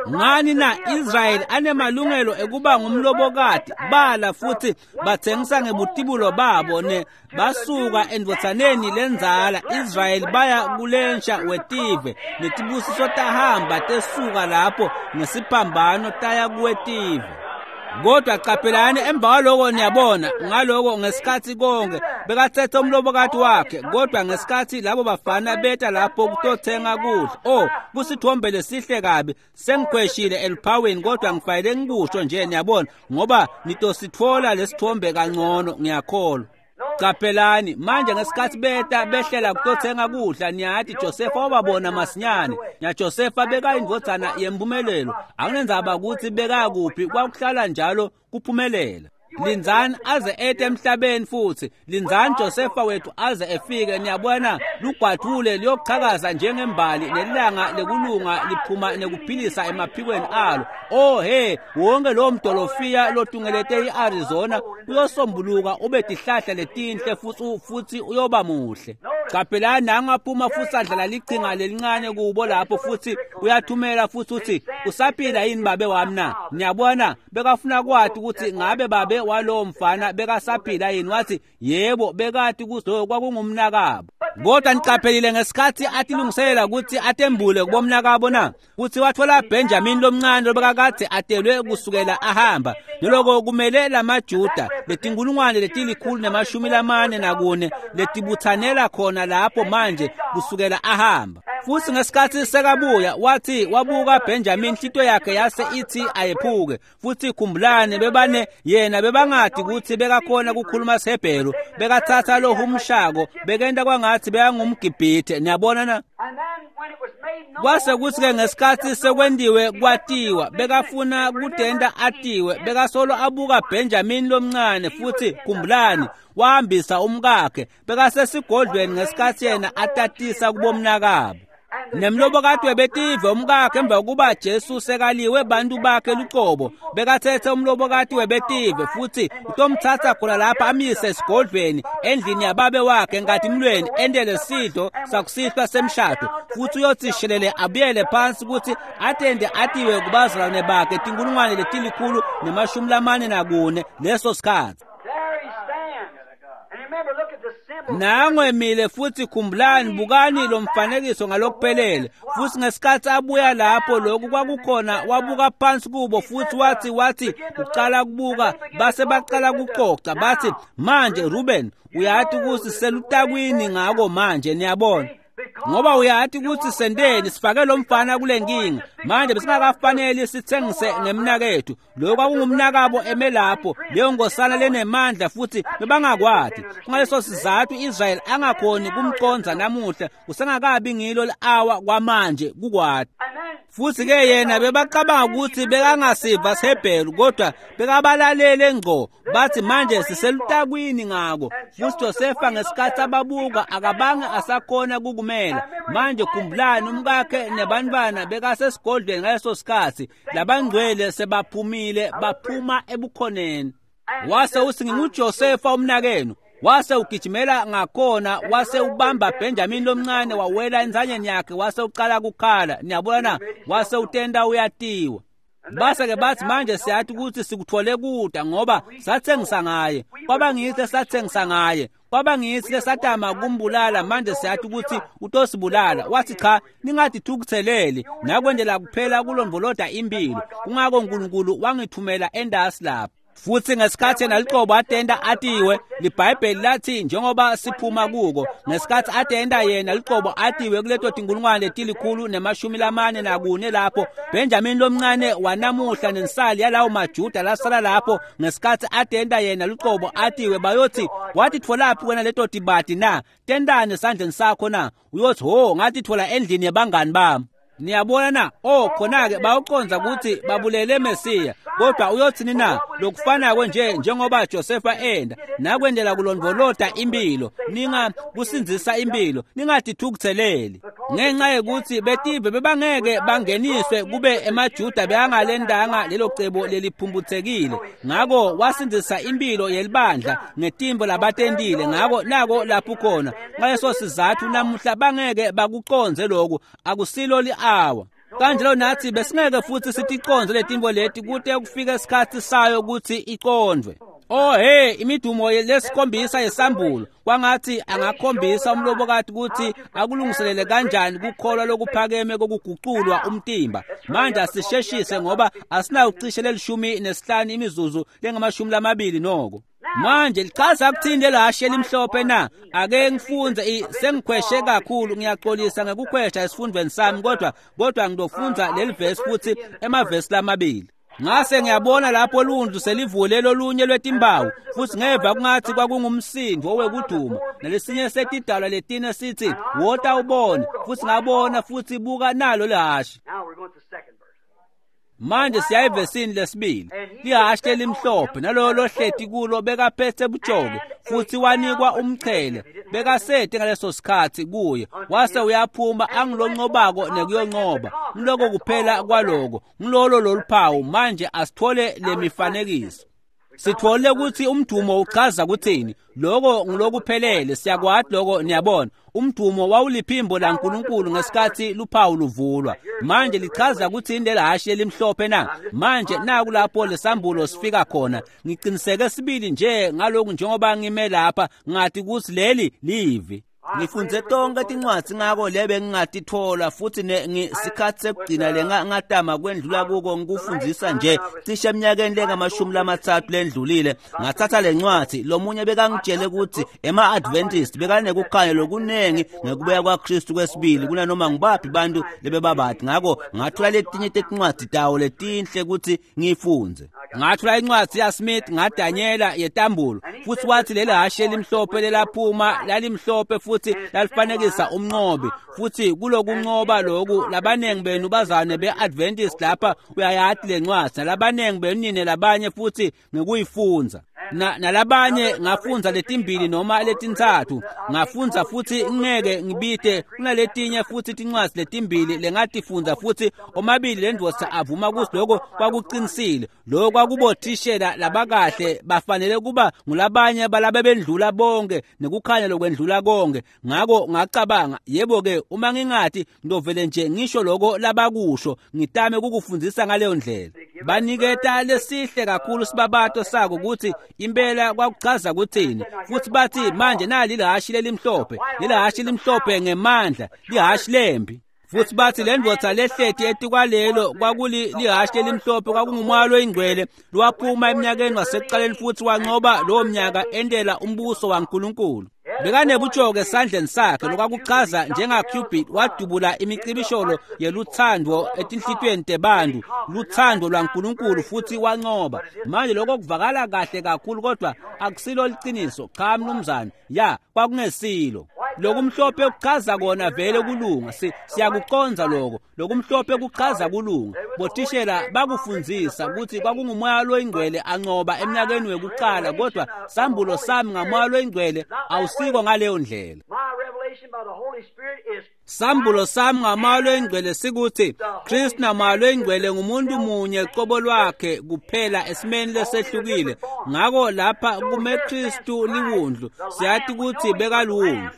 Ngani na Israyeli anemalungelo ekuba ngumlobokati bala futhi bathengisa ngebutibulo babo ne basuka endvotsaneni lenzala Israyeli baya kulensha wetive netibusiso tahamba tesuka lapho ngesiphambano taya kuwetive. Kodwa caphelani emva kwaloko niyabona ngaloko ngesikhathi konke bekathethe umlobokati wakhe, kodwa ngesikhathi labo bafana beta lapho kutothenga kudla, oh kusithombe lesihle kabi, sengikhweshile eluphawini kodwa ngifanele ngikusho nje niyabona, ngoba nitositfola lesithombe kangcono ngiyakholwa. Caphelani manje ngesikhathi beta behlela kutothenga kudla, niyati Josefa wababona masinyane. NaJosefa bekayindvodzana yempumelelo, akunendzaba ukuthi bekakuphi, kwakuhlala njalo kuphumelela. Lindzani aze ete emhlabeni futhi lindzani Josefa wethu aze efike. Niyabona lugwadvule liyochakaza njengembali nelanga lekulunga liphuma nekuphilisa emaphikweni alo. Oh he, wonke lowo mdolofiya lotungelete iArizona uyosombuluka ube tihlahla letinhle futhi uyoba muhle. Caphelani nangaphuma futhi adlala lichinga lelincane kubo lapho futhi uyathumela futhi uthi usaphila yini babe wami na? Niyabona bekafuna kwati ukuthi ngabe babe walowo mfana bekasaphila yini. Wathi yebo, bekati kuzo kwakungumnakabo. Kodwa niqaphelile ngesikhathi atilungiselela ukuthi atembule kubomnakabo na kuthi wathola Benjamin lomncane lobekakade atelwe kusukela ahamba. Naloko kumele lamaJuda letinkulungwane letilikhulu ne-44 letibuthanela khona lapho manje kusukela ahamba. Futhi ngesikhathi sekabuya wathi wabuka Benjamin, inhlito yakhe yase ithi ayephuke. Futhi khumbulani bebane yena bebangadi ukuthi bekakhona kukhuluma siHebheru, bekathatha lo humshako bekenta kwangathi bekangumGibhithe. Niyabona na? Kwase kuthi-ke ngesikhathi sekwendiwe kwatiwa, bekafuna kudenta atiwe, bekasolo abuka Benjamin lomncane. Futhi khumbulani wahambisa umkakhe bekasesigodlweni ngesikhathi yena atatisa kubomnakabo. Nemlobokati webetive umkakhe emva kokuba Jesu sekaliwe bantu bakhe lucobo, bekathethe umlobokati webetive futhi utomthatha khona lapha amyise esigodlweni endlini yababe wakhe enkatimulweni endele sidlo sakusihlwa semshado. Futhi uyothi shelele abuyele phansi ukuthi atende atiwe kubazalwane bakhe 144,000 leso sikhathi. Nango emile futhi khumbulani, bukani lo mfanekiso ngalokuphelele. Futhi ngesikhathi abuya lapho lokhu kwakukhona, wabuka phansi kubo futhi wathi uqala kubuka, base baqala kuxoxa bathi, manje Ruben, uyathi ukuthi selutakwini ngako manje, niyabona, ngoba uyathi ukuthi sendeni sifake lo mfana kule nkinga manje, besingakafanele sithengise ngemnakethu. Lokho kwakungumnakabo eme lapho, leyo ngosana lenemandla, futhi bebangakwati. Kungaleso sizathu Israel angakhoni kumconza namuhla, kusengakabi ngilo li-awa kwamanje kukwati. Futhi ke yena bebacabanga ukuthi bekangasiva siHebheru, kodwa bekabalalele ngqo. Bathi manje siselutakwini ngako. Futhi Josefa ngesikhathi ababuka akabange asakhona kukumela. Manje khumbulani, umkakhe nebantwana bekasesigodlweni ngaleso sikhathi, labangcwele sebaphumile, baphuma ebukhoneni. Wase uthi, nginguJosefa umnakenu. Wase ugijimela ngakhona, wase ubamba Benjamin lomncane, wawela enzanyeni yakhe, wase uqala kukhala. Niyabona na? Wase utenda uyatiwa. Base-ke bathi manje siyathi ukuthi sikuthole kuda ngoba sathengisa ngaye, kwaba ngithi sathengisa ngaye, kwaba ngithi lesatama kumbulala, manje siyathi ukuthi utosibulala. Wathi cha, ningadithukutheleli, nakwendela kuphela kulondvoloda impilo, kungako uNkulunkulu wangithumela endasi lapha. Futhi ngesikhathi yena liqobo atenda atiwe, liBhayibheli lathi njengoba siphuma kuko, ngesikhathi atenda yena liqobo atiwe kuleto tinkulungwane 144 lapho, Benjamin lomncane wanamuhla nensali yalawo maJuda lasala lapho, ngesikhathi atenda yena liqobo atiwe, bayothi wathi tholaphi wena leto tibati na, tendane esandleni sakho na? Uyothi ho, ngathi thola endlini yabangani bami. Niyabona na? Oh, khona-ke bawuconza ukuthi babulele Mesiya, kodwa uyothini na? Lokufanako nje njengoba Josefa enda nakwendela kulondvolota impilo, ninga kusindzisa impilo, ningadithukutheleli ngenxa yokuthi betive bebangeke bangeniswe kube emaJuda beyangalendanga lelo cebo leliphumputhekile. Ngako wasindzisa impilo yelibandla ngetimbo labatentile. Ngako nako lapho khona, ngaleso sizathu namuhla bangeke bakuconze lokhu, akusilo li-awa. Kanjalo nathi besingeke futhi siticonze letimbo leti kute kufike isikhathi sayo ukuthi icondvwe. Oh hey, imidumo lesikhombisa yesambulo, kwangathi angakhombisa umlobokati ukuthi akulungiselele kanjani kukholwa lokuphakeme kokuguculwa umtimba. Manje asisheshise ngoba asinawucishe leli 15 imizuzu lengama-20 noko. Manje lichaza kuthini lelahashe elimhlophe na? Ake ngifunze, sengikhweshe kakhulu, ngiyaxolisa ngekukhwesha esifundweni sami, kodwa ngidofundza leli verse futhi, emavesi lamabili. Ngase ngiyabona lapho lundlu selivule lolunye lwetimbawu, futhi ngeva kungathi kwakungumsindo wekuduma, nalesinye setidalwa letine sithi, wota ubone. Futhi ngabona, futhi buka nalo lihhashi. Manje siya evesini lesibili. Lihhashi lelimhlophe, nalolo lohleti kulo bekaphethe bujoke, futhi wanikwa umchele bekasete ngaleso sikhathi kuye, wase uyaphuma angiloncobako nekuyoncoba. Ngiloko kuphela kwaloko, ngilolo loluphawu. Manje asithole lemifanekiso, sithole ukuthi umdumo uchaza kuthini. Lokho ngilokuphelele, siyakwati lokho. Niyabona, umdumo wawuliphimbo laNkulunkulu ngesikhathi luphawu luvulwa. Manje lichaza kuthini lelahhashi elimhlophe na? Manje naku lapho lesambulo sifika khona. Ngiqiniseke sibili nje ngalokhu njengoba ngime lapha, ngathi ukuthi leli livi. Ngifunze tonke tincwadzi ngako lebe ngingatithola, futhi sikhathi sekugcina le ngatama kwendlula kuko ngikufundzisa nje cishe eminyakeni lengama-30 lendlulile. Ngathatha le ncwadzi, lomunye bekangitshele ukuthi ema-Adventist bekanekukhanya lokunengi ngekubuya kwaKristu kwesibili kunanoma ngibaphi bantu lebebabati. Ngako ngathola letinye tetincwadzi tawo letinhle ukuthi ngiyifundze. Ngathola incwadzi yaSmith ngaDanyela yetambulo, futhi wathi leli hhashi elimhlophe lelaphuma lalimhlophe futhi lalifanekisa umnqobi. Futhi kulokunqoba loku, labanengi benu bazane be-Adventist lapha uyayati le ncwadzi, nalabanengi benu nine labanye futhi ngekuyifunza nalabanye. Ngafundza letimbili noma letintsatfu ngafundza, futhi ngeke ngibite kunaletinye futhi tincwadzi letimbili lengatifundza, futhi omabili lendvodza avuma ukuthi lokho kwakuqinisile. Lokho kwakubothishela labakahle, bafanele kuba ngulabanye balabebendlula bonke nekukhanya lokwendlula konke. Ngako ngacabanga, yebo-ke, uma ngingathi ngidovele nje ngisho lokho labakusho, ngitame ukukufundzisa ngaleyo ndlela. Baniketa lesihle kakhulu sibabato sako ukuthi Impela kwakuchaza kuthini? Futhi bathi manje nali lihhashi lelimhlophe, lelihhashi limhlophe ngemandla, lihhashi lembi. Futhi bathi le ndvodza lehleti etikwalelo kwakulihhashi lelimhlophe, kwakungumoya loyingcwele lwaphuma eminyakeni wasekuqaleni futhi wanqoba lowo mnyaka entela umbuso waNkulunkulu. Bekanebutjoke esandleni sakhe, lokwakuchaza njengaCupid wadubula imicibisholo yeluthando etinhlitiyweni tebantu, luthando lwaNkulunkulu, futhi wanqoba. Manje lokho kuvakala kahle kakhulu, kodwa akusilo liciniso. Cha mnumzane, ya kwakungesilo. Lokumhlophe kuchaza kona vele kulunga, siyakuconza lokho. Lokumhlophe kuchaza kulunga. Bothishela bakufundzisa ukuthi kwakungumoya loyingcwele anqoba eminyakeni wekuqala, kodwa sambulo sami ngamoya loyingcwele awusiko ngaleyo ndlela. Sambulo sami ngamoya loyingcwele sikuthi Kristu namoya loyingcwele ngumuntu munye qobo lwakhe kuphela esimeni lesehlukile. Ngako lapha kume Kristu liwundlu, siyathi ukuthi bekaluwundlu.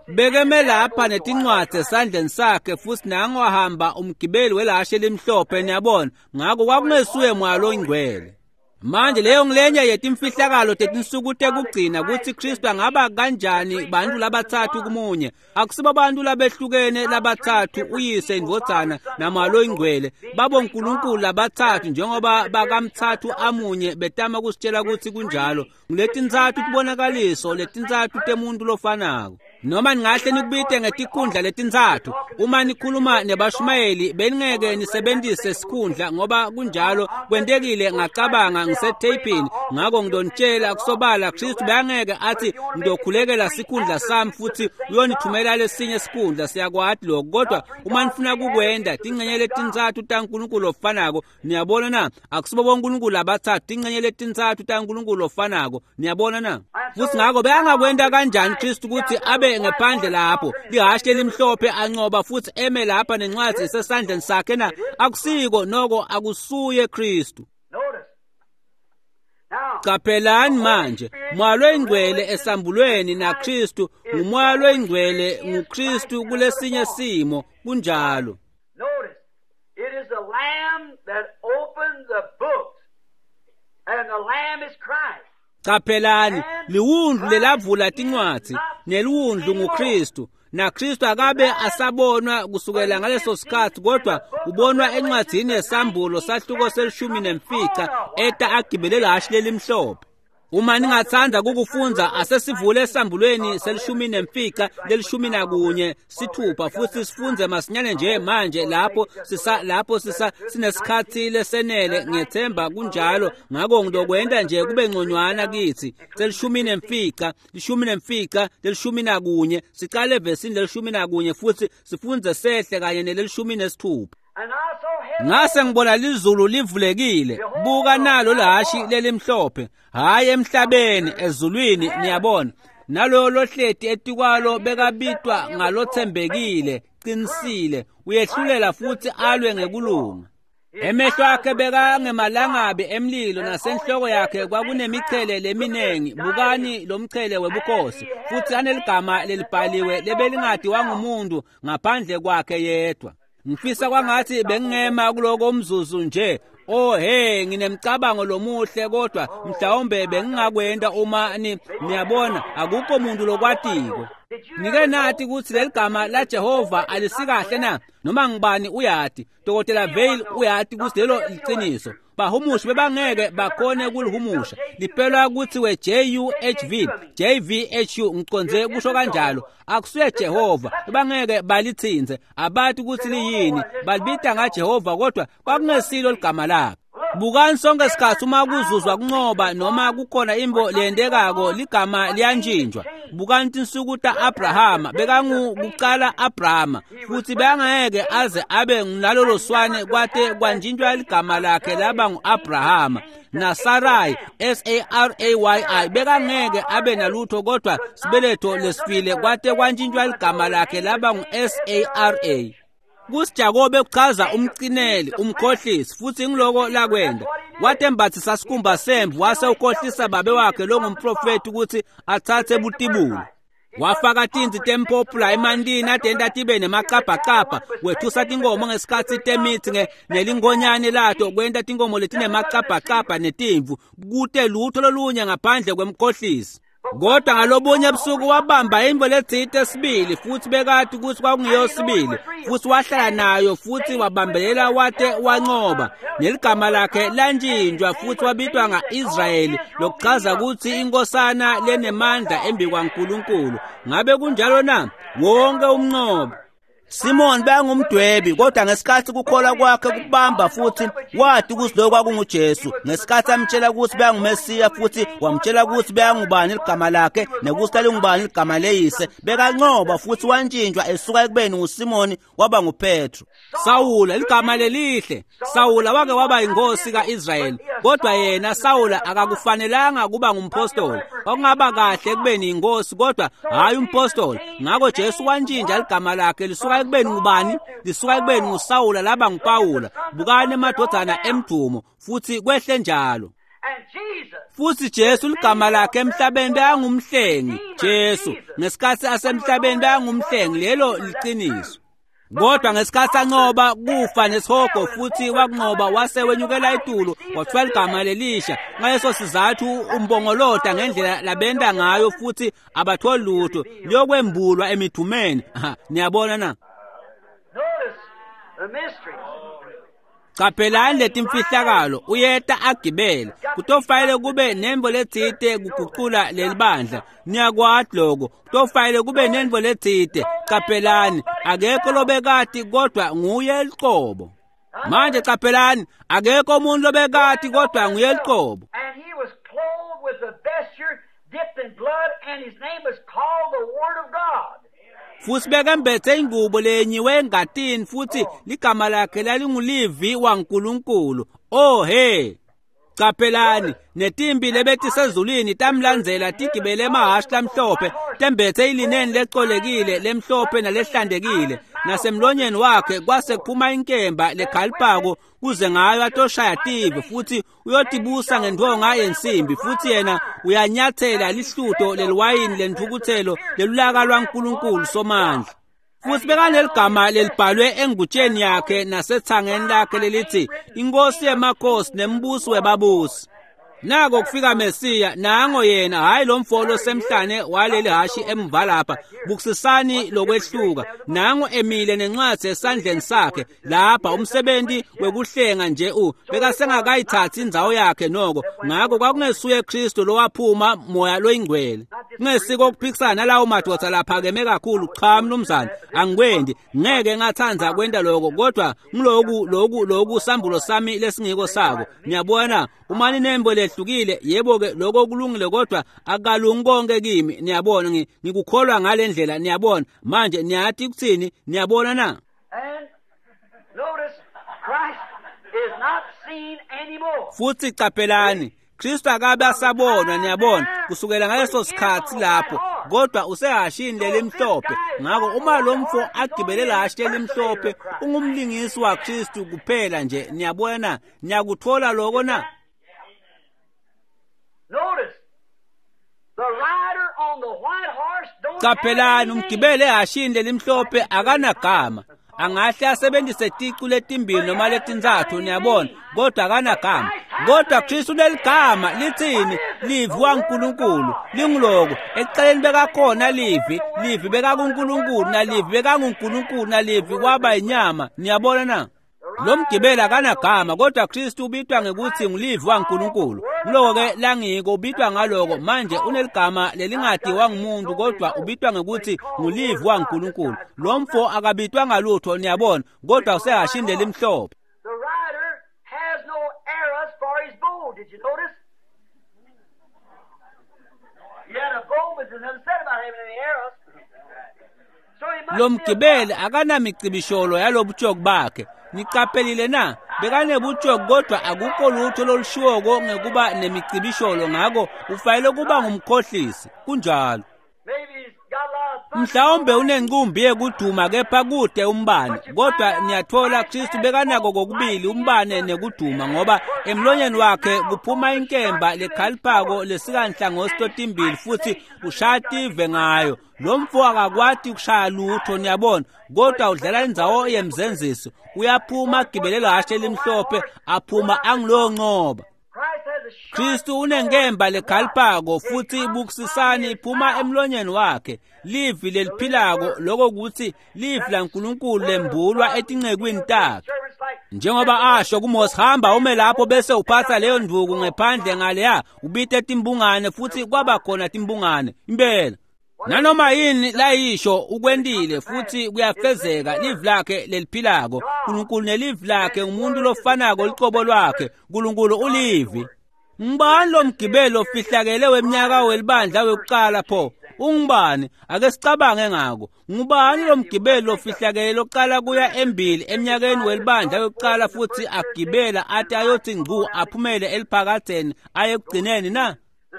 Bekeme lapha netincwadzi esandleni sakhe, futhi nango wahamba umgibeli welahashe elimhlophe, niyabona. Ngako kwakungesuye moya loyingcwele. Manje leyo ngilenye yetimfihlakalo tetinsuku tekugcina, kutsi Kristu angaba kanjani bantu labatsatfu kumunye. Akusibo bantu labehlukene labatsatfu, uyise, indvodzana namoya loyingcwele. Babo nkulunkulu labatsatfu njengoba bakamtsatfu amunye betama kusitshela kutsi kunjalo. Nguletintsatfu tibonakaliso, letintsatfu temuntu lofanako. Noma ningahle nikubite ngetikhundla letintsatfu, uma nikhuluma nebashumayeli beningeke nisebenzise sikhundla, ngoba kunjalo kwentekile. Ngacabanga ngisetheyphini, ngako ngidonitshela kusobala, Kristu bekangeke athi ngidokhulekela sikhundla sami futhi uyonithumela lesinye sikhundla. Siyakwati lokho, kodwa uma nifuna kukwenda tingcenye letintsatfu taNkulunkulu lofanako, niyabona na? Akusibo bonkulunkulu labatsatfu, tingcenye letintsatfu taNkulunkulu lofanako, niyabona na? Futhi ngako bekangakwenta kanjani Kristu ukuthi abe ngephandle lapho lihhashi lelimhlophe anqoba futhi eme lapha nencwadzi isesandleni sakhe na? Akusiko noko, akusuye Kristu. Qaphelani manje, moya loyingcwele esambulweni naKristu ngumoya loyingcwele nguKristu kulesinye simo, kunjalo. Notice, it is the Lamb that opened the books, and the Lamb is Christ. Qaphelani, liwundlu lelavula tincwadzi, neliwundlu nguKristu. NaKristu akabe asabonwa kusukela ngaleso sikhathi, kodwa ubonwa encwadzini yesambulo sahluko se-15 eta agibele lahhashi lelimhlophe. Uma ningatsandza kukufundza, asesivule esambulweni se-15 leli-11 6 futhi sifunze masinyane nje manje lapho sisa sinesikhathi lesenele, ngethemba kunjalo. Ngako ngidokwenta nje kube ngconywana kithi. Se-15 15 leli-11, sicale evesini leli-11 futhi sifunze sehle kanye neleli-16. Ngase ngibona lizulu livulekile, buka nalo lahhashi lelimhlophe, hhayi emhlabeni, ezulwini, niyabona. Naloyo lohleti etikwalo bekabitwa ngalothembekile, qinisile, uyehlulela futhi alwe ngekulunga. Emehlo akhe bekangemalangabi emlilo, nasenhloko yakhe kwakunemichele leminengi. Bukani lo mchele webukhosi, futhi aneligama lelibhaliwe lebelingadiwa ngumuntu ngaphandle kwakhe yedwa. Ngifisa kwangathi bengingema kuloko umzuzu nje. Oh hey, nginemcabango lomuhle, kodwa mhlawumbe bengingakwenda uma niyabona, akukho muntu lokwatiko. Nike nathi ukuthi leligama la Jehova alisikahle na? Noma ngibani uyati, Dr. Vail uyati ukuthi lelo liciniso. Bahumushi bebangeke bakhone kulihumusha. Lipelwa kuthiwe JUHV, JVHU, ngiconze kusho kanjalo. Akusuye Jehova, bebangeke balithinze, abathi ukuthi liyini, balibita ngaJehova, kodwa kwakungesilo ligama lakhe. Bukani sonke sikhathi uma kuzuzwa kunqoba noma kukhona imbo leyendekako, ligama liyantshintshwa. Bukani tinsuku ta-Abrahama, bekangukucala Abrahama, futhi bekangeke aze abe nalolo swane kwate kwantshintshwa ligama lakhe laba ngu-Abrahama. NaSarai, S-A-R-A-Y-I, bekangeke abe nalutho kodwa sibeletho lesifile kwate kwantshintshwa ligama lakhe laba ngu-S-A-R-A. KusiJakobe kuchaza umcineli, umkhohlisi, futhi ngiloko lakwenda. Watembathisa sikhumba semvu wase ukhohlisa babe wakhe longumprofeti ukuthi athathe butibulo. Wafaka tintsi tempopula emantini atenta tibe nemacabhacabha, wethusa tinkhomo ngesikhatsi temitsi nelingonyane lato kwenta tinkhomo letinemacabhacabha netimvu, kute lutho lolunye ngaphandle kwemkhohlisi. Kodwa ngalobunye busuku wabamba intfo letsite sibili, futsi bekati kutsi kwakungiyo sibili, futsi wahlala nayo futsi wabambelela wate wancoba. Neligama lakhe lantjintjwa futsi wabitwa nga-Israyeli, lokuchaza kutsi inkosana lenemandla embikwaNkulunkulu. Ngabe kunjalo na? Wonke umncobi. Simon bekangumdwebi, kodwa ngesikhatsi kukholwa kwakhe kubamba futsi wati kutsi lokho kwakunguJesu. Ngesikhatsi amtshela kutsi bekanguMesiya futsi wamtshela kutsi bekangubani ligama lakhe nekutsi lalingubani ligama leyise, bekancoba futsi wantjintjwa esuka ekubeni nguSimoni waba nguPetro. Sawula, ligama lelihle. Sawula wake waba yinkosi ka-Israyeli, kodwa yena Sawula akakufanelanga kuba ngumpostoli. Kwakungaba kahle ekubeni yinkosi, kodwa hhayi umpostoli. Ngakho Jesu wantjintja ligama lakhe lisuka ekubeni ngubani? Lisuka ekubeni nguSawula laba nguPawula. Bukani emadvodzana emdumo, futsi kwehle njalo. Futsi Jesu ligama lakhe emhlabeni bekangumhlengi. Jesu ngesikhatsi asemhlabeni bekangumhlengi, lelo liciniso. Kodwa ngesikhatsi ancoba kufa nesihogo futsi wakuncoba wase wenyukela etulu wathiwa ligama lelisha. Ngaleso sizathu umbongolota ngendlela labenta ngayo futsi abatholi lutho, liyokwembulwa emidumeni. Niyabona na? Caphelani letimfihlakalo, uyeta agibele. Kutofanele kube nentfo letsite kugucula lelibandla. Niyakwati loko. Kutofanele kube nentfo letsite. Caphelani, akekho lobekati kodwa nguye luqobo. Manje caphelani, akekho umuntu lobekati kodwa nguye luqobo. And he was clothed with a vesture dipped in blood, and his name was called the Word of God. Futsi bekembethe ingubo lenyiwe engatini, futsi ligama lakhe lalinguLivi waNkulunkulu. Oh he! Caphelani, netimbi lebetisezulwini tamlandzela tigibele emahhashi lamhlophe, tembethe ilineni lecolekile lemhlophe nalehlantekile. Nasemlonyeni wakhe kwase kuphuma inkemba lekhalipako kuze ngayo atoshaya tive, futsi uyotibusa ngentfonga yensimbi, futsi yena uyanyathela lihluto leliwayini lentfukutselo lelulaka lwaNkulunkulu Somandla. Futsi bekaneligama lelibhalwe engutsheni yakhe nasethangeni lakhe lelithi Inkosi yemakhosi nembusi webabusi. Nako kufika Mesiya, nango yena, hhayi lo mfo losemhlane waleli hashi emva lapha. Bukisisani lokwehluka. Nango emile nencwadzi esandleni sakhe lapha, umsebenti wekuhlenga nje bekasengakayithatsi indzawo yakhe noko. Ngako kwakungesuye Kristu lowaphuma Moya loyingcwele. Kungesiko kuphikisana nalawo madoda laphakeme kakhulu. Cha mnumzane, angikwendi, ngeke ngathandza kwenta lokho, kodwa ngiloku loku sambulo sami lesingiko sako. Niyabona, uma ninembo lehlukile, yebo-ke lokho kulungile, kodwa akalungi konke kimi. Niyabona, ngikukholwa ngale ndlela. Niyabona manje, niyati kutsini? Niyabona na? And notice, Christ is not seen anymore. Futsi caphelani, Kristu akabe asabonwa, niyabona, kusukela ngaleso sikhatsi lapho, kodwa usehashini lelimhlophe. Ngako uma lo mfo agibele lahashi lelimhlophe, ungumlingisi waKristu kuphela nje. Niyabona, niyakuthola loko na? Notice, the rider on the white horse don't Caphelani, umgibele ehashini lelimhlophe akanagama. Angahle asebenzise ticu letimbili noma letintsatfu, niyabona, kodwa akanagama. Kodwa Kristu uneligama, litsini? Livi waNkulunkulu. Linguloko, ekucaleni bekakhona Livi, Livi bekakuNkulunkulu, naLivi bekanguNkulunkulu, naLivi waba inyama. Niyabona na? Lo mgibeli akanagama, kodwa Kristu ubitwa ngekuthi nguLivi waNkulunkulu. Nguloko-ke langiko, ubitwa ngaloko. Manje uneligama lelingatiwa ngumuntu, kodwa ubitwa ngekuthi nguLivi waNkulunkulu. Lo mfo akabitwa ngalutho, niyabona, kodwa usehashini lelimhlophe. The rider has no arrows for his bow. Did you notice? He had a bow, but there's nothing said about having any arrows. So he must Lo be a mgibeli akanamicibisholo yalobutshoki bakhe. Niqaphelile na? Bekanebutshoki, kodwa akukho lutho lolushiwoko ngekuba nemicibisholo, ngako ufanele kuba ngumkhohlisi. Kunjalo. Maybe he's got a lot of thunder. Mhlawumbe unencumbi yekuduma kepha kude umbane, kodwa niyatfola Kristu bekanako kokubili umbane nekuduma, ngoba emlonyeni wakhe kuphuma inkemba lekhaliphako lesikanhlangothi totimbili futhi ushaya tive ngayo. Lo mfo akakwati ukushaya lutho, niyabona, kodwa udlala indzawo yemzenziso. Uyaphuma agibele lahashe elimhlophe, aphuma angiloncoba. Kristu unenkemba lekhaliphako futhi bukisisani iphuma emlonyeni wakhe, livi leliphilako, lokho kutsi livi laNkulunkulu lembulwa etincekwini takhe. Njengoba asho kuMose, hamba ume lapho bese uphatha leyo ndvuku ngephandle ngaleya, ubite timbungane, futhi kwaba khona timbungane impela. Nanoma yini layisho ukwentile futhi kuyafezeka. Livi lakhe leliphilako, Nkulunkulu nelivi lakhe ngumuntu lofanako lucobo lwakhe. Nkulunkulu ulivi. Ngubani lo mgibelo ofihlakele weminyaka welibandla wekuqala pho? Ungubani? Ake sicabange ngako. Ngubani lo mgibelo ofihlakele loqala kuya embili eminyakeni welibandla wekuqala futhi agibela athi ayothi ngcu aphumele eliphakadzeni aye ekugcineni na?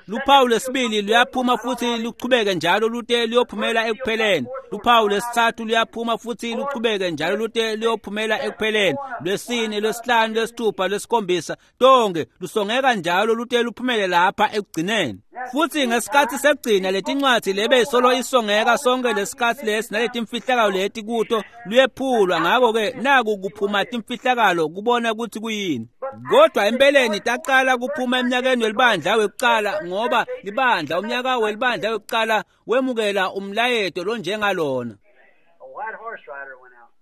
Luphawu lwesibili luyaphuma futhi luchubeke njalo lute luyophumela ekupheleni. Luphawu lwesithathu luyaphuma futhi luchubeke njalo lute luyophumela ekupheleni. Lwesine, lwesihlanu, lwesithupha, lwesikhombisa, tonke lusongeka njalo lute luphumele lapha ekugcineni. Futhi ngesikhathi sekugcina letincwadzi lebe solo isongeka sonke lesikhathi lesi naletimfihlakalo leti kuto luyephulwa. Ngakho-ke naku kuphuma timfihlakalo kubona ukuthi kuyini. Kodwa empeleni taqala kuphuma eminyakeni welibandla wekuqala, ngoba libandla umnyaka welibandla wekuqala wemukela umlayeto lonjengalona.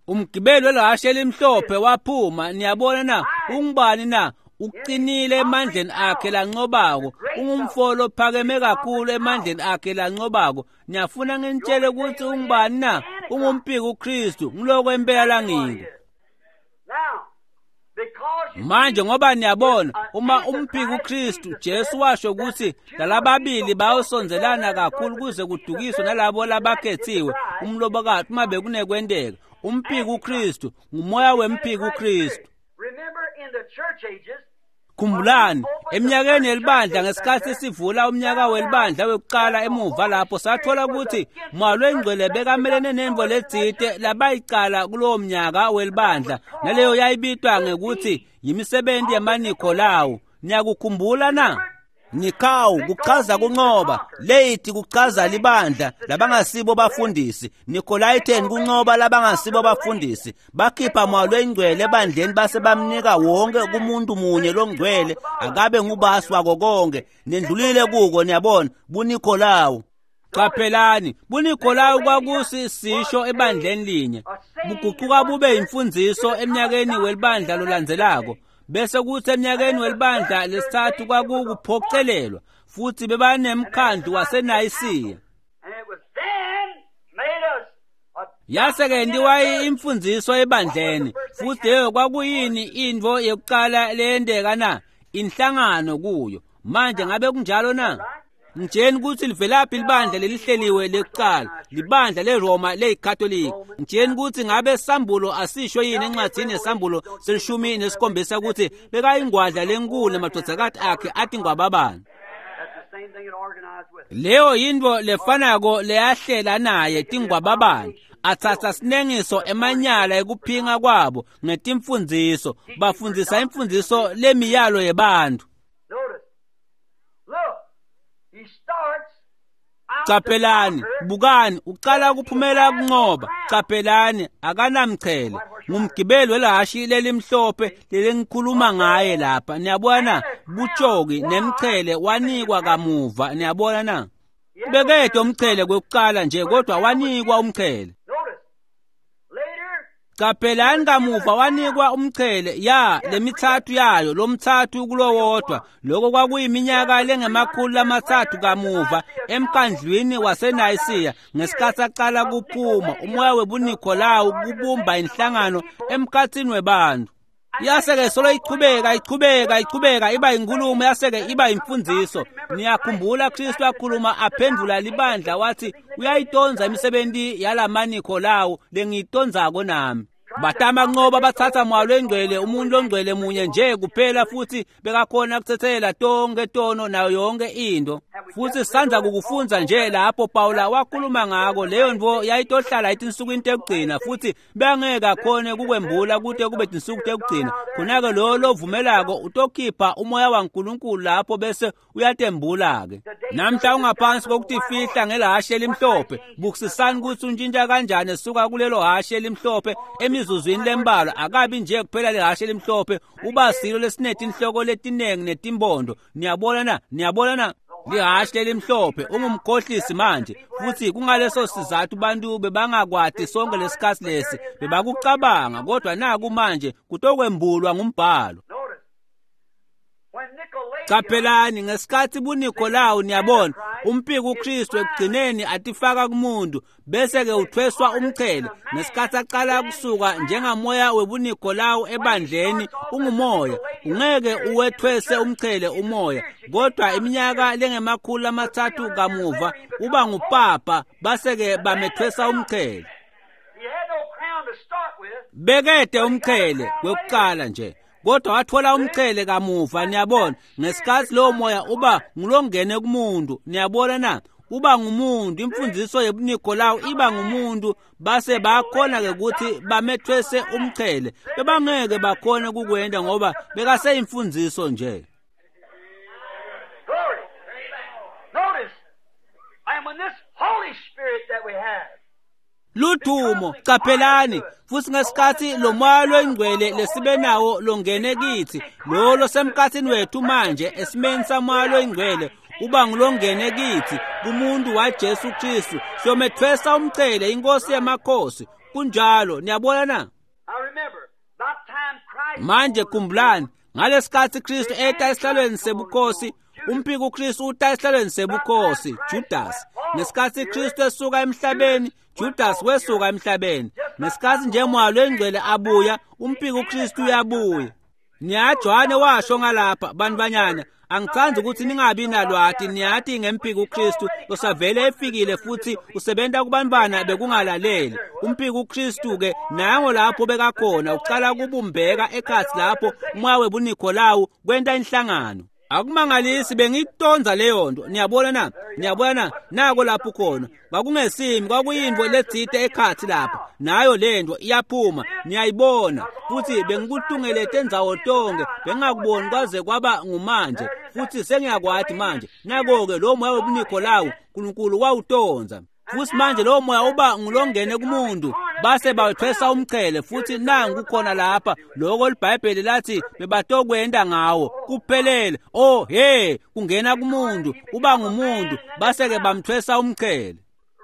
Umgibeli welahashe elimhlophe waphuma. Niyabona na? Ungubani na? Uqinile emandleni akhe lancobako, ungumfo lophakeme kakhulu emandleni akhe lancobako. Niyafuna nginitshele ukuthi ungubani na? Ungumpiki uKristu, ngiloko impela langiko. Manje ngoba niyabona, uma umphiki uKristu, Jesu washo ukuthi lalababili bayosondelana kakhulu kuze kudukiswe nalabo labakhethiwe umlobokati uma bekunekwenteka. Umphiki uKristu ngumoya wemphiki uKristu. Khumbulani, eminyakeni yelibandla ngesikhathi sivula umnyaka welibandla wekuqala emuva lapho sathola ukuthi Moya Longcwele bekamelene nemvo letsite labayicala kulowo mnyaka welibandla, naleyo yayibitwa ngekuthi yimisebenzi yamaNikolawu. Niyakukhumbula na? Nikau kuchaza kuncoba, Leiti kuchaza libandla labangasibo bafundisi, Nikolaiten kuncoba labangasibo bafundisi. Bakhipha Moya Longcwele ebandleni base bamnika wonke kumuntu munye longcwele akabe ngubasi wako konke. Nendlulile kuko, niyabona, buNikolawu. Qaphelani, buNikolawu kwakusisisho ebandleni linye, buguquka bube imfundiso eminyakeni welibandla lolandzelako. Bese kuthi eminyakeni welibandla lesithathu kwakukuphocelelwa futhi bebanemkhandlu waseNayisiya. Yase-ke ndiwa imfundiso ebandleni, futhi leyo kwakuyini intfo yekuqala leyenteka na? Inhlangano kuyo. Manje ngabe kunjalo na? Ngitsheni ukuthi livelaphi libandla lelihleliwe lekuqala, libandla leRoma leyiKatolika. Ngitsheni ukuthi ngabe sambulo asisho yini encwadini yesambulo selishumi nesikhombisa ukuthi bekayingwadla lenkulu namadvodzakati akhe athi ngwababani. Leyo yintfo lefanako leyahlela naye tingwababani. Atsatsa sinengiso emanyala ekuphinga kwabo ngetimfundziso, bafundzisa imfundziso lemiyalo yebantfu. Caphelani, bukani, uqala kuphumela kuncoba. Caphelani, akanamchele. Ngumgibeli welahhashi lelimhlophe lelengikhuluma ngaye lapha. Niyabona, butshoki nemchele wanikwa kamuva. Niyabona na? Bekede umchele kwekuqala nje, kodwa wanikwa umchele. Caphelani, kamuva wanikwa umchele ya lemithathu yayo, lomthathu kulowodwa. Lokho kwakuyiminyaka lengama-300 kamuva emkhandlwini waseNayisiya ngesikhathi aqala kuphuma umoya webuNikolawu kubumba inhlangano emkhathini webantu. Yase-ke solo ichubeka ichubeka ichubeka iba inkulumo, yase-ke iba imfundiso. Niyakhumbula Kristu akhuluma aphendula libandla wathi uyayitonza imisebenzi yalamaNikolawu lengiyitonzako nami. Batama kunqoba bathatha moya longcwele, umuntu longcwele munye nje kuphela, futhi bekakhona kuthethela tonke tono nayo yonke into. Futhi sisandza kukufunza nje lapho Pawula wakhuluma ngako, leyo ntfo yayitohlala etinsukwini tekugcina, futhi bangeke akhone kukwembula kute kube tinsuku tekugcina. Khona-ke loyo lovumelako utokhipha umoya waNkulunkulu lapho bese uyatembula-ke. Namhla ungaphansi kokutifihla ngelahashe elimhlophe. Bukisisani kutsi untshintsha kanjani esuka kulelo hashe elimhlophe emizuzwini lembalwa. Akabi nje kuphela lehashe elimhlophe, uba silo lesinetinhloko letinengi netimbondo. Niyabona na? Niyabona na? Lihhashi lelimhlophe ungumkhohlisi manje, futhi kungaleso sizathu bantu bebangakwati sonke lesikhatsi lesi, bebakucabanga, kodwa naku manje kutokwembulwa ngumbhalo. Caphelani ngesikhatsi buNikolawu, niyabona, umpiki uKristu ekugcineni atifaka kumuntu, bese-ke uthweswa umchele. Ngesikhatsi aqala kusuka njengamoya webuNikolawu ebandleni, ungumoya, ungeke uwethwese umchele umoya, kodwa iminyaka lengama-300 kamuva uba ngupapa, base-ke bamethwesa umchele. Bekede umchele wekuqala nje, kodwa wathola umchele kamuva. Niyabona, ngesikhatsi lowo moya uba ngulongene kumuntu, niyabona na, uba ngumuntu, imfundiso yebuNikolawu iba ngumuntu, base bakhona-ke ukuthi bamethwese umchele. Bebangeke bakhone kukwenta ngoba bekaseyimfundiso nje. Glory. Notice, and when this Holy Spirit that we have, Ludumo, caphelani, futhi ngesikhatsi lo moya longcwele lesibe nawo longene kithi, lo losemkhatsini wethu manje esimeni samoya longcwele, uba ngulongene kithi kumuntu waJesu Kristu, siyomethwesa umchele inkosi yamakhosi. Kunjalo, niyabona na? I remember, about time Christ Manje khumbulani, ngalesikhatsi Kristu eta esihlalweni sebukhosi, umpiki uKristu uta esihlalweni sebukhosi, Judas. Ngesikhatsi Kristu esuka emhlabeni, Judas wesuka emhlabeni. Ngesikhatsi nje moya longcwele abuya, umpiki uKristu uyabuya. Niyajohane washo ngalapha, bantfwanyana, angitsandzi ukuthi ningabi nalwati, niyati ngempiki uKristu losavele efikile futhi usebenta kubantfwana bekungalaleli. Umpiki uKristu ke nango lapho bekakhona, ucala kubumbeka ekhatsi lapho umoya webuNikolawu kwenta inhlangano. Akumangalisi bengitonza leyo nto. Niyabona na? Niyabona na? Nako lapho khona. Kwakungesimi, kwakuyintfo letsite ekhatsi lapha. Nayo lento iyaphuma, niyayibona. Futhi bengikutungelete ndzawo tonke, bengingakuboni kwaze kwaba ngumanje. Futhi sengiyakwati manje. Nako-ke lo moya webuNikolawu, uNkulunkulu wawutonza. Futhi manje lo moya uba ngulongene kumuntu, base bawethwesa umchele, futhi nangu khona lapha lokho liBhayibheli lathi bebatokwenta ngawo kuphelele. Oh he, kungena kumuntu, uba ngumuntu, base-ke bamthwesa umchele.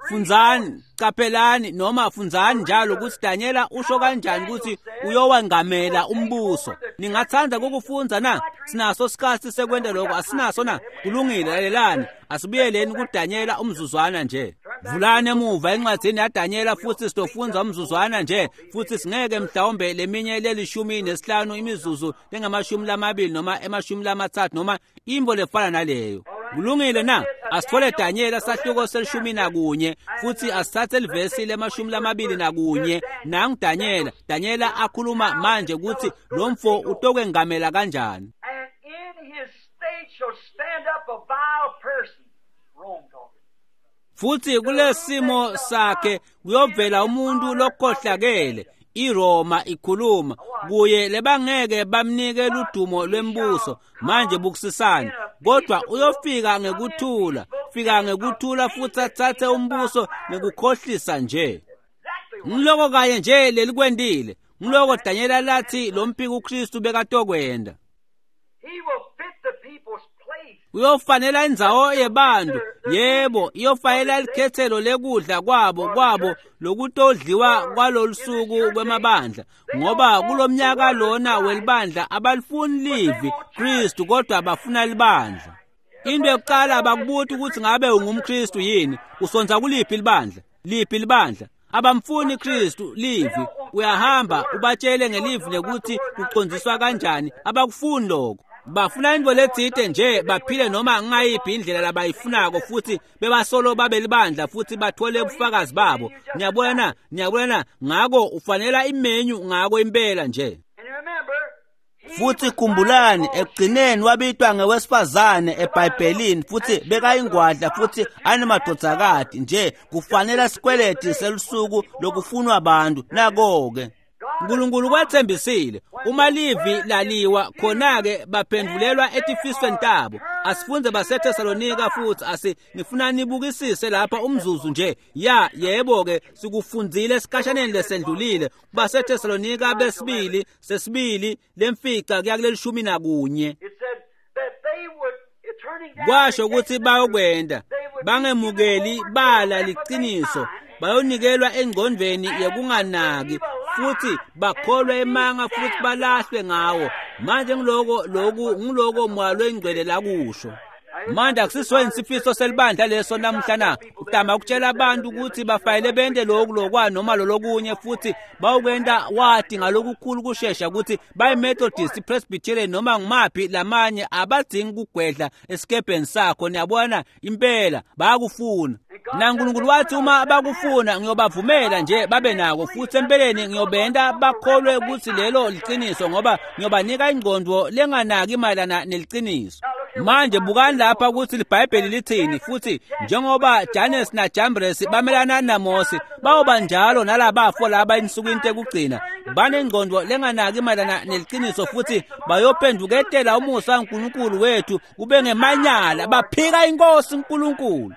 Fundzani, caphelani, noma fundzani njalo ukuthi Danyela usho kanjani ukuthi uyowengamela umbuso. Ningatsandza ukufundza na? Sinaso sikhatsi sekwenta lokho, asinaso na? Kulungile, lalelani. Asibuyeleni kuDanyela umzuzwana nje. Vulani emuva encwadzini yaDanyela futhi sitofundza umzuzwana nje, futhi singeke mhlawumbe leminye leli-15 imizuzu lengama-20 noma ema-30 noma intfo lefana naleyo. Kulungile na? Asithole Danyela sahluko se-11 futhi asithathe livesi lema-21. Nangu Danyela, Danyela akhuluma manje ukuthi lo mfo utokwengamela kanjani. And in his state shall stand up a vile person. Rome talking. Futhi kulesimo sakhe kuyovela umuntu lokhohlakele, iRoma ikhuluma kuye, lebangeke bamnike ludumo lwembuso. Manje bukisisani, kodwa uyofika ngekuthula, fika ngekuthula futhi athathe umbuso ngekukhohlisa nje. Ngiloko kanye nje lelikwendile, ngiloko Danyela lathi lo mpiki uKristu bekatokwenda. He will fit the people's place. Uyofanela indzawo yebantu, yebo, iyofanela likhethelo lekudla kwabo kwabo lokutodliwa kwalolusuku kwemabandla, ngoba kulomnyaka lona welibandla abalifuni livi Kristu, kodwa bafuna libandla. Into yokuqala abakubuti ukuthi ngabe ungumKristu yini, usonza kuliphi libandla, liphi libandla. Abamfuni Kristu livi, uyahamba ubatshele ngelivi lekuthi kucondziswa kanjani, abakufuni lokho. Bafuna intfo letsite nje baphile noma ngayiphi indlela labayifunako futhi bebasolo babelibandla futhi bathole ubufakazi babo. Niyabona na? Niyabona na? Ngako ufanela imenyu ngako impela nje. Futhi khumbulani ekugcineni wabitwa ngewesifazane eBhayibhelini futhi bekayingwadla futhi anemadvodzakati nje kufanele sikweleti selusuku lokufunwa abantu. Nako-ke uNkulunkulu kwathembisile uma livi laliwa khona-ke baphendvulelwa etifisweni tabo. Asifunze baseThesalonika futhi asi ngifuna nibukisise lapha umzuzu nje. Ya yebo-ke sikufundzile esikhashaneni lesendlulile baseThesalonika besibili sesibili lemfica kuya kuleli 11. Kwasho ukuthi bayokwenda bangemukeli bala liqiniso, bayonikelwa engqondweni yekunganaki futhi bakholwe emanga futhi balahlwe ngawo. Manje ngiloko loku ngiloko moya loyingcwele lakusho. Manje akusisweni sifiso selibandla leso namuhla na? Utama ukutshela abantu ukuthi bafayele bente lokhu lokwa noma lolokunye futhi bawukwenta wati ngalokukhulu kushesha ukuthi bayi-Methodist, Presbyterian noma ngumaphi lamanye abadzingi kugwedla esikebheni sakho. Niyabona impela bayakufuna. NaNkulunkulu wathi uma bakufuna ngiyobavumela nje babe nako futhi empeleni ngiyobenta bakholwe ukuthi lelo liqiniso ngoba ngiyobanika ingqondo lenganaki mayelana neliciniso. Manje bukani lapha ukuthi iBhayibheli lithini futhi njengoba Jannes naJambres bamelana naMose bayoba njalo nalabafo laba ensukwini tekugcina banengqondo lenganaki mayelana neliciniso futhi bayophenduketela umusa kaNkulunkulu wethu ube ngemanyala baphika inkosi uNkulunkulu.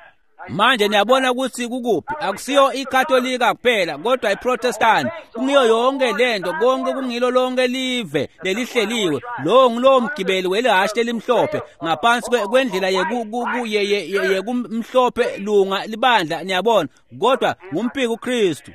Manje niyabona ukuthi kukuphi? Akusiyo iKatolika kuphela kodwa iProtestant. Kungiyo yonke lento, konke kungilo lonke live lelihleliwe. Lo ngulowo mgibeli welihhashi lelimhlophe ngaphansi kwendlela yekumhlophe lunga libandla, niyabona, kodwa ngumpiki uKristu.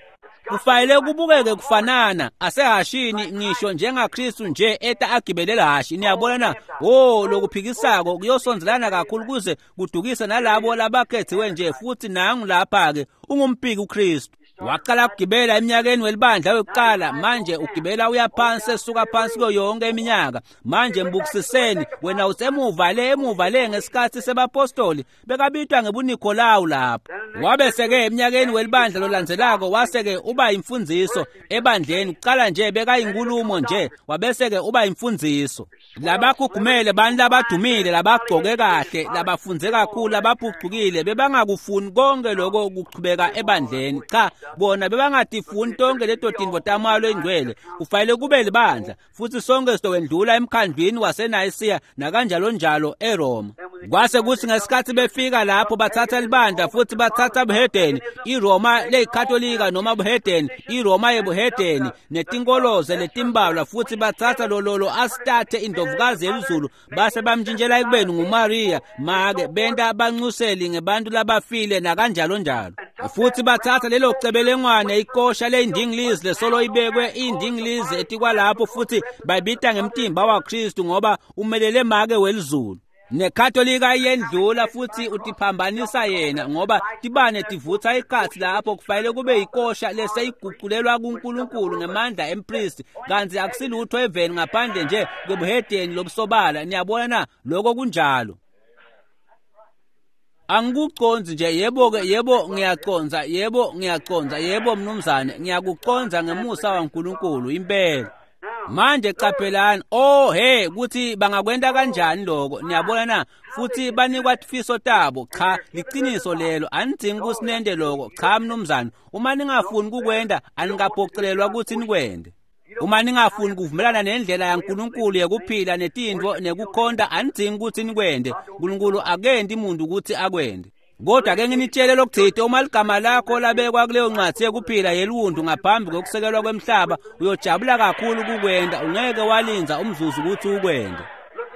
Kufanele kubukeke kufanana asehashini ngisho njengaKristu nje eta agibele hashi. Niyabona na? Oh, lokuphikisako kuyosondelana kakhulu kuze kudukise nalabo labakhethiwe nje futhi nangu lapha ke ungumpiki uKristu. Waqala ukugibela eminyakeni welibandla wekuqala, manje ugibela uyaphansi esuka phansi kuyo yonke iminyaka. Manje mbukisiseni wena usemuva le emuva le ngesikhathi sebapostoli bekabitwa ngebuNikolawu lapho. Wabese-ke eminyakeni welibandla lolandzelako wase-ke uba imfundziso ebandleni. Kuqala nje bekayinkulumo nje, wabese-ke uba imfundziso. Labakhugumele bantu labadumile labagcoke kahle labafunze kakhulu labaphucukile bebangakufuni konke lokho kuchubeka ebandleni. Cha, bona bebangatifuni tonke leto tintfo tamoya loyingcwele. Kufanele kube libandla futhi sonke sitowendlula emkhandlwini waseNayisiya nakanjalo njalo eRoma. Kwase kuthi ngesikhathi befika lapho bathatha libandla futhi bathatha buhedeni, iRoma leyikatolika noma buhedeni, iRoma yebuhedeni netinkoloze letimbalwa futhi bathatha lololo Astarte indlovukazi yelizulu base bamntshintshela ekubeni nguMaria make benta abanxuseli ngebantu labafile nakanjalo njalo. Futhi bathatha lelo cebelengwane ikosha leyindingilizi lesolo ibekwe indingilizi etikwalapho futhi bayibita ngemtimba waKristu ngoba umelele make welizulu. NeKatolika iyendlula futhi utiphambanisa yena ngoba tibane tivutha ikhathi lapho kufanele kube ikosha leseyiguculelwa kuNkulunkulu ngemandla empristi, kanti akusilutho eveni ngaphandle nje kwebuhedeni lobusobala. Niyabona na? Lokho kunjalo. Angikuconzi nje, yebo-ke, yebo ngiyaconza, yebo ngiyaconza, yebo mnumzane, ngiyakuconza ngemusa waNkulunkulu impela. Manje qaphelani, oh hey, ukuthi bangakwenta kanjani lokho, niyabona na? Futhi banikwa tifiso tabo. Cha, liqiniso lelo, anidzingi kusinente lokho. Cha mnumzane, uma ningafuni kukwenta anikaphocelelwa ukuthi nikwente. Uma ningafuni kuvumelana nendlela yaNkulunkulu yekuphila netintfo nekukhonta, anidzingi ukuthi nikwente. uNkulunkulu akenti umuntu ukuthi akwente. Kodwa ke nginitshele lokuthite, uma ligama lakho labekwa kuleyo ncwadi yekuphila yeluntu ngaphambi kokusekelwa kwemhlaba, uyojabula kakhulu kukwenta, ungeke walinza umzuzu ukuthi ukwente.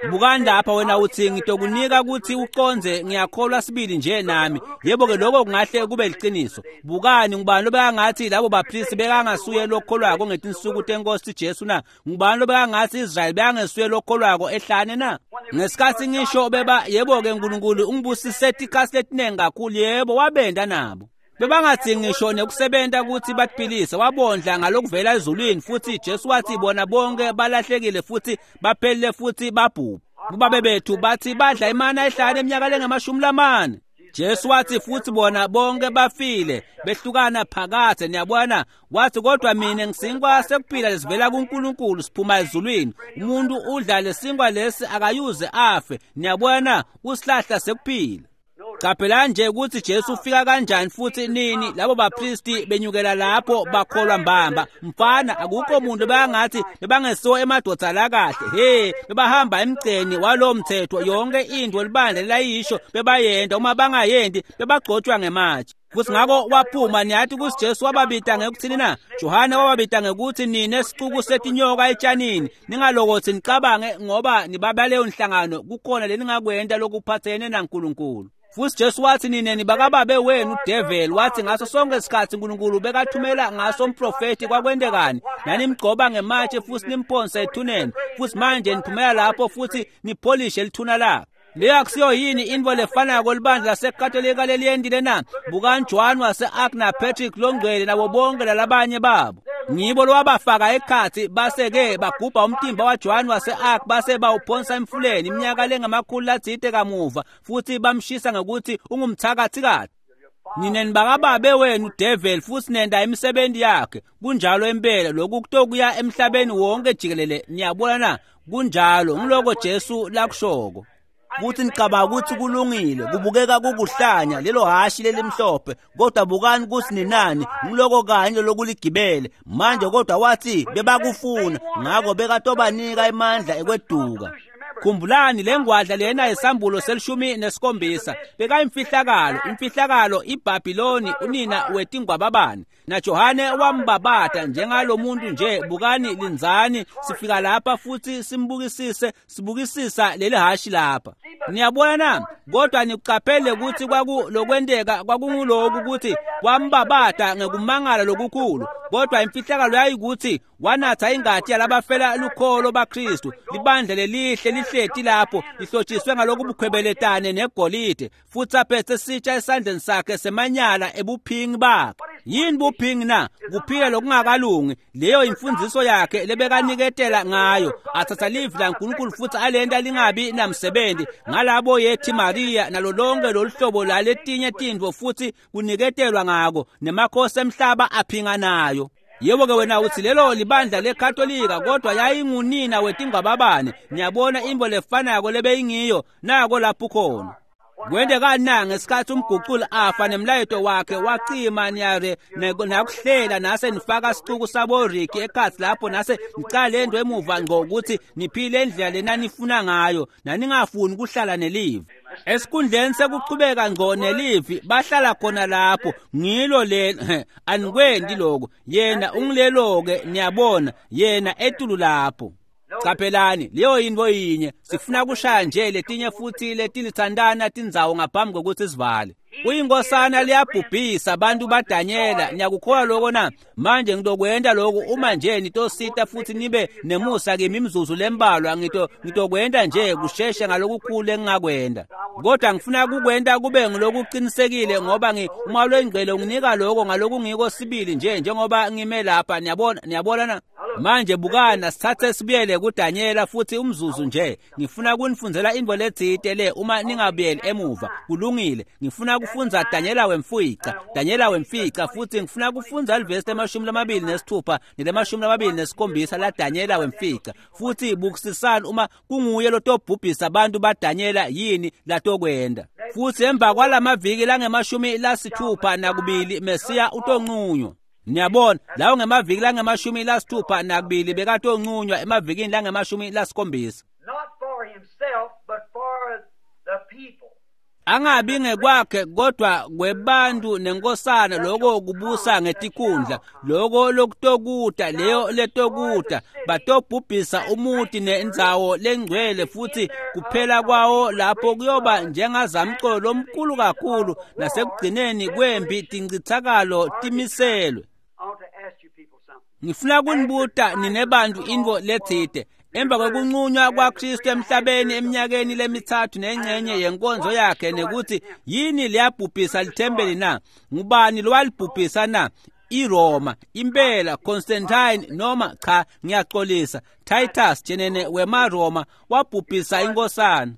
Bukani lapha wena uthi ngitokunika ukuthi uconze, ngiyakholwa sibili nje nami. Yebo-ke lokho kungahle kube liqiniso. Bukani, ngubani lobekangathi labo bapristi bekangasuye lokholwako ngetinsuku tenkosi Jesu na? Ngubani lobekangathi Israyeli bekangesuye lokholwako ehlane na? Ngesikhathi ngisho beba, yebo-ke uNkulunkulu ungibusise tikhathi letinengi kakhulu, yebo wabenda nabo. Bebangadzingi ngisho nekusebenta ukuthi batiphilise, wabondla ngalokuvela ezulwini futhi Jesu wathi bona bonke balahlekile futhi baphelile futhi babhubha. Kubabe bethu bathi badla imana ehlane eminyaka lengama-40. Jesu wathi futhi bona bonke bafile behlukana phakathe. Niyabona, wathi kodwa mina ngisinkwa sekuphila lesivela kuNkulunkulu siphuma ezulwini. Umuntu udla lesinkwa lesi akayuze afe. Niyabona, usihlahla sekuphila. Qaphela nje ukuthi Jesu ufika kanjani futhi nini. Labo bapristi benyukela lapho bakholwa mbamba. Mfana, akukho umuntu bangathi bebangesiwo emadoda la kahle. He, bebahamba emgceni walo mthetho, yonke into libandla layisho bebayenda, uma bangayendi bebagcotshwa ngematshe. Futhi ngakho waphuma. Niyathi ukuthi Jesu wababita ngekuthini na? Johane wababita ngekuthi nine sicuku setinyoka etshanini. Ningalokothi nicabange ngoba nibabaleyo nhlangano kukhona leningakwenta lokuphathene naNkulunkulu. Futhi Jesu wathi nine nibakababe wenu udevil. Wathi ngaso sonke isikhathi uNkulunkulu bekathumela ngaso umprofeti kwakwendekani, nanimgcoba ngematshe futhi nimphonse ethuneni, futhi manje niphumela lapho futhi nipholishe lithuna lakhe. Leyo akusiyo yini into lefanako libandla laseKatolika leliyendile na? Bukani Joan wase-Arc na Patrick Longcwele nabo bonke lalabanye babo. Ngibo lowabafaka ekhathi base-ke bagubha umtimba waJohn wase-Arc base bawuphonsa emfuleni iminyaka lengama-300 kamuva, futhi bamshisa ngokuthi ungumthakathikathi. Nine nibakababe wenu devil futhi nenda imisebenzi yakhe. Kunjalo impela, lokhu kutokuya emhlabeni wonke jikelele. Niyabona na? Kunjalo, ngiloko Jesu lakushoko. Futhi nicabanga ukuthi kulungile, kubukeka kukuhlanya lelo hashi lelimhlophe, kodwa bukani ukuthi ninani, ngiloko kanye lokuligibele manje. Kodwa wathi bebakufuna, ngakho bekatobanika emandla ekweduka. Khumbulani lengwadla lena yesambulo se-17 bekayimfihlakalo, imfihlakalo iBabiloni unina wetingwababane. NaJohane wambabata njengalomuntu nje. Bukani, linzani, sifika lapha futhi simbukisise, sibukisisa leli hashi lapha. Niyabona na? Kodwa nikuqaphele ukuthi lokwenteka kwakunguloku ukuthi wambabata ngekumangala lokukhulu, kodwa imfihlakalo yayikuthi wanatha ingati yalabafela lukholo baKristu. Libandla lelihle lihleti lapho lihlotshiswe ngalokubukhwebeletane negolide, futhi aphethe sitsha esandleni sakhe semanyala ebuphingi bakhe. Yini buphingi na? Kuphila lokungakalungi. Leyo imfundiso yakhe lebekaniketela ngayo, athatha livi laNkulunkulu futhi alenta lingabi namsebenzi ngalabo yethi Maria nalo lonke loluhlobo laletinye tintfo, futhi kuniketelwa ngako nemakhosi emhlaba aphinga nayo. Yebo ke wena uthi lelo libandla leKatolika, kodwa yayingunina wetingwababane. Niyabona imbo lefanako lebeyingiyo nako lapho khona. Kwendekani na ngesikhathi umguculi afa nemlayeto wakhe wacima niyare nakuhlela nase nifaka sicuku sabo Ricky ekhathi lapho nase nicala lento emuva ngqo ukuthi niphile indlela lena nifuna ngayo, naningafuni kuhlala nelivi. Esikhundleni sekuchubeka ngqo nelivi bahlala khona lapho. Ngilo lena, anikwendi lokho. Yena ungilelo-ke, niyabona, yena etulu lapho. Qaphelani, leyo yinto yinye. Sifuna kushaya nje letinye futhi letilithandana tindzawo ngaphambi kokuthi sivale. Uyinkosana liyabhubhisa abantu baDanyela. Niyakukholwa lokho na? Manje ngitokwenta lokhu uma nje nitosita futhi nibe nemusa kimi imizuzu lembalwa. Ngitokwenta nje kusheshe ngalokukhulu engingakwenta, kodwa ngifuna kukwenta kube ngilokuqinisekile, ngoba uma lwengcwele unginika lokho ngalokungiko sibili nje njengoba ngime lapha. Niyabona, niyabona na? Manje bukana, sithathe sibuyele kuDanyela futhi umzuzu nje. Ngifuna kunifundzela into letsite le uma ningabuyeli emuva. Kulungile, ngifuna kufundza Danyela wemfica, Danyela wemfica, futhi ngifuna kufundza livesi le-26 nele-27 la Danyela wemfica. Futhi bukisisani uma kunguye lotobhubhisa abantu baDanyela, yini latokwenda. Futhi emva kwalamaviki langama-62 Mesiya utonqunywa. Niyabona, lawo ngemaviki langama-62 bekatonqunywa emavikini langama-70. Not for himself, but for the people. Angabi ngekwakhe kodwa kwebantu nenkosana, lokho kubusa ngetikhundla, lokho lokutokuta, leyo letokuta batobhubhisa umuti nendzawo lengcwele, futhi kuphela kwawo lapho kuyoba njengazamcolo lomkhulu kakhulu, nasekugcineni kwempi tincithakalo timiselwe. I want to ask you people something. Ngifuna kunibuta nine bantu intfo letsite. Emva kwekunqunywa kwaKristu emhlabeni eminyakeni lemithathu nengcenye yenkonzo yakhe, nekuthi yini leyabhubhisa lithempeli na? Ngubani lowalibhubhisa na? iRoma impela Constantine noma cha ngiyaxolisa Titus jenene wemaRoma wabhubhisa inkosana.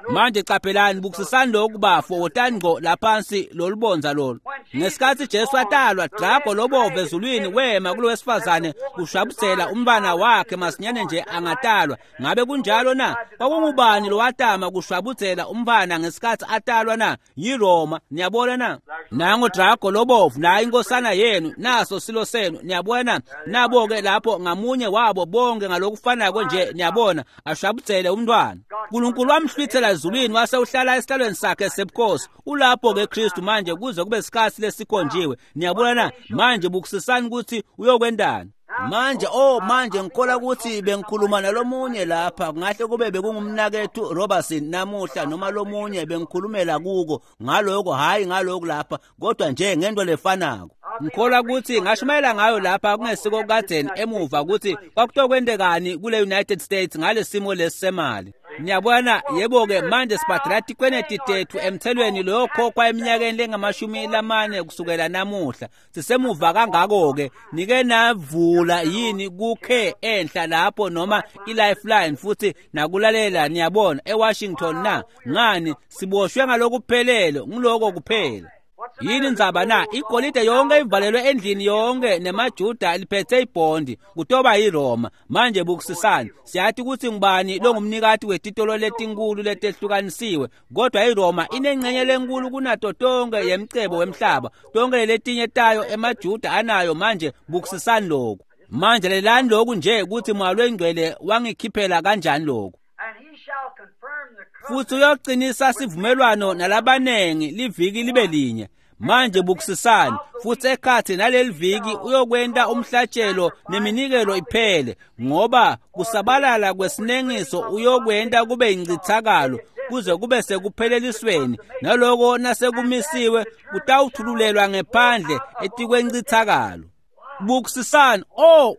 Manje qaphelani bukisisani lokhu bafo wotani ngqo laphansi lolubonza lolu. Ngesikhathi Jesu atalwa drago lobovu ezulwini wema kulowesifazane kushabudzela umntwana wakhe masinyane nje angatalwa. Ngabe kunjalo na? Kwakungubani lowatama kushwabudzela umntwana ngesikhathi atalwa na? YiRoma. Niyabona na? Nango drago lobovu nayo inkosana yenu naso silo senu. Niyabona na? Nabo-ke lapho ngamunye wabo bonke ngalokufanako nje niyabona ashwabudzele umntwana. uNkulunkulu wamhlwithela ezulwini wase uhlala esihlalweni sakhe sebukhosi. Ulapho-ke Kristu manje kuze kube sikhathi lesikhonjiwe. Niyabona na? Manje bukisisani ukuthi uyokwendani. Manje manje ngikholwa ukuthi bengikhuluma nalomunye lapha kungahle kube bekungumnakethu Robertson namuhla noma lomunye bengikhulumela kuko ngaloko hayi ngaloko lapha kodwa nje ngento lefanako. Ngikholwa ukuthi ngashumayela ngayo lapha kungesiko kadzeni emuva ukuthi kwakutokwendekani kule United States ngalesimo lesisemali. Niyabona yebo-ke manje sibhadala tikweneti tethu emthelweni loyokhokhwa eminyakeni lengamashumi lamane kusukela namuhla. Sisemuva kangako-ke nike navula yini kukhe enhla lapho noma i-lifeline futhi nakulalela niyabona eWashington na? Ngani siboshwe ngalokuphelele ngiloko kuphela. Yini indzaba na? Igolide yonke ivalelwe endlini yonke nemajuda liphethe ibhondi kutoba yiRoma. Manje bukisisani siyathi ukuthi ngubani longumnikati wetitolo letinkulu letehlukanisiwe kodwa iRoma inengcenye lenkulu kunato tonke yemcebo wemhlaba. Tonke letinye tayo emajuda anayo. Manje bukisisani lokhu. Manje lelani lokhu nje ukuthi Moya loyiNgcwele wangikhiphela kanjani lokhu. Futhi uyoqinisa sivumelwano nalabanengi liviki libe linye. Manje bukisisani futhi ekhathi naleli viki uyokwenta umhlatshelo neminikelo iphele ngoba kusabalala kwesinengiso uyokwenta kube incithakalo kuze kube sekuphelelisweni naloko nasekumisiwe kutawuthululelwa ngephandle etikwencithakalo. Bukisisani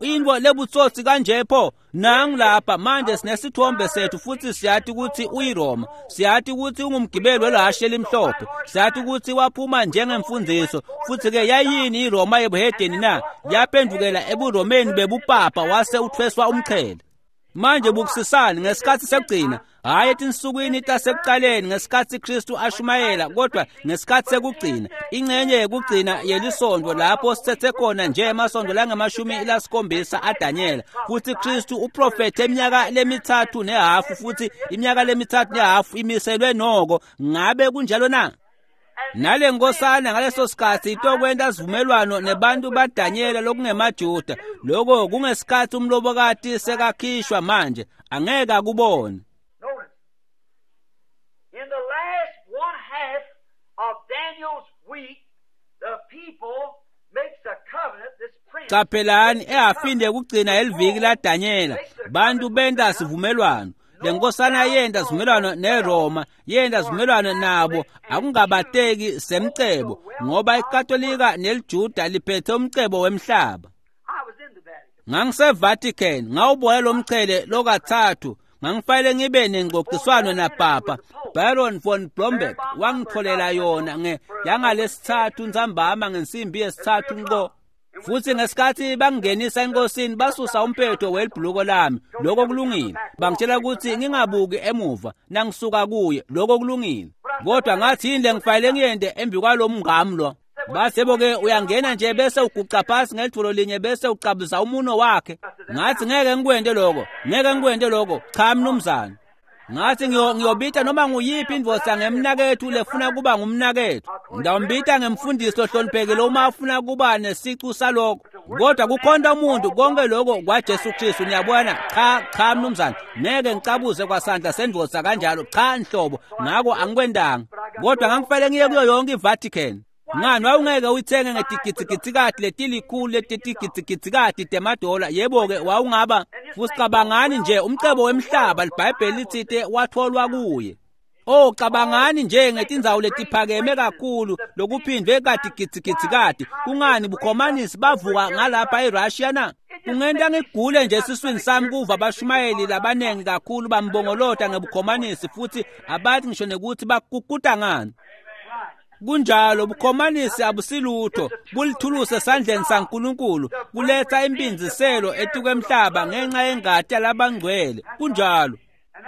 into lebutsotsi kanje pho. Nangu lapha manje sinesithombe sethu futhi siyathi ukuthi uyiRoma, siyathi ukuthi ungumgibeli welahashe elimhlophe, siyathi ukuthi waphuma njengemfundiso. Futhi-ke yayini iRoma yebuhedeni na? Yaphendukela ebuRomeni bebupapa wase uthweswa umqhele. Manje bukisisani ngesikhathi sekugcina, hhayi etinsukwini tasekuqaleni ngesikhathi Kristu ashumayela, kodwa ngesikhathi sekugcina, ingcenye yekugcina yelisonto lapho sithethe khona nje emasonto langama-70 aDanyela. Futhi Kristu uprofethe iminyaka lemi-3.5 futhi iminyaka lemi-3.5 imiselwe noko. Ngabe kunjalo na? Nale nkosana ngaleso sikhathi itokwenta sivumelwano nebantu baDanyela lokungemajuda. Lokho kungesikhathi umlobokati sekakhishwa manje angeke akubone. Notice, in the last one half of Daniel's week, the people makes a covenant, this prince. Qaphelani ehafini yekugcina yeliviki laDanyela bantu benta sivumelwano. Le nkosana yenta sivumelwano neRoma, yenta sivumelwano nabo akungabateki semcebo ngoba iKatolika neliJuda liphethe umcebo wemhlaba. I was in the Vatican. NgangiseVatican ngawubona lo mchele lokathathu. Ngangifanele ngibe nengxoxiswano napapa Baron von Blomberg wangitholela yona nge yangalesithathu ntsambama ngensimbi yesithathu nqo. Futhi ngesikhathi bangingenisa enkosini basusa umphetho welibhuluko lami. Lokho kulungile. Bangitshela ukuthi ngingabuki emuva nangisuka kuye. Lokho kulungile. Kodwa ngathi yini lengifanele ngiyente embi kwalo mngami lo? Bathi yebo-ke uyangena nje bese uguqa phasi ngelithulo linye bese ucabuza umuno wakhe. Ngathi ngeke ngikwente lokho, ngeke ngikwente lokho. Cha mnumzane. Ngathi ngiyobita noma nguyiphi indvodza ngemnakethu lefuna kuba ngumnakethu. Ngidawumbita ngemfundisi lohloniphekile uma afuna kuba nesicu salokho. Kodwa kukhonta umuntu konke lokho kwaJesu Kristu niyabona. Cha cha mnumzane, ngeke ngicabuze kwasandla sendvodza kanjalo. Cha nhlobo, ngako angikwendanga. Kodwa ngangifanele ngiye kuyo yonke iVatican. Ngani wawungeke uyithenge ngetigidzigidzi letilikhulu letetigidzigidzi temadola? Yebo-ke wawungaba. Futhi cabangani nje umcebo wemhlaba liBhayibheli litsite watholwa kuye. Cabangani nje ngetindzawo letiphakeme kakhulu lokuphindwe katigidzigidzikati. Kungani bukhomanisi bavuka ngalapha eRussia na? Kungenta ngigule nje esiswini sami kuva abashumayeli labanengi kakhulu bambongolota ngebukhomanisi futhi abathi ngisho nekuthi bakukuta ngani. Kunjalo, bukhomanisi abusilutho, bulithuluse esandleni saNkulunkulu, kuletha impindziselo etikwemhlaba ngenxa yengati yalabangcwele. Kunjalo.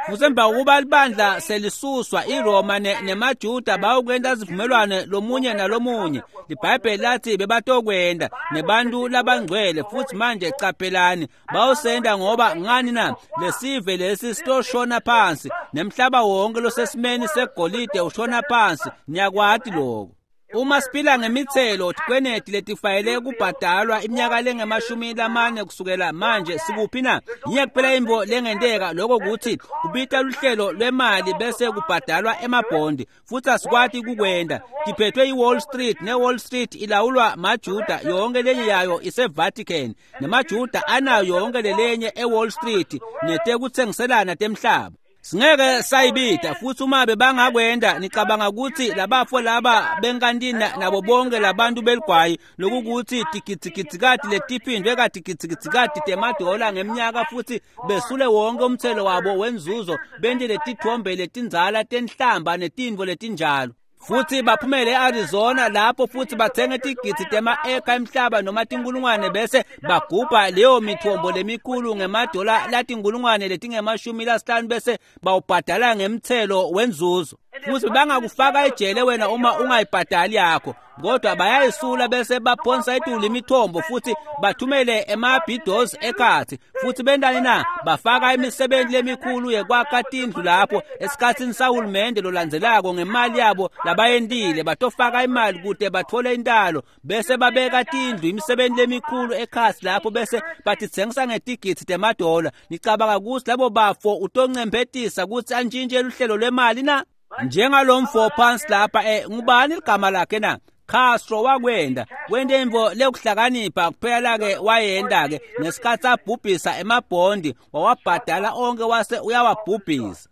Futhi emva kokuba libandla selisuswa iRoma nemaJuda bawukwenta sivumelwano lomunye nalomunye. LiBhayibheli lathi bebatokwenda nebantu labangcwele. Futhi manje caphelani, bawusenda ngoba ngani na? Lesive lesi sitoshona phansi, nemhlaba wonke losesimeni segolide ushona phansi. Niyakwati lokho. Uma siphila ngemithelo tikweneti letifayele kubhadalwa iminyaka lengemashumi lamane kusukela manje, sikuphi na? Yinye kuphela intfo lengenteka, lokho kutsi kubita luhlelo lwemali bese kubhadalwa emabhondi, futhi asikwati kukwenda. Tiphethwe yi-Wall Street, ne-Wall Street ilawulwa maJuda, yonke lenye yayo ise-Vatican, nemaJuda anayo yonke lelenye e-Wall Street netekutsengiselana temhlaba. Singeke sayibida. Futhi uma bebangakwenda, nicabanga ukuthi labafo laba benkantini nabo bonke labantu beligwayi lokukuthi tigidzigidzi letiphindwe katigidzigidzi temadola ngeminyaka, futhi besule wonke umthelo wabo wenzuzo, bente letithombe letindzala tenhlamba netintfo letinjalo, futhi baphumele e-Arizona lapho futhi bathenge tigidzi tema-eka emhlaba noma tinkulungwane, bese bagubha leyo mithombo lemikhulu ngemadola latinkulungwane letingemashumi lasihlanu, bese bawubhadala ngemthelo wenzuzo. Futhi bangakufaka ejele wena uma ungayibhadali yakho, kodwa bayayisula bese baphonsa etulu imithombo futhi bathumele emabhidozi ekhathi. Futhi bentani na? Bafaka imisebenzi lemikhulu yekwakha tindlu lapho esikhatsini sahulumende lolandzelako ngemali yabo labayentile. Batofaka imali kute bathole intalo, bese babeka tindlu, imisebenzi lemikhulu ekhasi lapho, bese batitsengisa ngetigidzi temadola. Nicabanga ukuthi labo bafo utoncemphetisa kutsi antjintje luhlelo lwemali na? Njengalomfo phansi lapha, ngubani ligama lakhe na? Castro wakwenda, wente intfo lekuhlakanipha kuphela ke wayenda ke ngesikhatsi abhubhisa emabhondi, wawabhadala onke wase uyawabhubhisa.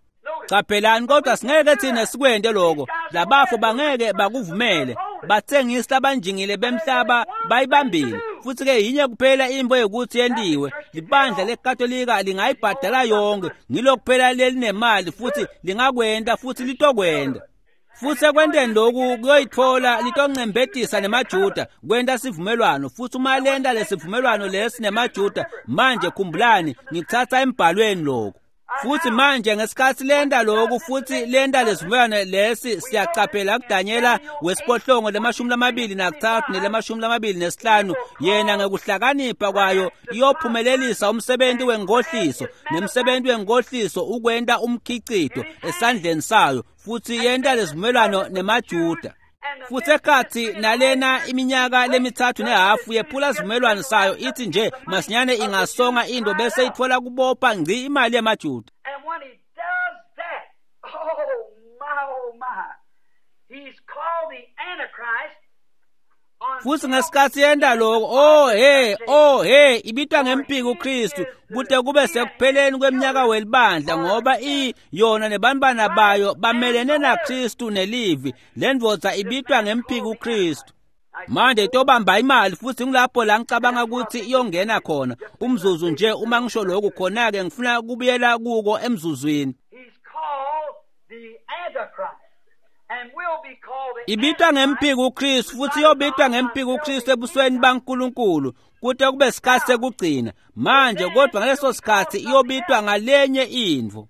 Caphelani, kodwa singeke thina sikwente lokho. Labafo bangeke bakuvumele. Batsengisi labanjingile bemhlaba bayibambile. Futhi ke yinye kuphela intfo yokuthi yentiwe, libandla leKatolika lingayibhadala yonke, ngilo kuphela lelinemali futhi lingakwenta futhi litokwenda. Futhi ekwenteni lokhu kuyoyithola litoncemphetisa nemaJuda kwenta sivumelwano. Futhi uma lenta lesivumelwano lesi nemaJuda, manje khumbulani, ngikuthatha embhalweni lokhu. Futhi manje ngesikhatsi lenta lokhu futhi lenta lesivumelwano lesi, siyacaphela kuDanyela wesiphohlongo le-23 nele-25, yena ngekuhlakanipha kwayo iyophumelelisa umsebenzi wenkohliso, nemsebenzi wenkohliso ukwenta umkhicito esandleni sayo, futhi yenta lesivumelwano nemaJuda. Futhi ekhathi nalena iminyaka lemithathu nehafu yephula sivumelwano sayo, ithi nje masinyane ingasonga into bese itfola kubopha ngci imali yemaJuda. And when he does that, oh my, oh my, he's called the Antichrist. Futhi ngesikhatsi yenta lokho, oh he, oh he, ibitwa ngempiki uKristu kute kube sekupheleni kweminyaka welibandla, ngoba yona nebantwana bayo bamelene naKristu nelivi. Lendvodza ibitwa ngempiki uKristu. Manje itobamba imali, futhi ngilapho la ngicabanga ukuthi iyongena khona. Umzuzu nje, uma ngisho lokhu khona-ke ngifuna kubuyela kuko emzuzwini. He's called the Antichrist and will be called the Ibitwa ngempiki uKristu, futhi iyobitwa ngempiki uKristu ebusweni baNkulunkulu kute kube sikhatsi sekugcina. Manje kodwa ngaleso sikhatsi iyobitwa ngalenye intfo.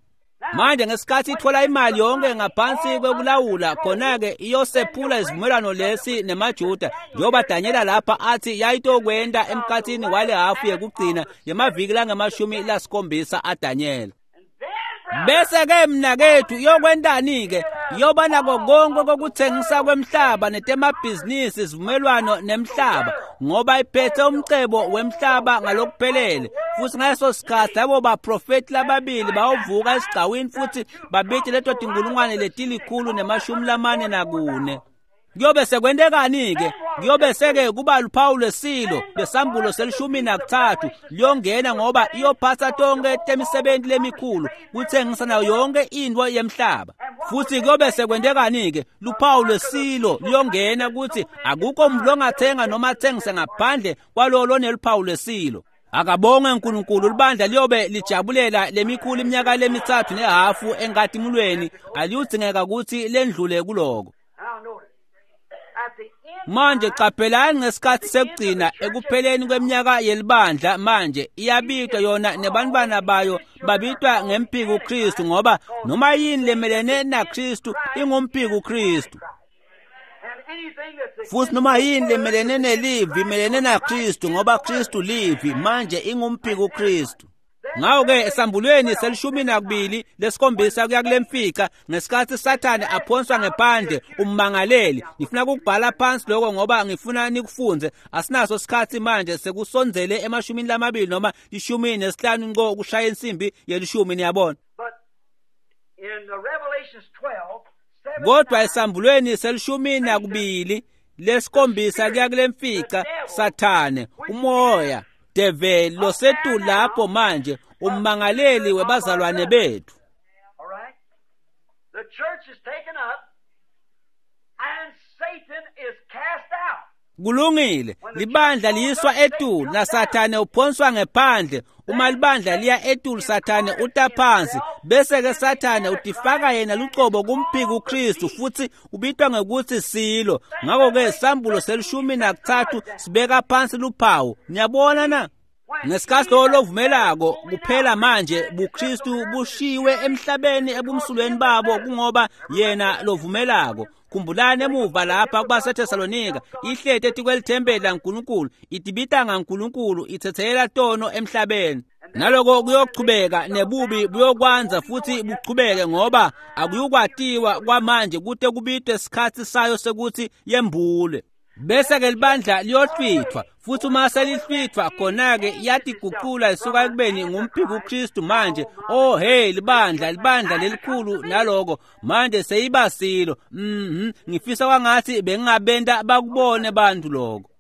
Manje ngesikhatsi itfola imali yonke ngaphansi kwekulawula, khona-ke iyosephula isivumelwano lesi nemaJuda, njengoba Danyela lapha athi yayitokwenta emkhatsini wale hafu yekugcina yemaviki langemashumi lasikhombisa aDanyela. Bese ke mnakethu iyokwentani-ke? Iyoba nako konke kokuthengisa kwemhlaba netemabhizinisi, isivumelwano nemhlaba, ngoba iphethe umcebo wemhlaba ngalokuphelele. Futhi ngaleso sikhatsi labo baprofethi lababili bayovuka esigcawini futhi babite leto tinkulungwane 144. Kuyobe sekwentekani-ke? Kuyobe seke kuba luphawu lwesilo lwesambulo se-13 liyongena, ngoba iyophatsa tonke temisebenti lemikhulu kutsengisa nayo yonke intfo yemhlaba. Futhi kuyobe sekwentekani-ke? Luphawu lwesilo liyongena kutsi akukho muntu longathenga noma atsengise ngaphandle kwalowo loneluphawu lwesilo. Akabonge uNkulunkulu, libandla liyobe lijabulela lemikhulu iminyaka lemithathu nehafu enkatimulweni, aliyudzingeka kutsi lendlule kuloko. Now notice. Manje qaphelani ngesikhathi sekugcina ekupheleni kweminyaka yelibandla manje iyabitwa yona nebantwana bayo babitwa ngempiko Kristu, ngoba noma yini lemelene naKristu ingumpiko Kristu. Futhi noma yini lemelene nelivi imelene naKristu, ngoba Kristu livi, manje ingumpiko Kristu. Ngakho-ke esambulweni se-12 lesikhombisa kuya kule mfica, ngesikhathi Sathane aphonswa ngephandle ummangaleli. Ngifuna ukubhala phansi lokho ngoba ngifuna nikufunze. Asinaso isikhathi manje, sekusondzele ema-20 noma 15 nqo kushaya insimbi yelishumi, niyabona. Kodwa esambulweni se-12 lesikhombisa kuya kule mfica, Sathane umoya develi losetu lapho manje ummangaleli webazalwane bethu. Kulungile, libandla liyiswa etulu naSathane uphonswa ngephandle. Uma libandla liya etulu, Sathane utaphansi, bese-ke Sathane utifaka yena lucobo kumphiko uKristu, futhi ubitwa ngekuthi silo. Ngakho-ke sambulo se-13 sibeka phansi luphawu. Niyabona na? Ngesikhathi lowo lovumelako kuphela manje buKristu bushiwe emhlabeni ebumsulweni babo, kungoba yena lovumelako. Khumbulani emuva lapha kubaseThesalonika, ihlete etikwelithempeli laNkulunkulu, itibita ngaNkulunkulu, ithethelela tono emhlabeni. Naloko kuyochubeka nebubi buyokwanza futhi buchubeke, ngoba akuyukwatiwa kwamanje kute kubitwe isikhathi sayo sekuthi yembule. Bese-ke libandla liyohlwithwa, futhi uma selihlwithwa khona-ke iyatiguqula isuka ekubeni ngumphiko uKristu manje. Oh hey, libandla lelikhulu naloko manje seyibasilo. Ngifisa kwangathi bengingabenta bakubone bantu lokho.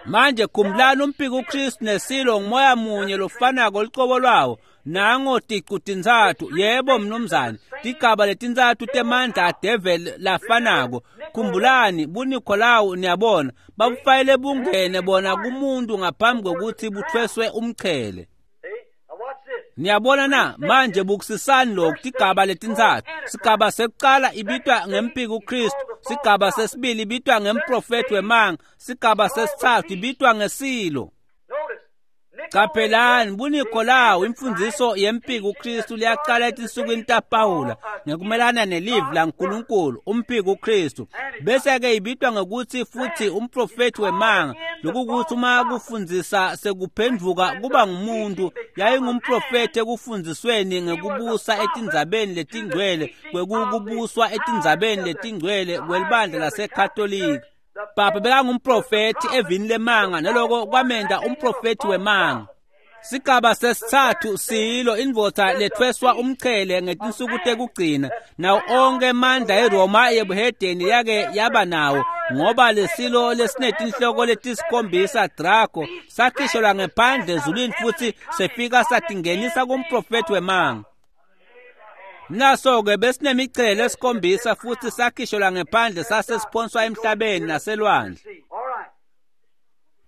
Manje khumbulani umphiko uKristu nesilo ngumoya munye lofanako lucobo lwawo. Nango ticu tintsatfu, yebo mnumzane, tigaba letintsatfu temandla adeveli lafanako. Khumbulani buNikolawu, niyabona, babufayele bungene bona kumuntu ngaphambi kokuthi buthweswe umchele. Niyabona na? Manje bukusisani lokhu, tigaba letintsatfu. Sigaba sekucala ibitwa ngempiko uKristu, sigaba sesibili ibitwa ngemprofethi wemanga, sigaba sesitsatfu ibitwa ngesilo. Qaphelani buNikolawu, imfundiso yempiko uKristu liyaqala etinsukwini taPawula ngekumelana nelivi laNkulunkulu, umphiko uKristu. Bese-ke ibitwa ngekuthi futhi umprofethi wemanga, lokukuthi uma kufundzisa sekuphendvuka kuba ngumuntu, yayingumprofethi ekufundzisweni ngekubusa etindzabeni letingcwele, kwekubuswa etindzabeni letingcwele kwelibandla laseKatolika. Papa bekangumprofethi evini lemanga, naloko kwamenta umprofethi wemanga. Sigaba sesitsatfu silo, indvodza lethweswa umchele ngetinsuku tekugcina, nawo onke emandla eRoma yebuhedeni yake yaba nawo, ngoba lesilo lesinetinhloko letisikhombisa Drago sakhishelwa ngephandle ezulwini futhi sefika satingenisa kumprofethi wemanga. Naso-ke besinemicele esikhombisa futhi sakhishelwa ngephandle sasesiphonswa emhlabeni naselwandle.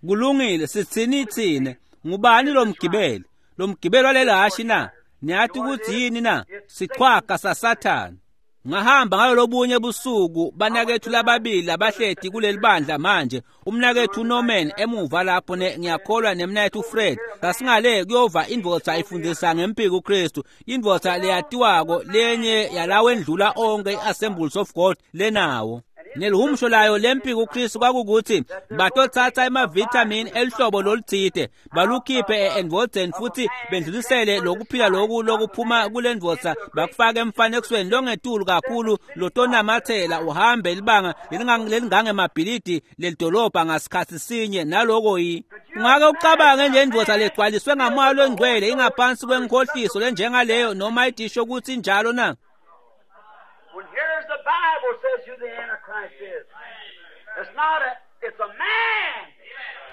Kulungile, sitsini tsine? Ngubani lo mgibeli? Lo mgibeli waleli hashi na? Niyathi ukuthi yini na? Sichwaga saSathane. Ngahamba ngalolobunye busuku banakethu lababili abahleti kuleli bandla manje, umnakethu Norman emuva lapho ngiyakholwa nemnakethu Fred. Sasingale kuyova indvodza ifundisa ngempiko uKristu, indvodza leyatiwako lenye yalawo endlula onke i-Assemblies of God lenawo. Nelihumusho layo lempiko uKristu kwakukuthi batothatha emavithamini elihlobo loluthide balukhiphe endvodzeni futhi bendlulisele lokuphila loku lokuphuma kule ndvodza bakufake emfanekisweni longetulu kakhulu lotonamathela uhambe libanga lelingangemabhilidi lelidolobha ngasikhathi sinye. Naloko yi ungake ucabange nje indvodza legcwaliswe ngamoya longcwele ingaphansi kwenkhohliso lenjengaleyo noma idisho ukuthi injalo na? The Bible says who the Antichrist is. It's not a, it's a man.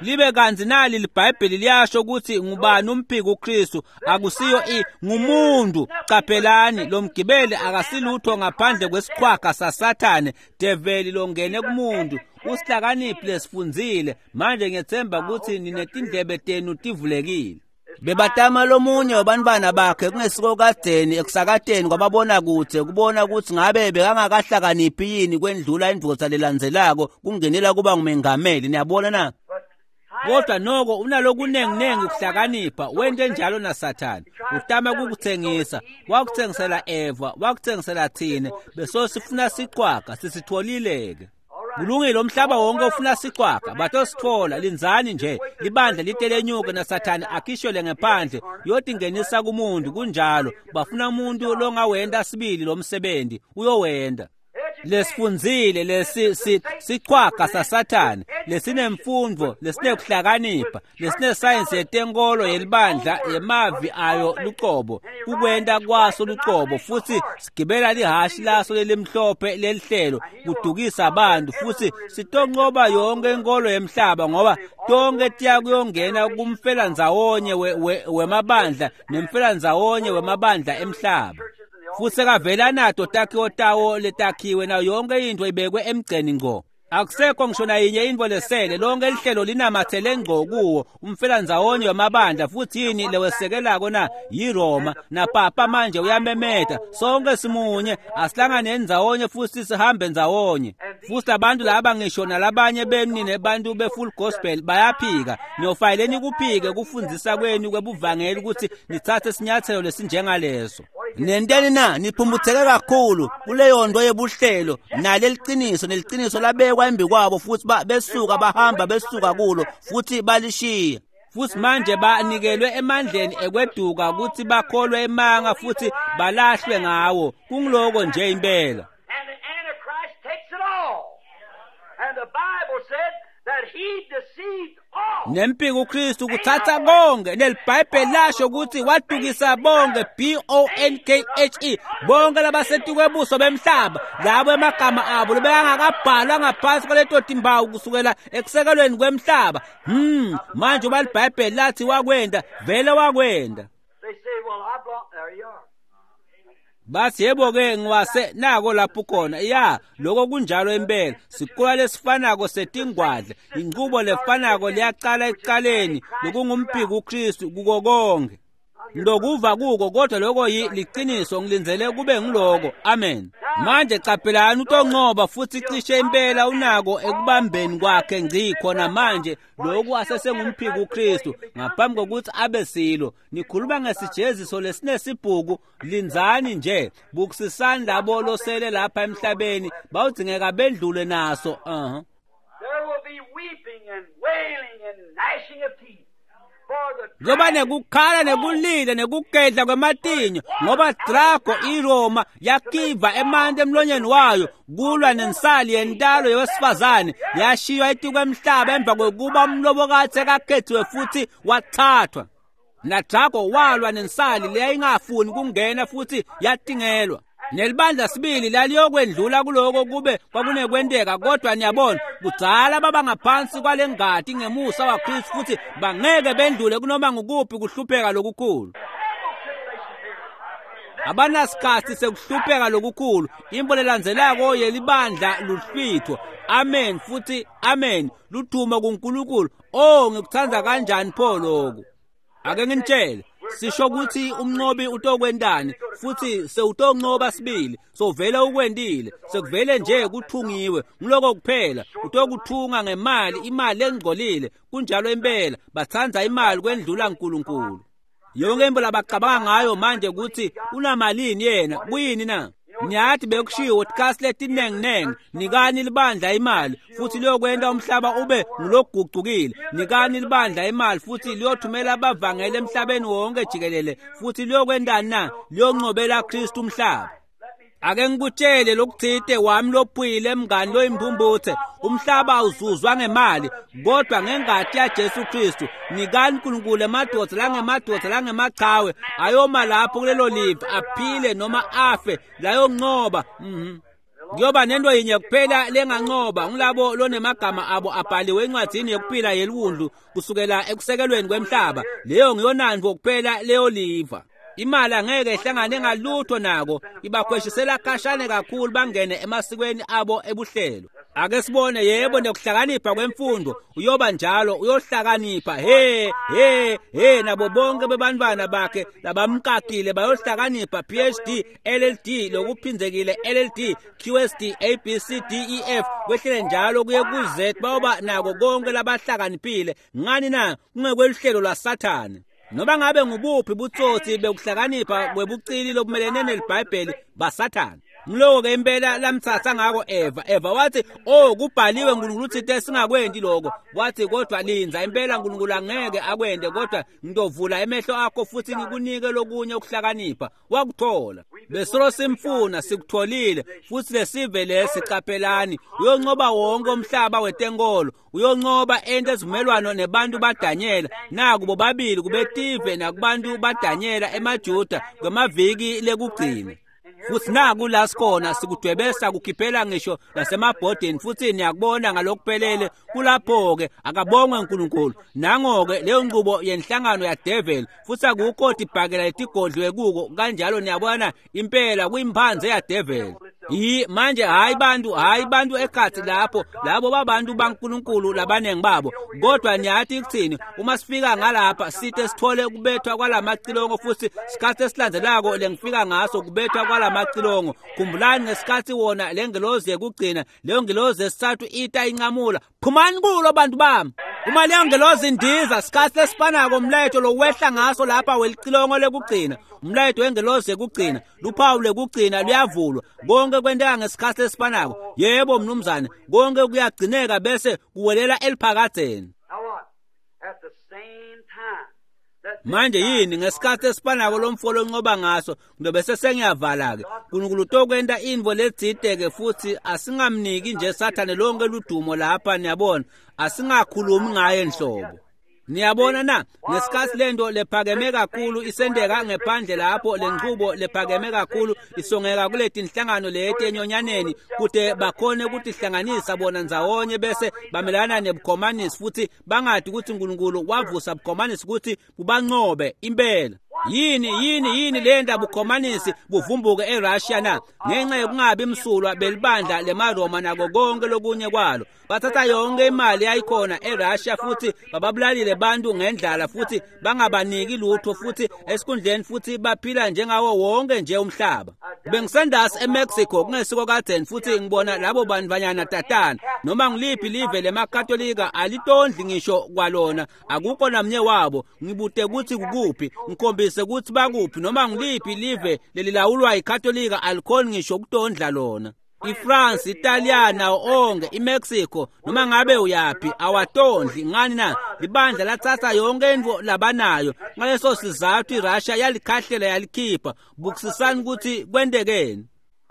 Libe kanzi nali liBhayibheli liyasho ukuthi ngubani umphiko uKristu, akusiyo ngumuntu. Qaphelani lo mgibeli akasilutho ngaphandle kwesiqhwaga saSathane, develi longene kumuntu. Usihlakaniphi lesifundzile. Manje ngiyethemba ukuthi ninetindlebe tenu tivulekile. Bebatama lomunye wabantwana bakhe kungesiko kadzeni ekusakateni kwababona kutse kubona kutsi ngabe bekangakahlakaniphi yini kwendlula indvodza lelandzelako kungenela kuba ngumengameli. Niyabona na? Kodwa noko unalokunenginengi kuhlakanipha, wente njalo naSathane. Utama kukutsengisa, wakutsengisela Eva, wakutsengisela thine, beso sifuna siqwaga, sisitholile-ke. Kulungile, umhlaba wonke ufuna siqwaga, batosithola. Lindzani nje, libandla litelenyuke naSathane akhishwele ngephandle, uyotingenisa kumuntu. Kunjalo, bafuna umuntu longawenta sibili lo msebenzi, uyowenta. Lesifundzile lesi siqwaga saSathane lesinemfundo, lesinekuhlakanipha, lesinesayensi yetenkolo yelibandla yemavi ayo lucobo, kukwenta kwaso lucobo, futsi sigibela lihashi laso lelimhlophe lelihlelo kudukisa abantu, futsi sitoncoba yonke inkolo yemhlaba, ngoba tonke tiya kuyongena kumfelandzawonye wemabandla nemfelandzawonye wemabandla emhlaba. Futsi sekavela nato takhiwo tawo letakhiwe nayo yonke intfo ibekwe emgceni ngco. Akusekho ngisho nayinye intfo lesele, lonke lihlelo linamathele ngco kuwo umfelandzawonye wemabandla. Futsi yini lewesekelako na? YiRoma. Napapa manje uyamemeta, sonke simunye, asihlangane ndzawonye futsi sihambe ndzawonye. Futsi abantu laba ngisho nalabanye benu nine bantu be-full gospel bayaphika. Niyofanele nikuphike kufundzisa kwenu kwebuvangeli ukuthi nitsatse sinyathelo lesinjengaleso. Nenteni na? Niphumbutseke kakhulu kuleyo nto yebuhlelo naleliciniso, neliciniso labekwa embi kwabo, futsi besuka bahamba besuka kulo futsi balishiya. Futsi manje banikelwe emandleni ekweduka kutsi bakholwe emanga futsi balahlwe ngawo. Kungiloko nje impela. And the Antichrist takes it all. And the Bible said that he deceived all. Nempiko uKristu kuthatha konke, neliBhayibheli lasho ukuthi wadukisa bonke, B-O-N-K-H-E, bonke labasetikwebuso bemhlaba, labo emagama abo lebekangakabhalwa ngaphansi kwaleto timpawu kusukela ekusekelweni kwemhlaba. Manje uba liBhayibheli lathi wakwenda, vele wakwenda. They say, well, I belong. There you are. Bathi yebo-ke ngiwase nako lapho khona. Ya, lokho kunjalo impela. Siqola lesifanako setingwadla, inqubo lefanako liyaqala ekuqaleni, lokungumpiko uKristu kuko konke. Ngilokuva kuko, kodwa lokho liqiniso, ngilindzele kube ngiloko. Amen. Manje qaphelani, utoncoba futsi cishe impela unako ekubambeni kwakhe ngci khona manje. Lokhu asesengumphiko uKristu ngaphambi kokuthi abe silo. Nikhuluma ngesijeziso lesinesibhuku, lindzani nje, bukisisani labo losele lapha emhlabeni, bawudzingeka bendlule naso. There will be weeping and wailing and gnashing of teeth. Kuyoba nekukhala nekulila nekugedla kwematinyo, ngoba Drago iRoma yakiva emanti emlonyeni wayo kulwa nensali yentalo yowesifazane, yashiywa etikwemhlaba emva kokuba umlobokati sekakhethiwe futhi wathathwa. NaDrago walwa nensali leyayingafuni kungena futhi yatingelwa. Nelibandla sibili laliyokwendlula kuloko kube kwakunekwenteka, kodwa niyabona kudzala baba ngaphansi kwalengati ngemusa waKristu, futhi bangeke bendlule kunoma ngukuphi kuhlupheka lokukhulu. Abanasikhathi sekuhlupheka lokukhulu. Imbo lelandzelako yelibandla luhlwitho. Amen futhi amen. Luthuma kuNkulunkulu. Oh, ngikuthanda kanjani pho lokhu. Ake nginitshele, sisho ukuthi umnqobi utokwentani, futhi sewutoncoba sibili, sovele ukwentile, sekuvele nje kuthungiwe, ngiloko kuphela. Utokuthunga ngemali, imali engcolile. Kunjalo impela, batsandza imali kwendlula uNkulunkulu. Yonke into labacabanga ngayo manje ukuthi unamalini yena, kuyini na? Niyathi bekushiwo tikasi letinenginengi, nikani libandla imali futhi liyokwenta umhlaba ube ngulogucukile. Nikani libandla imali futhi liyothumela abavangeli emhlabeni wonke jikelele, futhi liyokwentani na? Liyoncobela Kristu umhlaba. Ake ngikutshele lokuthite wami lophuyile mngani loyimpumputhe, umhlaba awuzuzwa ngemali kodwa ngengati yaJesu Kristu. Nikani uNkulunkulu emadoda langemadoda langemachawe ayoma lapho kulelo live, aphile noma afe, layoncoba. Kuyoba nento yinye kuphela lengancoba, ngulabo lonemagama abo abhaliwe encwadzini yokuphila yeliwundlu kusukela ekusekelweni kwemhlaba. Leyo ngiyonandvo kuphela leyo liva. Imali angeke ihlangane ngalutho nako, ibakhweshisela khashane kakhulu bangene emasikweni abo ebuhlelo. Ake sibone, yebo, nekuhlakanipha kwemfundo uyoba njalo, uyohlakanipha. He he he, nabo bonke bebantwana bakhe labamkakile bayohlakanipha. PhD, LLD, lokuphinzekile LLD, QSD, A B C D E F, kwehlele njalo kuye ku-Z, bayoba nako konke labahlakaniphile. Ngani na? Kungekweluhlelo lwaSathane. Noma ngabe ngubuphi butsotsi bekuhlakanipha kwebucili lobumelene neliBhayibheli baSathane. Ngiloko-ke impela lamtsatsa ngako Eva. Eva wathi, oh, kubhaliwe uNkulunkulu uthite singakwenti lokho. Wathi, kodwa lindza, impela uNkulunkulu angeke akwente, kodwa ngitovula emehlo akho futhi ngikunike lokunye ukuhlakanipha. Wakuthola. Besolo simfuna, sikutholile, futhi lesive lesi, qaphelani, uyoncoba wonke umhlaba wetenkolo, uyoncoba ente esivumelwano nebantu baDanyela. Naku bobabili kubetive nakubantu baDanyela emaJuda kwemaviki lekugcina. Futhi naku la sikhona, sikudwebesa kukhiphela ngisho nasemabhodini, futhi niyakubona ngalokuphelele. Kulapho-ke akabongwe uNkulunkulu. Nango-ke leyo nqubo yenhlangano yadeveli, futhi akukho tibhakela letigodliwe kuko kanjalo. Niyabona impela kuyimphanze yadeveli. Manje hayi bantu, hayi bantu ekhathi lapho, labo babantu baNkulunkulu labanengi babo. Kodwa niyathi ukuthini, uma sifika ngalapha sithe sithole kubethwa kwalamacilongo, futhi sikhathi esilandzelako lengifika ngaso kubethwa kwalamacilongo. Khumbulani ngesikhathi wona lengelozi yekugcina, leyo ngelozi yesithathu ita inqamula, phumani kulo bantu bami. Uma leyo ngelozi indiza, sikhathi lesifanako umlayeto lowehla ngaso lapha welicilongo lekugcina, umlayeto wengelozi yekugcina, luphawu lekugcina luyavulwa. Konke kwenteka ngesikhathi lesifanako. Yebo mnumzane, konke kuyagcineka bese kuwelela eliphakadzeni. Manje yini ngesikhathi esifanako lomfo loncoba ngaso, ngiyobe sengiyavala-ke. Nkulunkulu utokwenta intfo letsite-ke, futhi asingamniki nje Sathane lonke ludumo lapha, niyabona, asingakhulumi ngaye nhlobo. Niyabona na, ngesikhathi lento lephakeme kakhulu isendeka ngephandle lapho, lenchubo lephakeme kakhulu isongeka kuletinhlangano leti enyonyaneni, kute bakhone ukutihlanganisa bona ndzawonye bese bamelana nebukhomanisi, futhi bangadi ukuthi uNkulunkulu wavusa bukhomanisi ukuthi bubancobe impela. Yini yini yini lenda bukhomanisi buvumbuke eRussia na? Ngenxa yokungabi msulwa belibandla lemaRoma nako konke lokunye kwalo. Bathatha yonke imali yayikhona eRussia futhi bababulalile bantu ngendlala, futhi bangabaniki lutho, futhi esikhundleni futhi baphila njengawo wonke nje umhlaba. Bengisendasi eMexico kungesiko kadzeni, futhi ngibona labo bantu banyana tatana, noma ngiliphi live lemaKatolika alitondli ngisho kwalona, akukho namnye wabo. Ngibute ukuthi kukuphi, ngikhombise ukuthi bakuphi, noma ngiliphi live lelilawulwa yiKatolika alikhoni ngisho ukutondla lona. iFrance, Italia nawo onke, iMexico, noma ngabe uyaphi awatondli. Ngani na? Libandla latsatsa yonke intfo labanayo. Ngaleso sizathu iRussia yalikhahlela yalikhipha. Bukisisani ukuthi kwentekeni.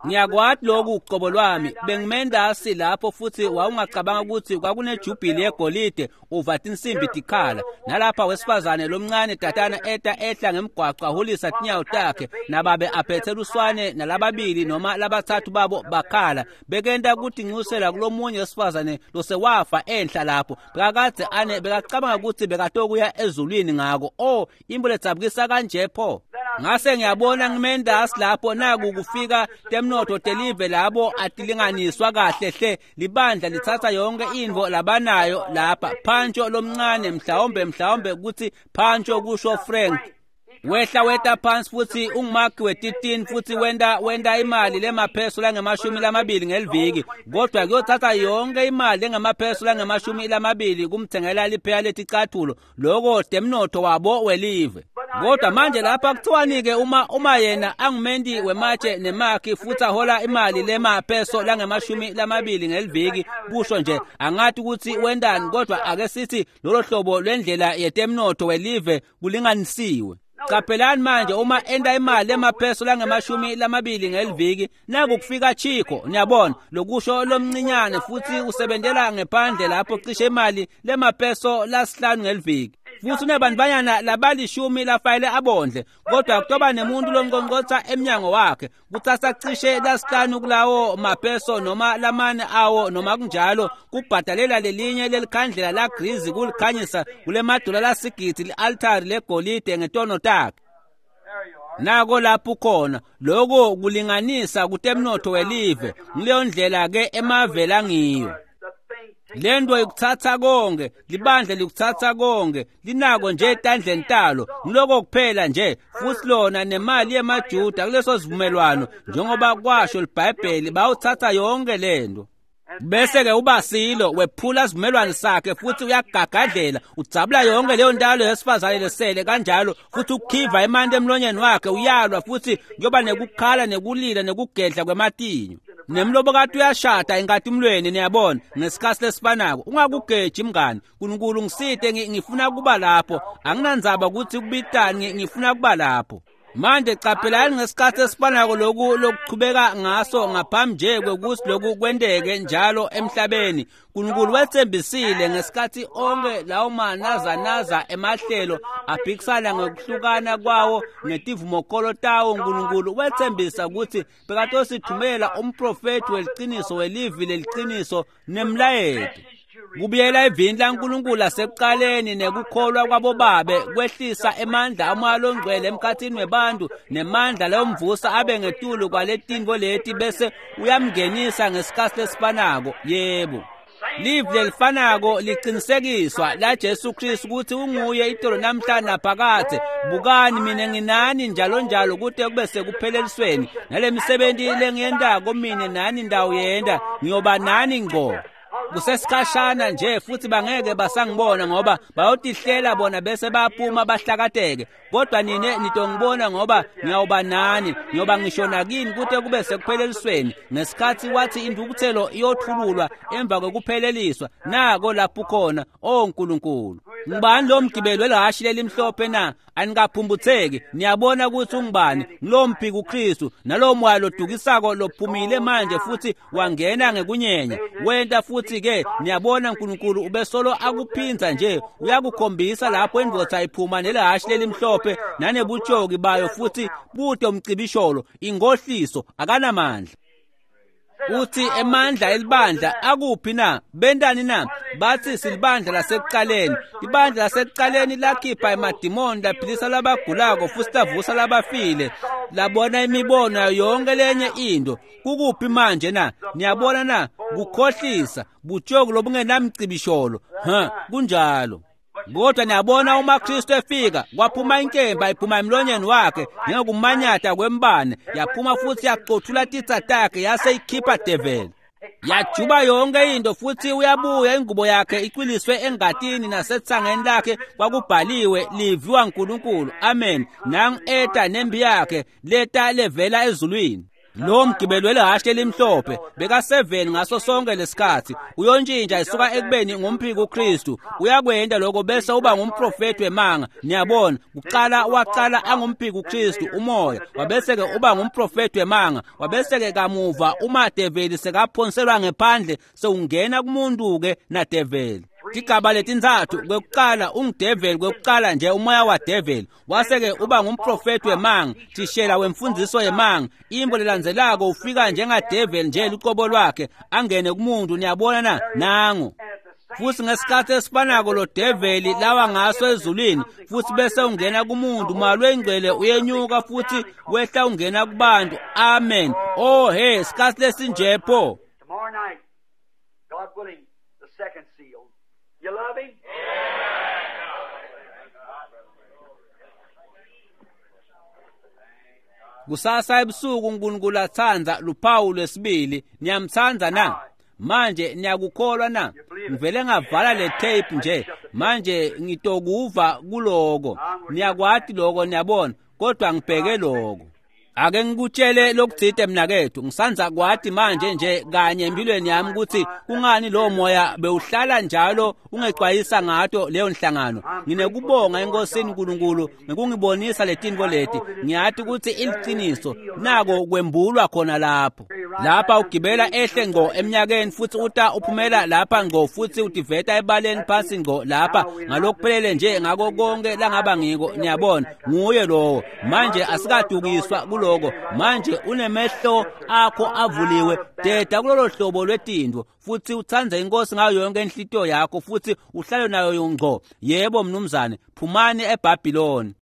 Ngiyakwati lokhu ucobo lwami, bengimendasi lapho, futhi wawungacabanga ukuthi kwakunejubhili yegolide uva tinsimbi tikhala. Nalapha wesifazane lomncane tatana eta ehla ngemgwaco ahulisa tinyawo takhe, nababe aphethe luswane, nalababili noma labathathu babo bakhala bekenta kutinxusela kulomunye wesifazane losewafa enhla lapho. Bekakadze ane bekacabanga ukuthi bekatokuya ezulwini ngako. Oh, imbo ledzabukisa kanje pho. Ngase ngiyabona ngimendasi lapho, naku kufika temnotfo telive labo atilinganiswa kahle hle. Libandla litsatsa yonke intfo labanayo lapha. Pancho lomncane, mhlawumbe ukuthi Pancho kusho Frank, wehla weta phansi futhi ungumakhi wetitini, futhi wenta imali lemapheso lange-20 ngeliviki, kodwa kuyothatha yonke imali lengamapheso lange-20 kumthengela lipheya leticathulo. Loko temnotfo wabo welive. Kodwa manje lapha kuthiwani-ke uma yena angumenti wematshe nemakhi futhi ahola imali lemapheso lange-20 ngeliviki, kusho nje angathi ukuthi wentani, kodwa ake sithi lolo hlobo lwendlela yetemnotfo welive kulinganisiwe. Qaphelani manje, uma enta imali emapeso lange-20 ngeliviki, naku kufika Chico, niyabona, lokusho lomncinyane, futhi usebentela ngephandle lapho cishe imali lemapeso la5 ngeliviki. Futhi unebantfwanyana labali-10 lafayele abondle, kodwa kutoba nemuntu lonqonqotha emnyango wakhe, kutsatsa cishe la5 kulawo mapeso noma lamane awo noma kunjalo, kubhadalela lelinye lelikhandlela la grizi kulikhanyisa kulemadola la-8 li-altari legolide ngetono takhe. Nako lapho khona lokho kulinganisa kutemnotho welive. Ngileyo ndlela ke emave langiyo. Lento ikuthatha konke, libandla likuthatha konke, linako nje etandleni talo. Ngiloko kuphela nje futhi lona nemali yemaJuda kuleso sivumelwano njengoba kwasho iBhayibheli bawuthatha yonke lento. Bese ke ubasilo wephula sivumelwano sakhe futhi uyagagadlela udzabula yonke leyo ntalo yesifazane lesele kanjalo futhi ukhiva emanti emlonyeni wakhe uyalwa futhi kuyoba nekukhala nekulila nekugedla kwematinyo. Nemlobokati uyashada enkatimlweni niyabona ngesikhathi lesifanako. Ungakugeji mngani. uNkulunkulu ngisite ngifuna kuba lapho. Anginandzaba ukuthi kubitani ngifuna kuba lapho. Manje qaphelani ngesikhathi esifanako lokhu lokuchubeka ngaso ngaphambi nje kwekuthi lokhu kwenteke njalo emhlabeni. uNkulunkulu wethembisile ngesikhathi onke lawo manazanaza emahlelo aphikisana ngokuhlukana kwawo ngetivumokolo tawo. uNkulunkulu wethembisa ukuthi bekatosithumela umprofethi weliciniso welivi leliqiniso nemlayeto. Kubuyela evini laNkulunkulu lasekuqaleni nekukholwa kwabobabe kwehlisa emandla amoya longcwele emkhathini webantu nemandla leyomvusa abe ngetulu kwaletinto leti bese uyamngenisa ngesikhathi lesifanako. Yebo, livi lelifanako liqinisekiswa la Jesu Kristu ukuthi unguye itolo namhla naphakadze. Bukani mina nginani njalo njalo kute kube sekuphelelisweni, nalemisebenzi lengiyentako mina nani ndawo yenda ngiyoba nani ngqo. Kusesikhashana nje futhi bangeke basangibona ngoba bayotihlela bona bese baphuma bahlakateke, kodwa nine nitongibona ngoba ngiyawuba nani, ngiyoba ngisho nakini kute kube sekuphelelisweni. Ngesikhathi wathi intukuthelo iyothululwa emva kokupheleliswa, nako lapho khona. O Nkulunkulu, ngubani lo mgibeli welahhashi lelimhlophe na? Anikaphumphutheki. Niyabona ukuthi ungubani? Ngilo mphiki uKristu nalowo moya lodukisako lophumile manje futhi wangena ngekunyenya wenta futhi ke niyabona uNkulunkulu ubesolo akuphinza nje uyakukhombisa lapho indvodza iphuma nelahhashi lelimhlophe nanebutshoki bayo futhi bude umcibisholo ingohliso akanamandla. Uthi emandla elibandla akuphi na? Bentani na? Bathi silibandla lasekuqaleni. Ibandla lasekuqaleni lakhipha emadimoni, laphilisa labagulako futhi lavusa labafile, labona imibono yonke lenye into. Kukuphi manje na? Niyabona na? Kukhohlisa, butshoki lobungenamcibisholo. Ha, kunjalo. Kodwa niyabona uma Kristu efika kwaphuma inkemba iphuma emlonyeni wakhe njengokumanyata kwembane, yaphuma futhi yaqothula titsa takhe yase ikhipha develi. Yajuba yonke into futhi uyabuya ingubo yakhe icwiliswe engatini nasetsangeni lakhe kwakubhaliwe liviwa uNkulunkulu. Amen. Nang eta nembi yakhe leta levela ezulwini. Lo mgibeli welahhashi elimhlophe beka-7 ngaso sonke lesikhathi. Uyontshintsha isuka ekubeni ngumphiki uKristu, uyakwenda lokho bese uba ngumprofethi wemanga. Niyabona, kuqala waqala angumphiki uKristu umoya, wabese-ke uba ngumprofethi wemanga, wabese-ke kamuva uma develi sekaphonselwa ngephandle sewungena kumuntu-ke nadeveli. Tigaba letintsatfu, kwekuqala ungudeveli, kwekuqala nje umoya wadeveli, wase-ke uba ngumprofethi wemanga, thishela wemfundiso yemanga. Imbo lelandzelako ufika njengadeveli nje luqobo lwakhe angene kumuntu. Niyabona na? Nangu futhi ngesikhathi esifanako lo develi lawa ngaso ezulwini futhi bese ungena kumuntu. Malwe ingcwele uyenyuka futhi wehla ungena kubantu. Amen. Oh hey, sikhathi lesinje pho. You love him? Kusasa ebusuku uNkulunkulu athanda luphawu lwesibili. Niyamthanda na? Manje niyakukholwa na? Ngivele ngavala le tape nje manje ngitokuva kuloko. Niyakwati lokho, niyabona, kodwa ngibheke lokho. Ake ngikutshele lokuthide mnakethu, ngisanza kwati manje nje kanye empilweni yami ukuthi kungani lo moya bewuhlala njalo ungexwayisa ngato leyo nhlangano. Nginekubonga eNkosini uNkulunkulu ngokungibonisa letinto leti. Ngiyati ukuthi iliqiniso, nako kwembulwa khona lapho. Lapha ugibela ehle ngqo eminyakeni futhi uta uphumela lapha ngqo futhi utiveta ebaleni phansi ngqo lapha ngalokuphelele nje ngako konke langaba ngiko. Niyabona, nguye lowo. Manje asikadukiswa kuloko. Manje unemehlo akho avuliwe, deda kulolo hlobo lwetinto futhi utsandze inkosi ngayo yonke inhlitiyo yakho futhi uhlale nayo ngqo. Yebo mnumzane, phumani eBhabhiloni.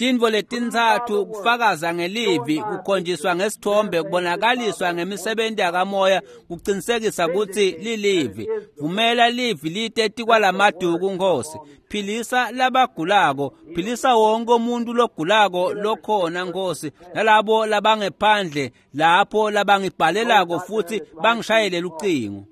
Tintfo letintsatfu kufakaza ngelivi, kukhonjiswa ngesithombe, kubonakaliswa ngemisebenti yakamoya, kucinisekisa kutsi lilivi. Vumela livi lite tikwalamaduku Nkosi. Philisa labagulako, philisa wonke umuntu logulako lokhona Nkosi, nalabo labangephandle lapho labangibhalelako futhi bangishayele lucingo.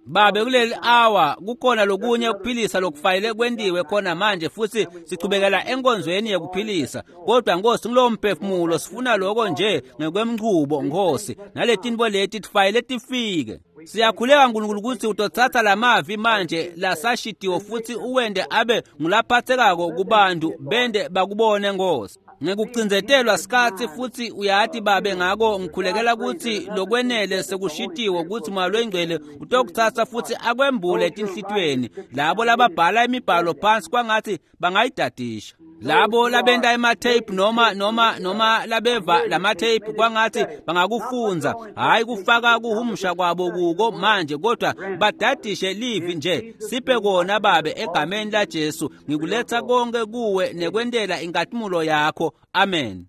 Babe, kuleli hour kukhona lokunye ukuphilisa lokufanele kwentiwe khona manje, futhi sichubekela enkonzweni yekuphilisa. Kodwa Nkosi, kulowo mphefumulo sifuna lokho nje ngekwemchubo Nkosi, naletintfo leti tifanele tifike. Siyakhuleka Nkulunkulu kutsi utotsatsa lamavi manje lasashitiwe futhi uwente abe ngulaphathekako kubantu, bende bakubone Nkosi. Ngekucindzetelwa sikhatsi futhi uyati Babe, ngako ngikhulekela kutsi lokwenele sekushitiwe kutsi Moya Longcwele utokutsatsa futhi akwembule etinhlitiyweni labo lababhala imibhalo phansi kwangathi bangayidadisha, labo labenta ematape noma labeva lamatape kwangathi bangakufundza, hhayi kufaka kuhumusha kwabo kuko manje, kodwa badadishe livi nje. Siphe kona Babe, egameni laJesu ngikuletha konke kuwe nekwentela inkatimulo yakho. Amen.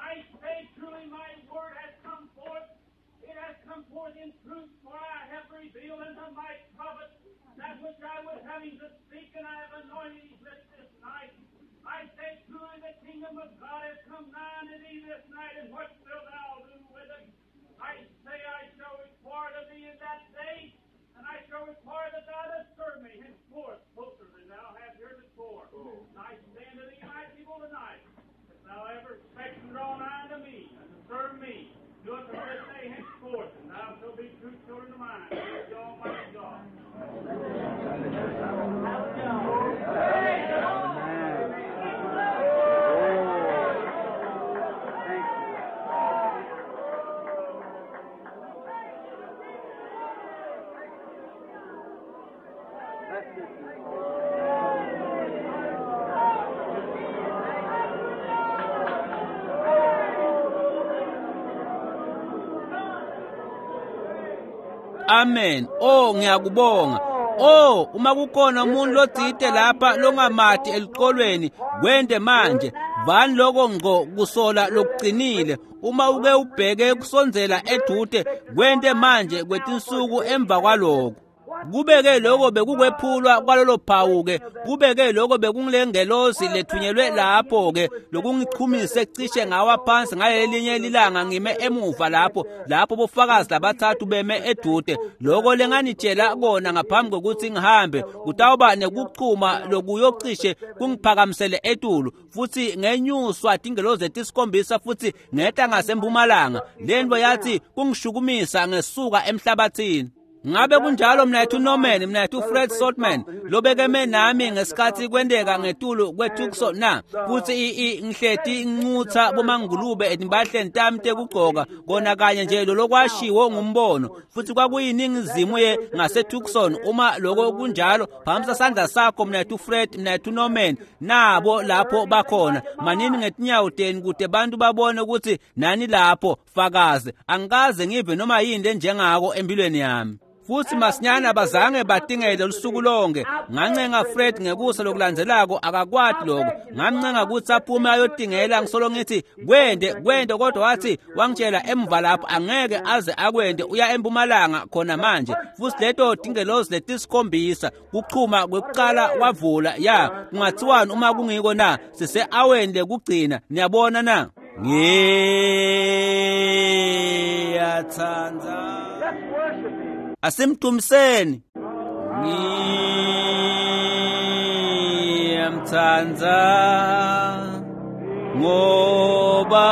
I say truly my word has come forth. It has come forth in truth, for I have revealed unto my prophet that which I was having to speak, and I have anointed his lips this night. I say truly the kingdom of God has come nigh unto thee this night, and what wilt thou do with it? I say I shall require of thee in that day, and I shall require that thou dost serve me henceforth closer than thou hast heretofore. And I say unto thee, my people, tonight, if thou ever expect to draw nigh unto me, and to serve me, do it from this day henceforth, and thou shalt be true children of mine, saith the Almighty God. Amen. Oh, ngiyakubonga. Oh, uma kukhona umuntu lotsite lapha longamati elucolweni, kwente manje. Vani lokho ngqo kusola lokuqinile. Uma uke ubheke kusondzela edute, kwente manje kwetinsuku emva kwaloko. Kubeke lokho bekukwephulwa kwalolo phawu-ke, kubeke lokho bekungulengelosi lethunyelwe lapho-ke lokungichumise cishe ngawa phansi ngalelinye lilanga ngime emuva lapho, lapho bofakazi labathathu beme edude. Lokho lenganitshela kona ngaphambi kokuthi ngihambe, kutawuba nekuchuma lokuyocishe kungiphakamisele etulu, futhi ngenyuswa tingelozi letisikhombisa futhi ngehla ngasempumalanga. Lento yathi kungishukumisa ngesuka emhlabathini. Ngabe kunjalo mnayethu Norman, mnayethu Fred Sotman, lobekeme nami ngesikhathi kwenteka ngetulu kweTucson na? Futhi ngihleti ngincutsa bomangulube etimpahleni tami tekugcoka, kona kanye nje lolokwashiwo ngumbono. Futhi kwakuyiningizimu ye ngaseTucson. Uma lokho kunjalo, phakamisa sandla sakho mnayethu Fred, mnayethu Norman, nabo lapho bakhona. Manini ngetinyawo tenu kute bantu babone ukuthi nani lapho fakaze. Angikaze ngive noma yini lenjengako empilweni yami. Futhi masinyane abazange batingele lusuku lonke. Ngancenga Fred ngekusa lokulandzelako, akakwati lokho. Ngamncenga ukuthi aphume ayotingela, ngisolo ngithi kwende kwende, kodwa wathi wangitshela emva lapho angeke aze akwende, uya empumalanga khona manje. Futhi leto tingelozi letisikhombisa kuchuma kwekuqala wavula ya kungathiwani uma kungiko na? Sise-aweni lekugcina, niyabona na? Ngiyatsandza. Asimdumiseni. Ngiyamtsandza ngoba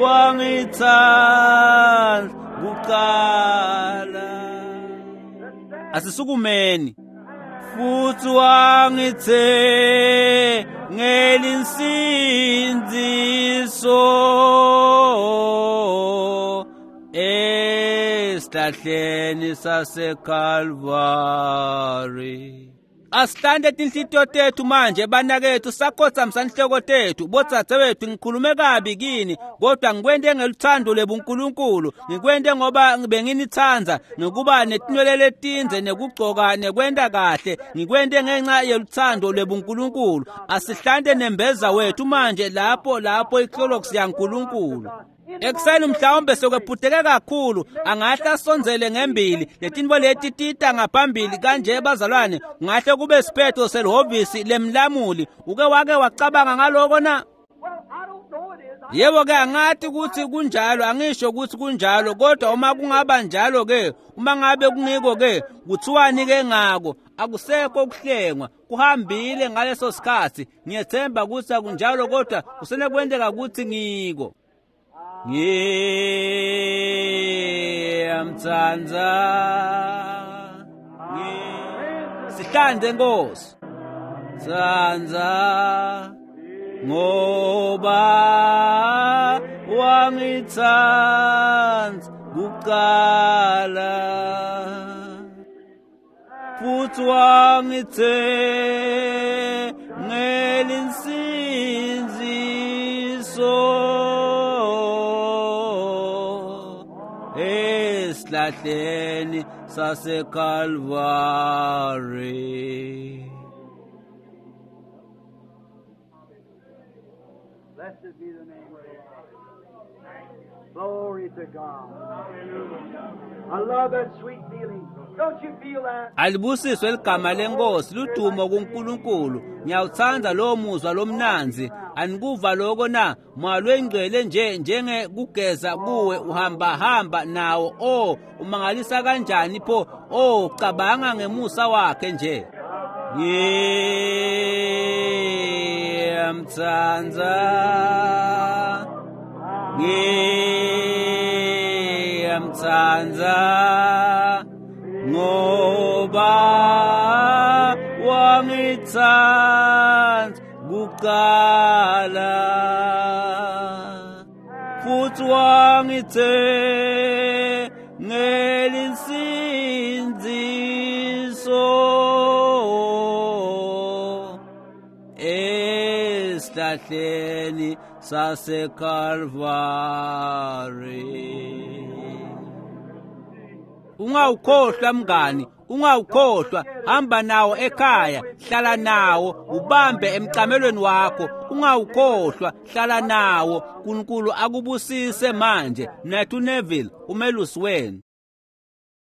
wangitsandza kuqala. Asisukumeni. Futhi wangithengela insindziso esihlahleni saseKalvari. Asihlante tinhlitiyo tethu manje banakethu, sakhotsamisa inhloko tethu. Bodzadzewethu, ngikhulume kabi kini, kodwa ngikwente ngeluthando lwebuNkulunkulu. Ngikwente ngoba benginitsandza, ngekuba netinwele letindze nekugcoka nekwenta kahle. Ngikwente ngenxa yeluthando lwebuNkulunkulu. Asihlante nembeza wethu manje lapho iClorox yaNkulunkulu. Ekuseni mhlawumbe sekwephuteke kakhulu, angahle asondzele ngembili. Letintfo leti tita ngaphambili kanje bazalwane, kungahle kube siphetho selihhovisi lemlamuli. Uke wake wacabanga ngaloko na? Yebo-ke, angathi ukuthi kunjalo, angisho ukuthi kunjalo, kodwa uma kungaba njalo-ke, uma ngabe kungiko-ke, kuthiwani-ke ngako? Akusekho ukuhlengwa, kuhambile ngaleso sikhathi. Ngiyethemba ukuthi akunjalo, kodwa kusenekwenteka ukuthi ngiko. Ngiyamtsandza. Sihlande Nkosi. Tsandza ngoba wangitsandza kuqala, futhi wangithengela insindziso esihlahleni saseKalvari. Blessed be the name of the Lord. Glory to God. I love that sweet feeling. Don't you feel that? Alibusiswe ligama lenkosi, ludumo kuNkulunkulu. Ngiyawutsandza lowo muzwa lomnandzi. Anikuva loko na? Moya lwengcwele nje njenge kugeza kuwe, uhamba hamba nawo. Oh, umangalisa kanjani pho? Oh, cabanga ngemusa wakhe nje. Ngiyamtsandza, ngiyamtsandza ngoba wangitsandza kuqala, futhi wangithengela insindziso esihlahleni saseKalvari. Ungawukhohlwa mngani, ungawukhohlwa. Hamba nawo ekhaya, hlala nawo, ubambe emcamelweni wakho. Ungawukhohlwa, hlala nawo. uNkulunkulu akubusise manje. Nathu Neville, umelusi wenu.